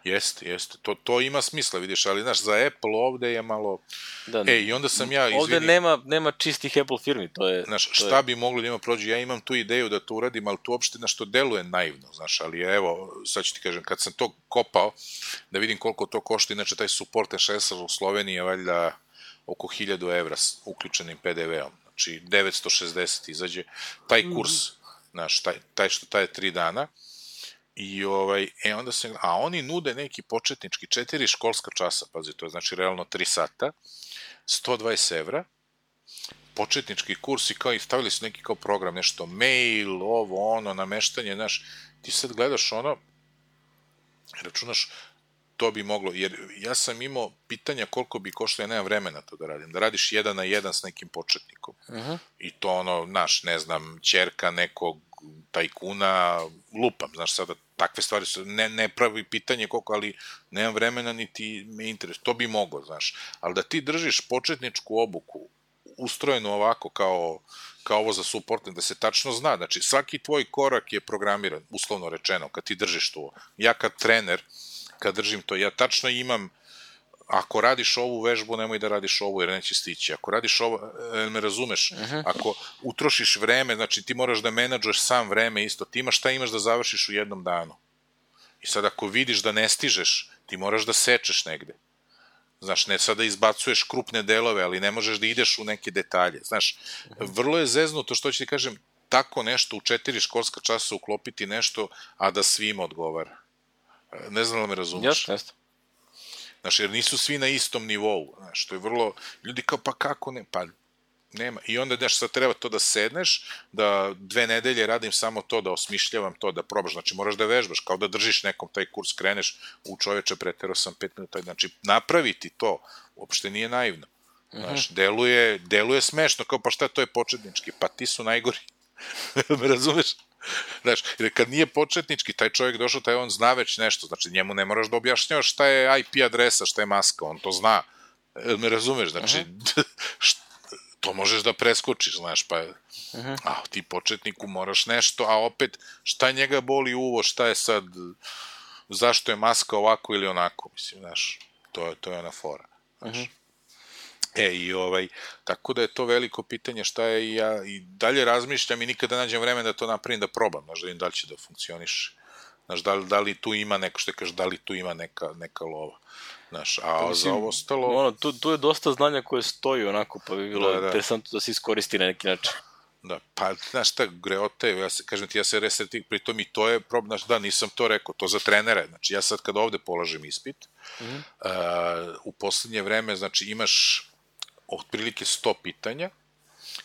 Jeste. To ima smisla, vidiš, ali znaš, za Apple ovde je malo... I onda sam ja, izvini... Ovde nema čistih Apple firmi, to je... Znaš, šta bi moglo da ima prođe? Ja imam tu ideju da to uradim, ali tu uopšte nešto deluje naivno, znaš, ali evo, sad ću ti kažem, kad sam to kopao, da vidim koliko to košta, inače taj support SSL u Sloveniji je valjda oko €1000 uključenim PDV-om, znači 960 izađe, taj kurs, znaš, taj što traje 3 dana, i onda se, a oni nude neki početnički 4 školska časa, pazi, to je znači realno 3 sata, €120, početnički kurs i kao i stavili su neki kao program, nešto mail, nameštanje, znaš, ti sad gledaš računaš, to bi moglo, jer ja sam imao pitanja koliko bi koštalo, ja nemam vremena to da radim, da radiš 1 na 1 s nekim početnikom, i to naš, ne znam, ćerka nekog tajkuna, lupam, znaš, sada takve stvari su, ne pravi pitanje koliko, ali nemam vremena niti me interesuje, to bi moglo, znaš, ali da ti držiš početničku obuku, ustrojenu ovako kao ovo za supporting, da se tačno zna, znači svaki tvoj korak je programiran, uslovno rečeno, kad ti držiš to, ja kad trener, kad držim to, ja tačno imam, ako radiš ovu vežbu, nemoj da radiš ovu, jer neće stići. Ako radiš ovo, me razumeš, ako utrošiš vreme, znači ti moraš da menadžuješ sam vreme isto, ti imaš šta imaš da završiš u jednom danu. I sad ako vidiš da ne stižeš, ti moraš da sečeš negde. Znaš, ne sad da izbacuješ krupne delove, ali ne možeš da ideš u neke detalje. Znaš, vrlo je zeznuto, što ću ti kažem, tako nešto u 4 školska časa uklopiti nešto, a da svima odgovara. Ne znam da me razumeš. Jeste. Znaš, jer nisu svi na istom nivou, znaš, to je vrlo, ljudi kao, pa kako ne, pa nema, i onda, znaš, sad treba to da sedneš, da 2 nedelje radim samo to, da osmišljavam to, da probaš, znači moraš da vežbaš, kao da držiš nekom taj kurs, kreneš, čoveče, preterao sam 5 minuta, znači napraviti to, uopšte nije naivno, znaš, deluje smešno, kao, pa šta, to je početnički, pa ti su najgori, me razumeš? Znaš, jer kad nije početnički, taj čovjek došao, taj on zna već nešto, znači njemu ne moraš da objašnjavaš šta je IP adresa, šta je maska, on to zna, me razumeš, znači, to možeš da preskočiš, znaš, pa ti početniku moraš nešto, a opet, šta njega boli uvo, šta je sad, zašto je maska ovako ili onako, mislim, znaš, to je ona fora, znaš. Tako da je to veliko pitanje šta je, i ja i dalje razmišljam i nikada nađem vreme da to napravim, da probam, znaš, da vidim da li će da funkcioniš, znaš, da li tu ima neko, što kažeš, da li tu ima neka lova, znaš, a za ovo ostalo... Tu je dosta znanja koje stoji onako, pa bi bilo interesantno da se iskoristi na neki način. Da, pa, znaš šta, greote, kažem ti, ja se resetim, pritom i to je problem, znaš, da, nisam to rekao, to za trenere, znači, ja sad kad ovde polažem ispit, u poslednje vreme, znači, imaš otprilike 100 pitanja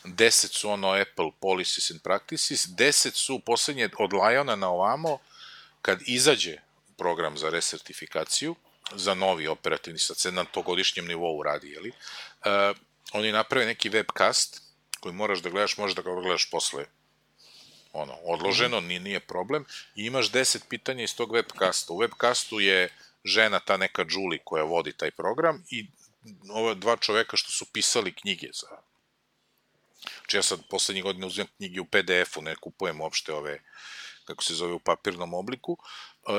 10 su Apple policies and practices, 10 su poslednje od Liona na ovamo, kad izađe program za resertifikaciju, za novi operativni sad na togodišnjem nivou radi, jeli? Oni naprave neki webcast koji moraš da gledaš, možeš da ga gledaš posle odloženo, nije problem, i imaš 10 pitanja iz tog webcasta. U webcastu je žena, ta neka Julie koja vodi taj program, i ova dva čoveka što su pisali knjige za... Znači ja sad poslednjih godina uzimam knjige u PDF-u, ne kupujem uopšte ove, kako se zove, u papirnom obliku,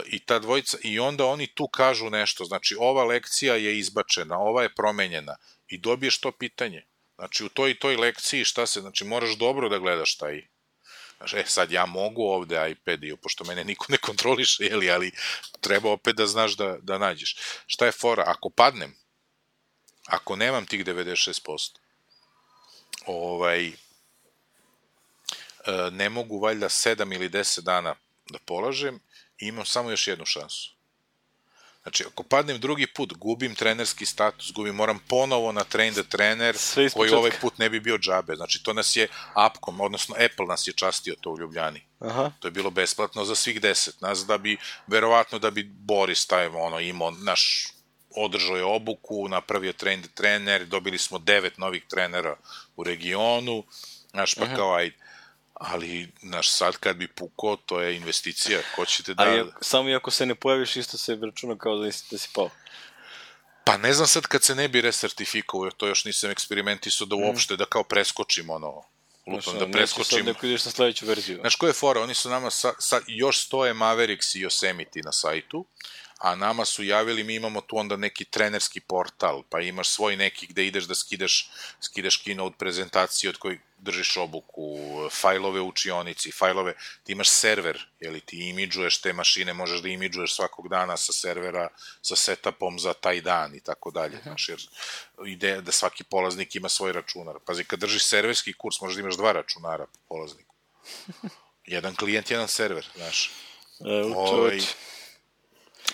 i ta dvojica, i onda oni tu kažu nešto, znači ova lekcija je izbačena, ova je promenjena, i dobiješ to pitanje. Znači u toj i toj lekciji šta se, znači moraš dobro da gledaš taj... Znači, sad ja mogu ovde iPad-iju, pošto mene niko ne kontroliše, ali treba opet da znaš da nađeš. Šta je fora? Ako padnem, ako nemam tih 96%, ne mogu valjda 7 ili 10 dana da polažem i imam samo još jednu šansu. Znači, ako padnem drugi put, gubim trenerski status, moram ponovo na train the trainer, koji ovaj put ne bi bio džabe. Znači, to nas je Appcom, odnosno Apple nas je častio to u Ljubljani. To je bilo besplatno za svih 10. Nas verovatno da bi Boris taj imao, održao je obuku, napravio train the trainer, dobili smo 9 novih trenera u regionu, pa kao ajde. Ali, sad kad bi pukao, to je investicija, ko ćete da... Ali samo i ako se ne pojaviš, isto se računa kao da si pao. Pa ne znam sad kad se ne bi resertifikovao, to još nisam eksperimentisao da uopšte, da kao preskočim lupam, da preskočim... Neće sad neko ideš na sledeću verziju. Znaš ko je fora, oni su nama sad još stoje Mavericks i Yosemite na sajtu, a nama su javili, mi imamo tu onda neki trenerski portal, pa imaš svoj neki gde ideš da skidaš keynote prezentacije od kojih držiš obuku, fajlove u učionici, ti imaš server, jeli ti imidžuješ te mašine, možeš da imidžuješ svakog dana sa servera, sa setupom za taj dan i tako dalje, znaš, jer ideja da svaki polaznik ima svoj računar. Pazi, kad držiš serverski kurs, možeš da imaš 2 računara po polazniku. Jedan klijent, jedan server, znaš.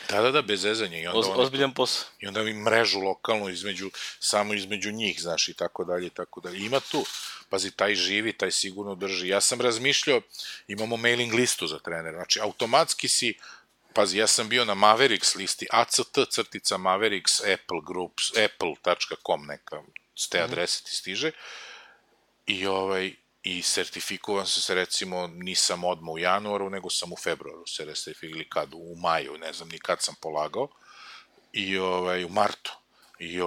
Da, bez zezanja. Ozbiljan posao. I onda mi mrežu lokalnu samo između njih, znaš, i tako dalje, i tako dalje. Ima tu, pazi, taj živi, taj sigurno drži. Ja sam razmišljao, imamo mailing listu za trenera, znači, automatski si, pazi, ja sam bio na Mavericks listi, act-mavericks Apple Groups, apple.com neka, s te adrese ti stiže, i sertifikovan se, recimo, nisam odmah u januaru, nego sam u februaru se sertifikovan, ili kad, u maju, ne znam ni kad sam polagao, i u martu, i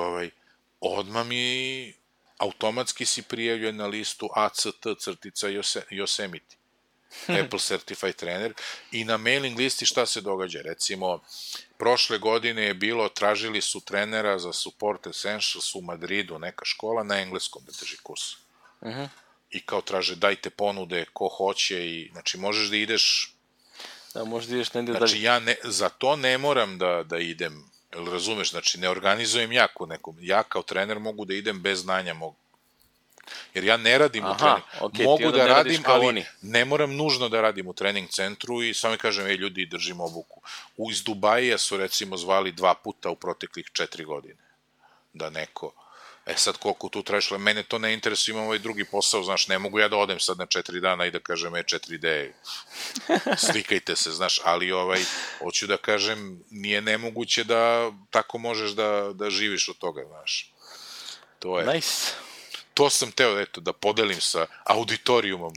odmah mi automatski si prijavljen na listu ACT-Yosemite, Apple Certified Trainer, i na mailing listi šta se događa, recimo, prošle godine je bilo, tražili su trenera za Support Essentials u Madridu, neka škola, na engleskom da drži kurs. I kao traže, dajte ponude, ko hoće, i znači možeš da ideš... Da, možeš da ideš negde dalje. Znači ja za to ne moram da idem, razumeš, znači ne organizujem ja ko nekom, ja kao trener mogu da idem bez znanja mog. Jer ja ne radim u trening. Mogu da radim, ali ne moram nužno da radim u trening centru i samo mi kažem, ljudi, držim obuku. Iz Dubaija su recimo zvali 2 puta u proteklih 4 godine. Da neko... sad koliko tu tražiš, mene to ne interesuje, imam ovaj drugi posao, znaš, ne mogu ja da odem sad na 4 dana i da kažem 4D, slikajte se, znaš, ali hoću da kažem, nije nemoguće da tako možeš da živiš od toga, znaš. To je. Nice. To sam teo, eto, da podelim sa auditorijumom,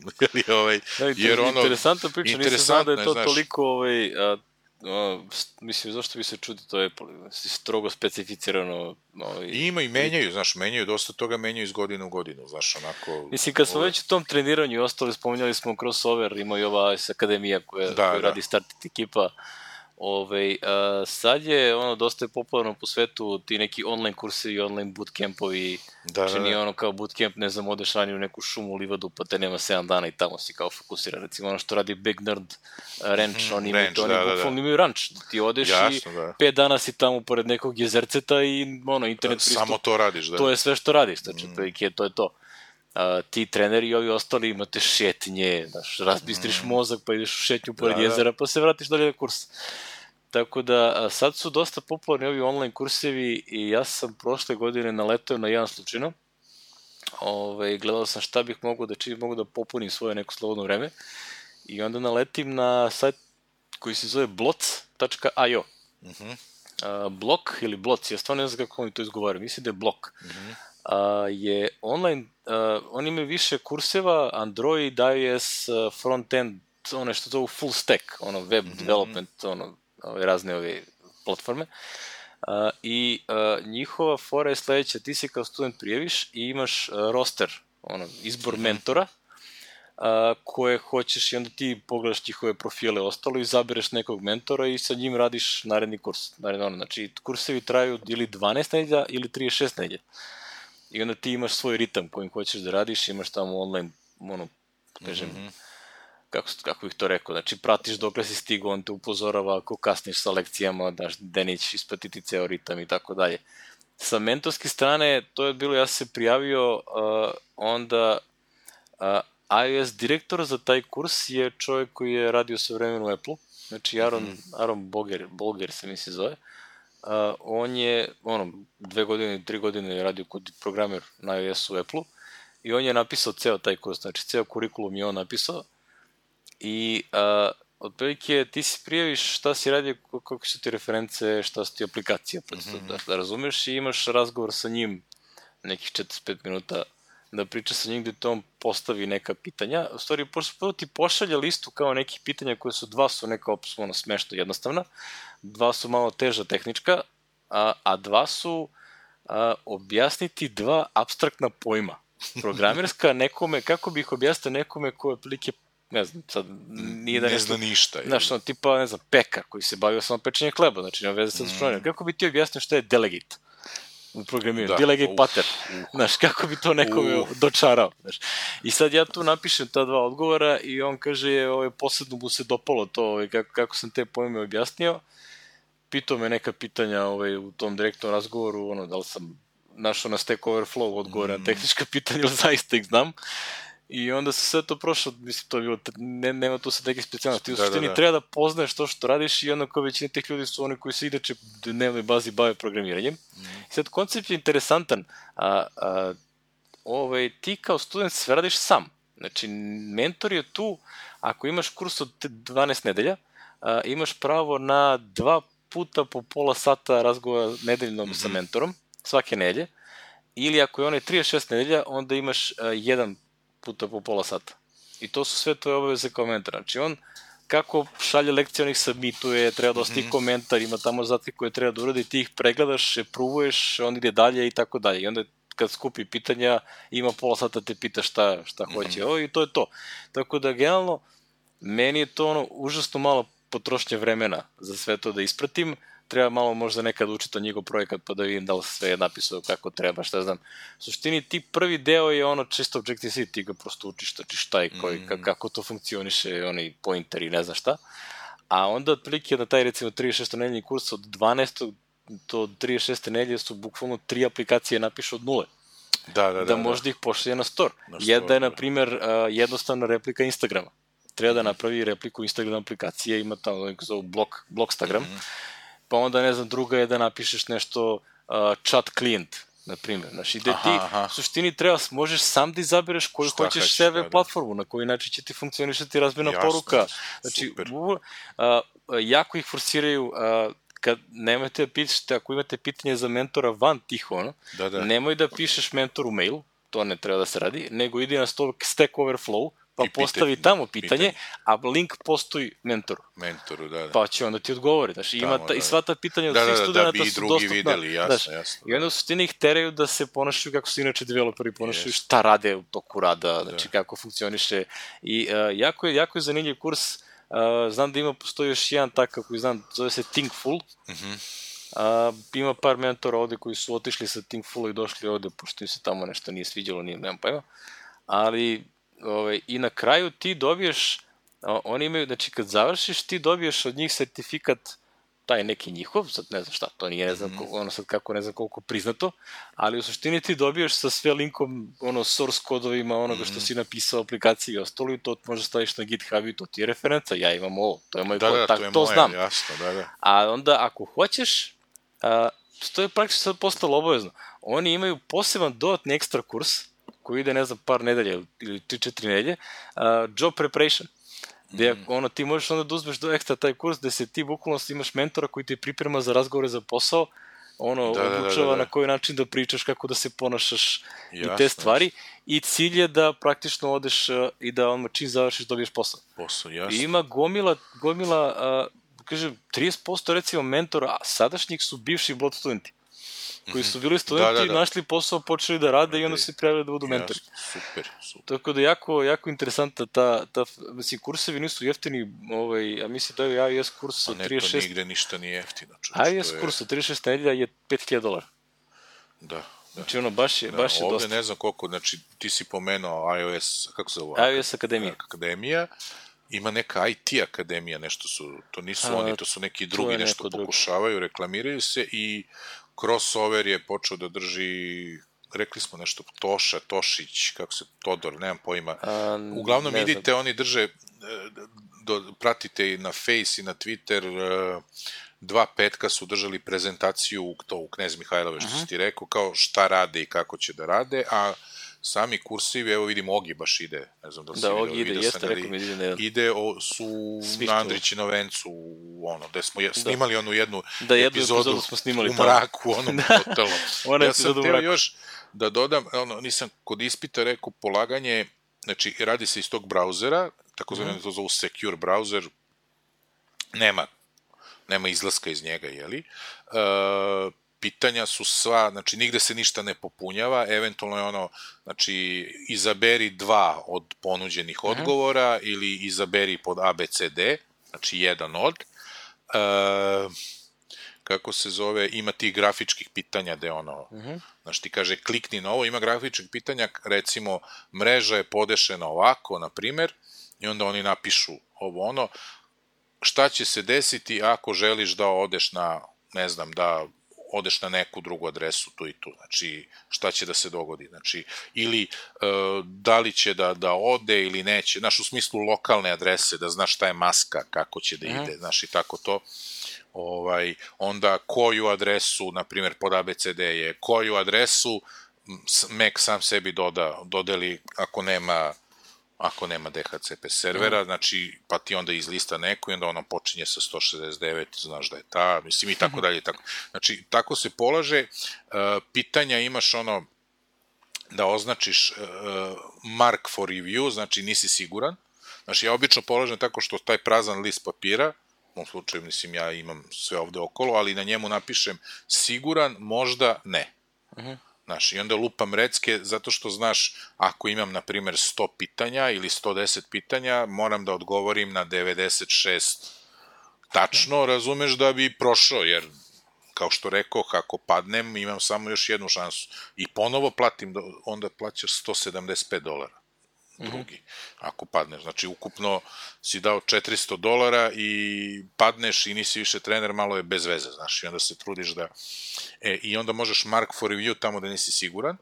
jer ono... Interesantna priča, nisam znao da je to toliko, mislim, zašto bi se čudi, to je strogo specificirano. Ima i menjaju, znaš, dosta toga menjaju iz godine u godinu, znaš, onako... Mislim, kad smo već u tom treniranju i ostali, spominjali smo crossover, ima i ova akademija koja radi Startit ekipa, sad je dosta je popularno po svetu ti neki online kursi i online bootcampovi, znači nije ono kao bootcamp, ne znam, odeš ranije u neku šumu, livadu, pa te nema 7 dana i tamo si kao fokusiran, recimo ono što radi Big Nerd Ranch, oni bukvalno imaju ranč, ti odeš i 5 dana si tamo pored nekog jezerceta i internet pristup, samo to radiš, to je sve što radiš, znači to je to. Ti treneri i ovi ostali imate šetnje, razbistriš mozak pa ideš u šetnju pored jezera pa se vratiš dalje na kurs. Tako da sad su dosta popularni ovi online kursevi i ja sam prošle godine naletao na jedan slučajno. gledao sam šta bih mogao da činim, mogu da popunim svoje neko slobodno vreme i onda naletim na sajt koji se zove bloc.io. Blok ili Bloc, ja stvarno ne znam kako oni to izgovaraju, mislim da je Blok. Je online, oni imaju više kurseva, Android, iOS, front-end, ono što zovu full stack, ono web development, ono razne ove platforme. I njihova fora je sledeća, ti se kao student prijaviš i imaš roster, ono, izbor mentora, koje hoćeš i onda ti pogledaš njihove profile ostalo i zabereš nekog mentora i sa njim radiš naredni kurs. Znači, kursevi traju ili 12 nedelja ili 36 nedelja. I onda ti imaš svoj ritam kojim hoćeš da radiš, imaš tamo online, ono, kažem, kako bih to rekao, znači pratiš dokle si stigao, on te upozorava ako kasniš sa lekcijama, da nećeš ispratiti ceo ritam i tako dalje. Sa mentorske strane, to je bilo, ja sam se prijavio, onda iOS direktor za taj kurs je čovjek koji je radio sve vremena u Apple-u, znači Aaron Bolger se mi se zove. On je, 2 godine, 3 godine je radio kod programer na iOS-u u Apple-u i on je napisao ceo taj kurs, znači ceo kurikulum je on napisao i otprilike ti si prijaviš šta si radio, kako su ti reference, šta su ti aplikacije, da razumeš i imaš razgovor sa njim nekih 45 minuta da priča sa njim gde to on postavi neka pitanja. U stvari, prvo ti pošalje listu kao nekih pitanja koje su, 2 su neka smešno jednostavna, 2 su malo teža tehnička, a 2 su objasniti 2 apstraktna pojma. Programerska nekome, kako bih objasnio nekome koje otprilike, ne znam, sad nije da ne zna ništa. Znaš, tipa, ne znam, pekar koji se bavio samo pečenjem hleba, znači nema veze sa zaščuvanjem. Kako bi ti objasnio šta je delegate u programiranju, delegate pattern, znaš, kako bi to nekome dočarao, znaš. I sad ja tu napišem ta 2 odgovora i on kaže, posebno mu se dopalo to, kako sam te pojme objasnio, pitao me neka pitanja u tom direktnom razgovoru, da li sam našao na Stack Overflow odgovore na tehnička pitanja ili zaista ih znam. I onda se sve to prošlo, mislim, to je bilo, nema tu sad neke specijalnosti. U suštini treba da poznaješ to što radiš i onda kao većina tih ljudi su oni koji se inače u dnevnoj bazi bave programiranjem. I sad koncept je interesantan. Ti kao student sve radiš sam. Znači, mentor je tu, ako imaš kurs od 12 nedelja, imaš pravo na 2 puta po pola sata razgovora nedeljnom sa mentorom, svake nedelje. Ili ako je onaj 36 nedelja, onda imaš 1 puta po pola sata. I to su sve tvoje obaveze kao mentor. Znači, on kako šalje lekcije, onih submituje, treba da ostavi komentar, ima tamo zadatke koje treba da uradi, ti ih pregledaš, pruvuješ, on ide dalje i tako dalje. I onda kad skupi pitanja, ima pola sata te pita šta hoće. I to je to. Tako da, generalno, meni je to užasno malo potrošnje vremena za sve to da ispratim. Treba malo možda nekad učiti o njegov projekat pa da vidim da li sve je napisao kako treba, šta znam. U suštini ti prvi deo je čisto Objective-C, ti ga prosto učiš šta je, kako to funkcioniše, oni pointer i ne znam šta. A onda otprilike na taj recimo 36. nedeljni kurs od 12. do 36. nedelje su bukvalno 3 aplikacije napišu od nule. Da možda ih pošalje na store. Jedna je, na primjer, jednostavna replika Instagrama. Treba da napravi repliku Instagram aplikacije, ima tamo neko zove Blockstagram. Pa onda, ne znam, druga je da napišeš nešto chat klijent, na primjer. Znači, gde ti u suštini možeš sam da izabereš koju hoćeš sebe platformu, na koji način će ti funkcionisati razmena poruka. Znači, jako ih forsiraju, kad nemojte da pišete, ako imate pitanje za mentora van tih, nemoj da pišeš mentoru mail, to ne treba da se radi, nego idi na Stack Overflow, pa postavi tamo pitanje, a link postoji mentoru. Pa će onda ti odgovori. I sva ta pitanja od svih studenta su dostupna. I onda u suštini ih teraju da se ponašaju kako su inače developeri ponašaju, šta rade u toku rada, znači kako funkcioniše. I jako je zanimljiv kurs. Znam da postoji još jedan takav koji znam, zove se Thinkful. Ima par mentora ovde koji su otišli sa Thinkful i došli ovde, pošto im se tamo nešto nije sviđalo, nemam pojma. Ali i na kraju ti dobiješ, oni imaju, znači kad završiš ti dobiješ od njih sertifikat, taj neki njihov, sad ne znam šta, to nije, ne znam koliko priznato, ali u suštini ti dobiješ sa sve linkom, source kodovima onoga što si napisao, aplikaciji i ostalo i to možeš staviš na GitHub i to ti je referenca, ja imam ovo, to je moj kod, to znam. A onda ako hoćeš, to je praktično sad postalo obavezno, oni imaju poseban dodatni ekstra kurs, koji ide, ne znam, par nedelja ili 3-4 nedelje, job preparation, gde ti možeš onda da uzmeš do ekstra taj kurs gde se ti bukvalno imaš mentora koji te priprema za razgovore za posao, obučava na koji način da pričaš, kako da se ponašaš i te stvari, i cilj je da praktično odeš i da čim završiš dobiješ posao. I ima gomila, kažem, 30% recimo mentora sadašnjih su bivši Blood studenti, koji su bili studenti, našli posao, počeli da rade i onda se prijavili da budu mentori. Super. Tako da jako interesantna mislim, kursevi nisu jeftini, a mislim da je iOS kurs od 36... Neto nigde ništa nije jeftino. iOS kurs od 36 nedelja je $5,000. Da. Znači baš je dosta. Ovde ne znam koliko, znači ti si pomenuo iOS, kako se zove? iOS Akademija. Ima neka IT akademija, nešto su, to nisu oni, to su neki drugi, nešto pokušavaju, reklamiraju se i Crossover je počeo da drži, rekli smo nešto, Tošić, kako se, Todor, nemam pojma. Uglavnom idite, oni drže, pratite i na Face i na Twitter, 2 petka su držali prezentaciju, to u Knez Mihajlove, što si ti rekao, kao šta rade i kako će da rade, a sami kursivi, evo vidim, Ogi baš ide, ne znam da li si ide, su na Andrićino vencu, gde smo snimali onu jednu epizodu u mraku, onom hotelu. Ja sam teo još da dodam, nisam kod ispita rekao polaganje, znači radi se iz tog brauzera, tako zvane to zovu secure browser, nema izlaska iz njega, jeli? Pitanja su sva, znači nigde se ništa ne popunjava, eventualno je znači izaberi 2 od ponuđenih odgovora ili izaberi pod ABCD, znači jedan od. Kako se zove, ima tih grafičkih pitanja gde znači ti kaže klikni na ovo, ima grafičkih pitanja, recimo mreža je podešena ovako, na primer, i onda oni napišu ovo šta će se desiti ako želiš da odeš na, ne znam, da odeš na neku drugu adresu tu i tu, znači šta će da se dogodi, znači ili da li će da ode ili neće, znaš, u smislu lokalne adrese, da znaš šta je maska, kako će da ide, znaš, i tako to, onda koju adresu, na primjer pod ABCD je, koju adresu Mac sam sebi dodeli ako nema DHCP servera, znači, pa ti onda izlista neko i onda ono počinje sa 169, znaš da je ta, mislim i tako dalje. Znači, tako se polaže, pitanja imaš da označiš mark for review, znači nisi siguran, znači ja obično polažem tako što taj prazan list papira, u ovom slučaju, mislim, ja imam sve ovde okolo, ali na njemu napišem siguran, možda ne. Znaš, i onda lupam recke, zato što, znaš, ako imam, na primer, 100 pitanja ili 110 pitanja, moram da odgovorim na 96 tačno, razumeš, da bi prošao, jer, kao što rekoh, ako padnem, imam samo još jednu šansu. I ponovo platim, onda plaćaš $175 drugi, ako padneš. Znači, ukupno si dao $400 i padneš i nisi više trener, malo je bez veze, znaš, i onda se trudiš da... I onda možeš mark for review tamo da nisi siguran,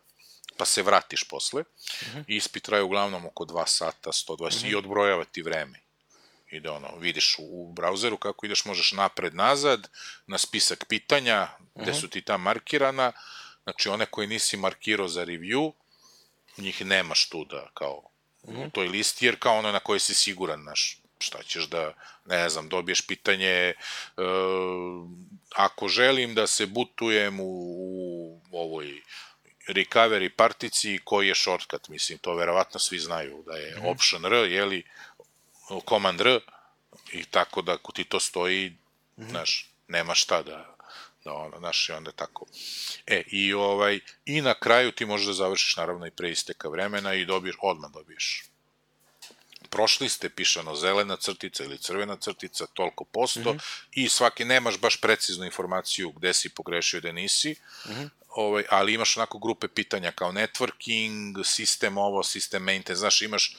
pa se vratiš posle. Ispit traje uglavnom oko 2 sata, 120, i odbrojava ti vreme. I da vidiš u brauzeru kako ideš, možeš napred-nazad, na spisak pitanja, gde su ti tam markirana, znači one koje nisi markirao za review, njih nemaš tu da, kao, u toj listi, jer kao ono na koje si siguran, znaš, šta ćeš da, ne znam, dobiješ pitanje, ako želim da se bootujem u ovoj recovery partici, koji je shortcut, mislim, to verovatno svi znaju, da je option R, jeli, command R, i tako da ako ti to stoji, znaš, nema šta da znaš, i onda tako. I na kraju ti možeš da završiš, naravno, i pre isteka vremena i odmah dobiješ. Prošli ste, pišano zelena crtica ili crvena crtica, toliko posto, i svaki, nemaš baš preciznu informaciju gde si pogrešio, gde nisi, ali imaš onako grupe pitanja kao networking, sistem ovo, sistem maintenance, znaš, imaš,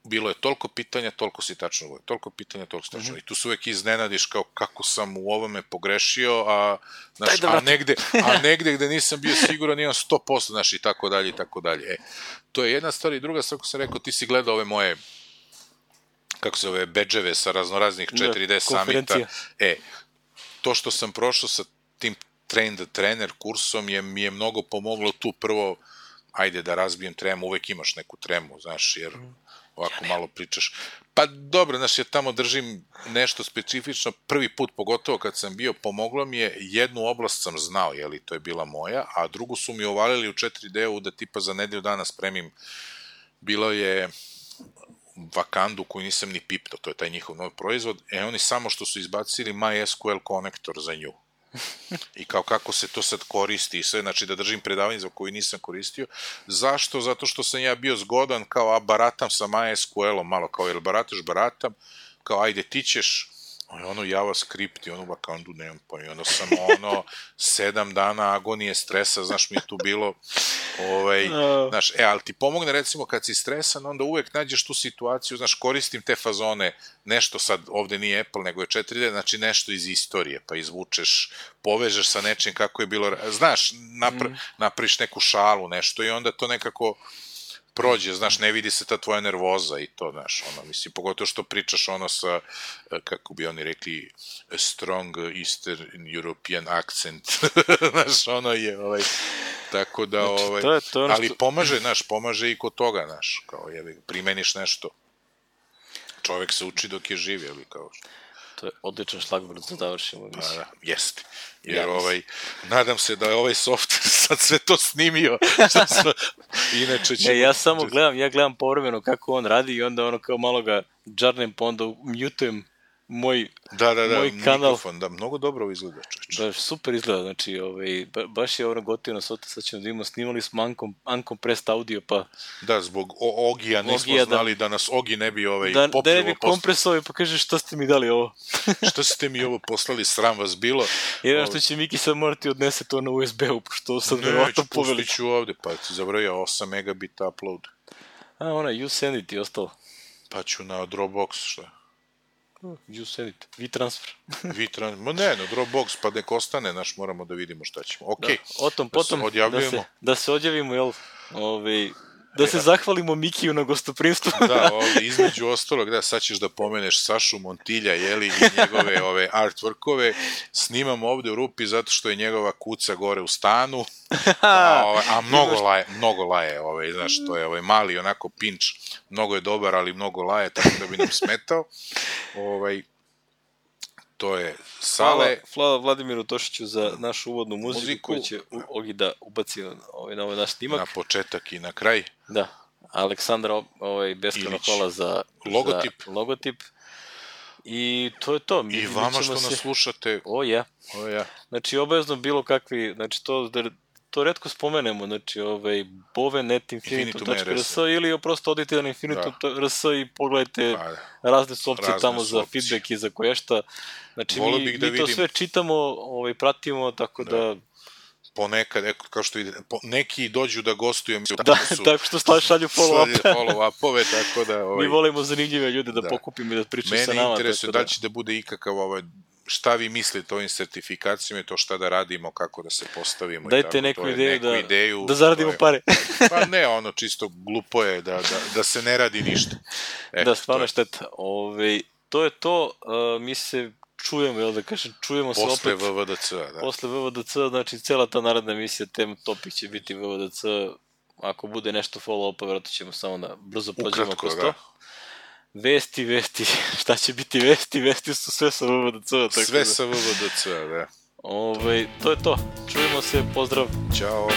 bilo je toliko pitanja, toliko si tačno govorio, toliko pitanja, toliko si tačno. I tu se uvek iznenadiš kao kako sam u ovome pogrešio, a negde gde nisam bio siguran imam 100%, znaš, i tako dalje, i tako dalje. To je jedna stvar, i druga stvar, kako sam rekao, ti si gledao ove moje, kako se zove, bedževe sa raznoraznih 4D summita. To što sam prošao sa tim Train the Trainer kursom mi je mnogo pomoglo tu prvo ajde da razbijem tremu, uvek imaš neku tremu, znaš, jer ovako malo pričaš. Pa dobro, znaš, ja tamo držim nešto specifično, prvi put, pogotovo kad sam bio, pomoglo mi je, jednu oblast sam znao, jeli, to je bila moja, a drugu su mi ovalili u 4D-u da tipa za nedelju dana spremim, bilo je Vakandu koju nisam ni piptao, to je taj njihov novi proizvod, oni samo što su izbacili MySQL konektor za nju. I kao kako se to sad koristi i sve, znači da držim predavanje za koju nisam koristio. Zašto? Zato što sam ja bio zgodan, kao baratam sa MySQL-om, malo kao jel baratam, kao ajde ti ćeš ono JavaScript i ono Vakandu nemam pa i ono sam 7 dana agonije stresa, znaš mi je tu bilo znaš, ali ti pomogne recimo kad si stresan, onda uvek nađeš tu situaciju, znaš, koristim te fazone, nešto sad, ovde nije Apple, nego je 4D, znači nešto iz istorije, pa izvučeš, povežeš sa nečim kako je bilo, znaš, napriš neku šalu, nešto i onda to nekako prođe, znaš, ne vidi se ta tvoja nervoza i to, znaš, mislim, pogotovo što pričaš sa, kako bi oni rekli, strong Eastern European accent, znaš, je, tako da, ali pomaže, znaš, pomaže i kod toga, znaš, kao, primeniš nešto, čovek se uči dok je živ, jel, kao što. To je odličan šlagvord za završimo. Da, jeste. Jer nadam se da je ovaj softver sad sve to snimio. Inače ćemo... Ja samo gledam povremeno kako on radi i onda kao malo ga džarnem, pa onda mutujem moj kanal. Mikrofon, da, mnogo dobro izgleda, čoveče. Da, super izgleda, znači, baš je gotivno sad ćemo da imamo, snimali smo uncompressed audio, pa... Da, zbog Ogija nismo znali da nas Ogi ne bi popljivo... Da ne bi kompresovali, pa kaže šta ste mi dali ovo? Šta ste mi ovo poslali, sram vas bilo? Jer što će Miki sad morati odnese to na USB-u, pošto sad verovatno poveli. Pustit ću ovde, pa ti zabrojao 8 megabita upload. You send it i ostalo. Pa ću na Dropbox, šta? You send it. WeTransfer. Ma ne, na Dropbox, pa nek ostane, naš, moramo da vidimo šta ćemo. Okej, potom, da se odjavimo, jel, da se zahvalimo Mikiju na gostoprimstvu. Da, između ostalog, da, sad ćeš da pomeneš Sašu Montilja, jeli, i njegove artworkove, snimamo ovde u rupi zato što je njegova kuca gore u stanu, a mnogo laje, znaš, to je mali onako pinč, mnogo je dobar, ali mnogo laje, tako da bi nam smetao, to je Sale. Hvala Vladimiru Tošiću za našu uvodnu muziku koju će Ogi da ubaci na ovaj naš snimak. Na početak i na kraj. Da. Aleksandra, beskreno hvala za logotip. I to je to. I vama što nas slušate. Znači, obavezno bilo kakvi, znači to retko spomenemo, znači bove.net.infinitum.rs ili prosto odite na infinitum.rs i pogledajte razne opcije tamo za feedback i za koješta. Znači, mi to sve čitamo, pratimo, tako da... Ponekad, kao što ide, neki dođu da gostuju. Tako što šalju follow-upove, tako da... Mi volimo zanimljive ljude da pokupimo i da pričaju sa nama. Mene interesuje da će da bude ikakav šta vi mislite o ovim sertifikacijama i to šta da radimo, kako da se postavimo. Dajte neku ideju da zaradimo pare. Pa ne, čisto glupo je da se ne radi ništa. Da, stvarno šteta. To je to, mi se čujemo, jel da kažem, čujemo se opet. Posle VVDC-a, da. Posle VVDC-a, znači cela ta naredna emisija, tema topik će biti VVDC, ako bude nešto follow-upa, vjerojatno ćemo samo da brzo prođemo kroz to. Vesti, šta će biti vesti su sve sa VVDC-a. Sve sa VVDC-a, da. To je to. Čujemo se, pozdrav. Ćao.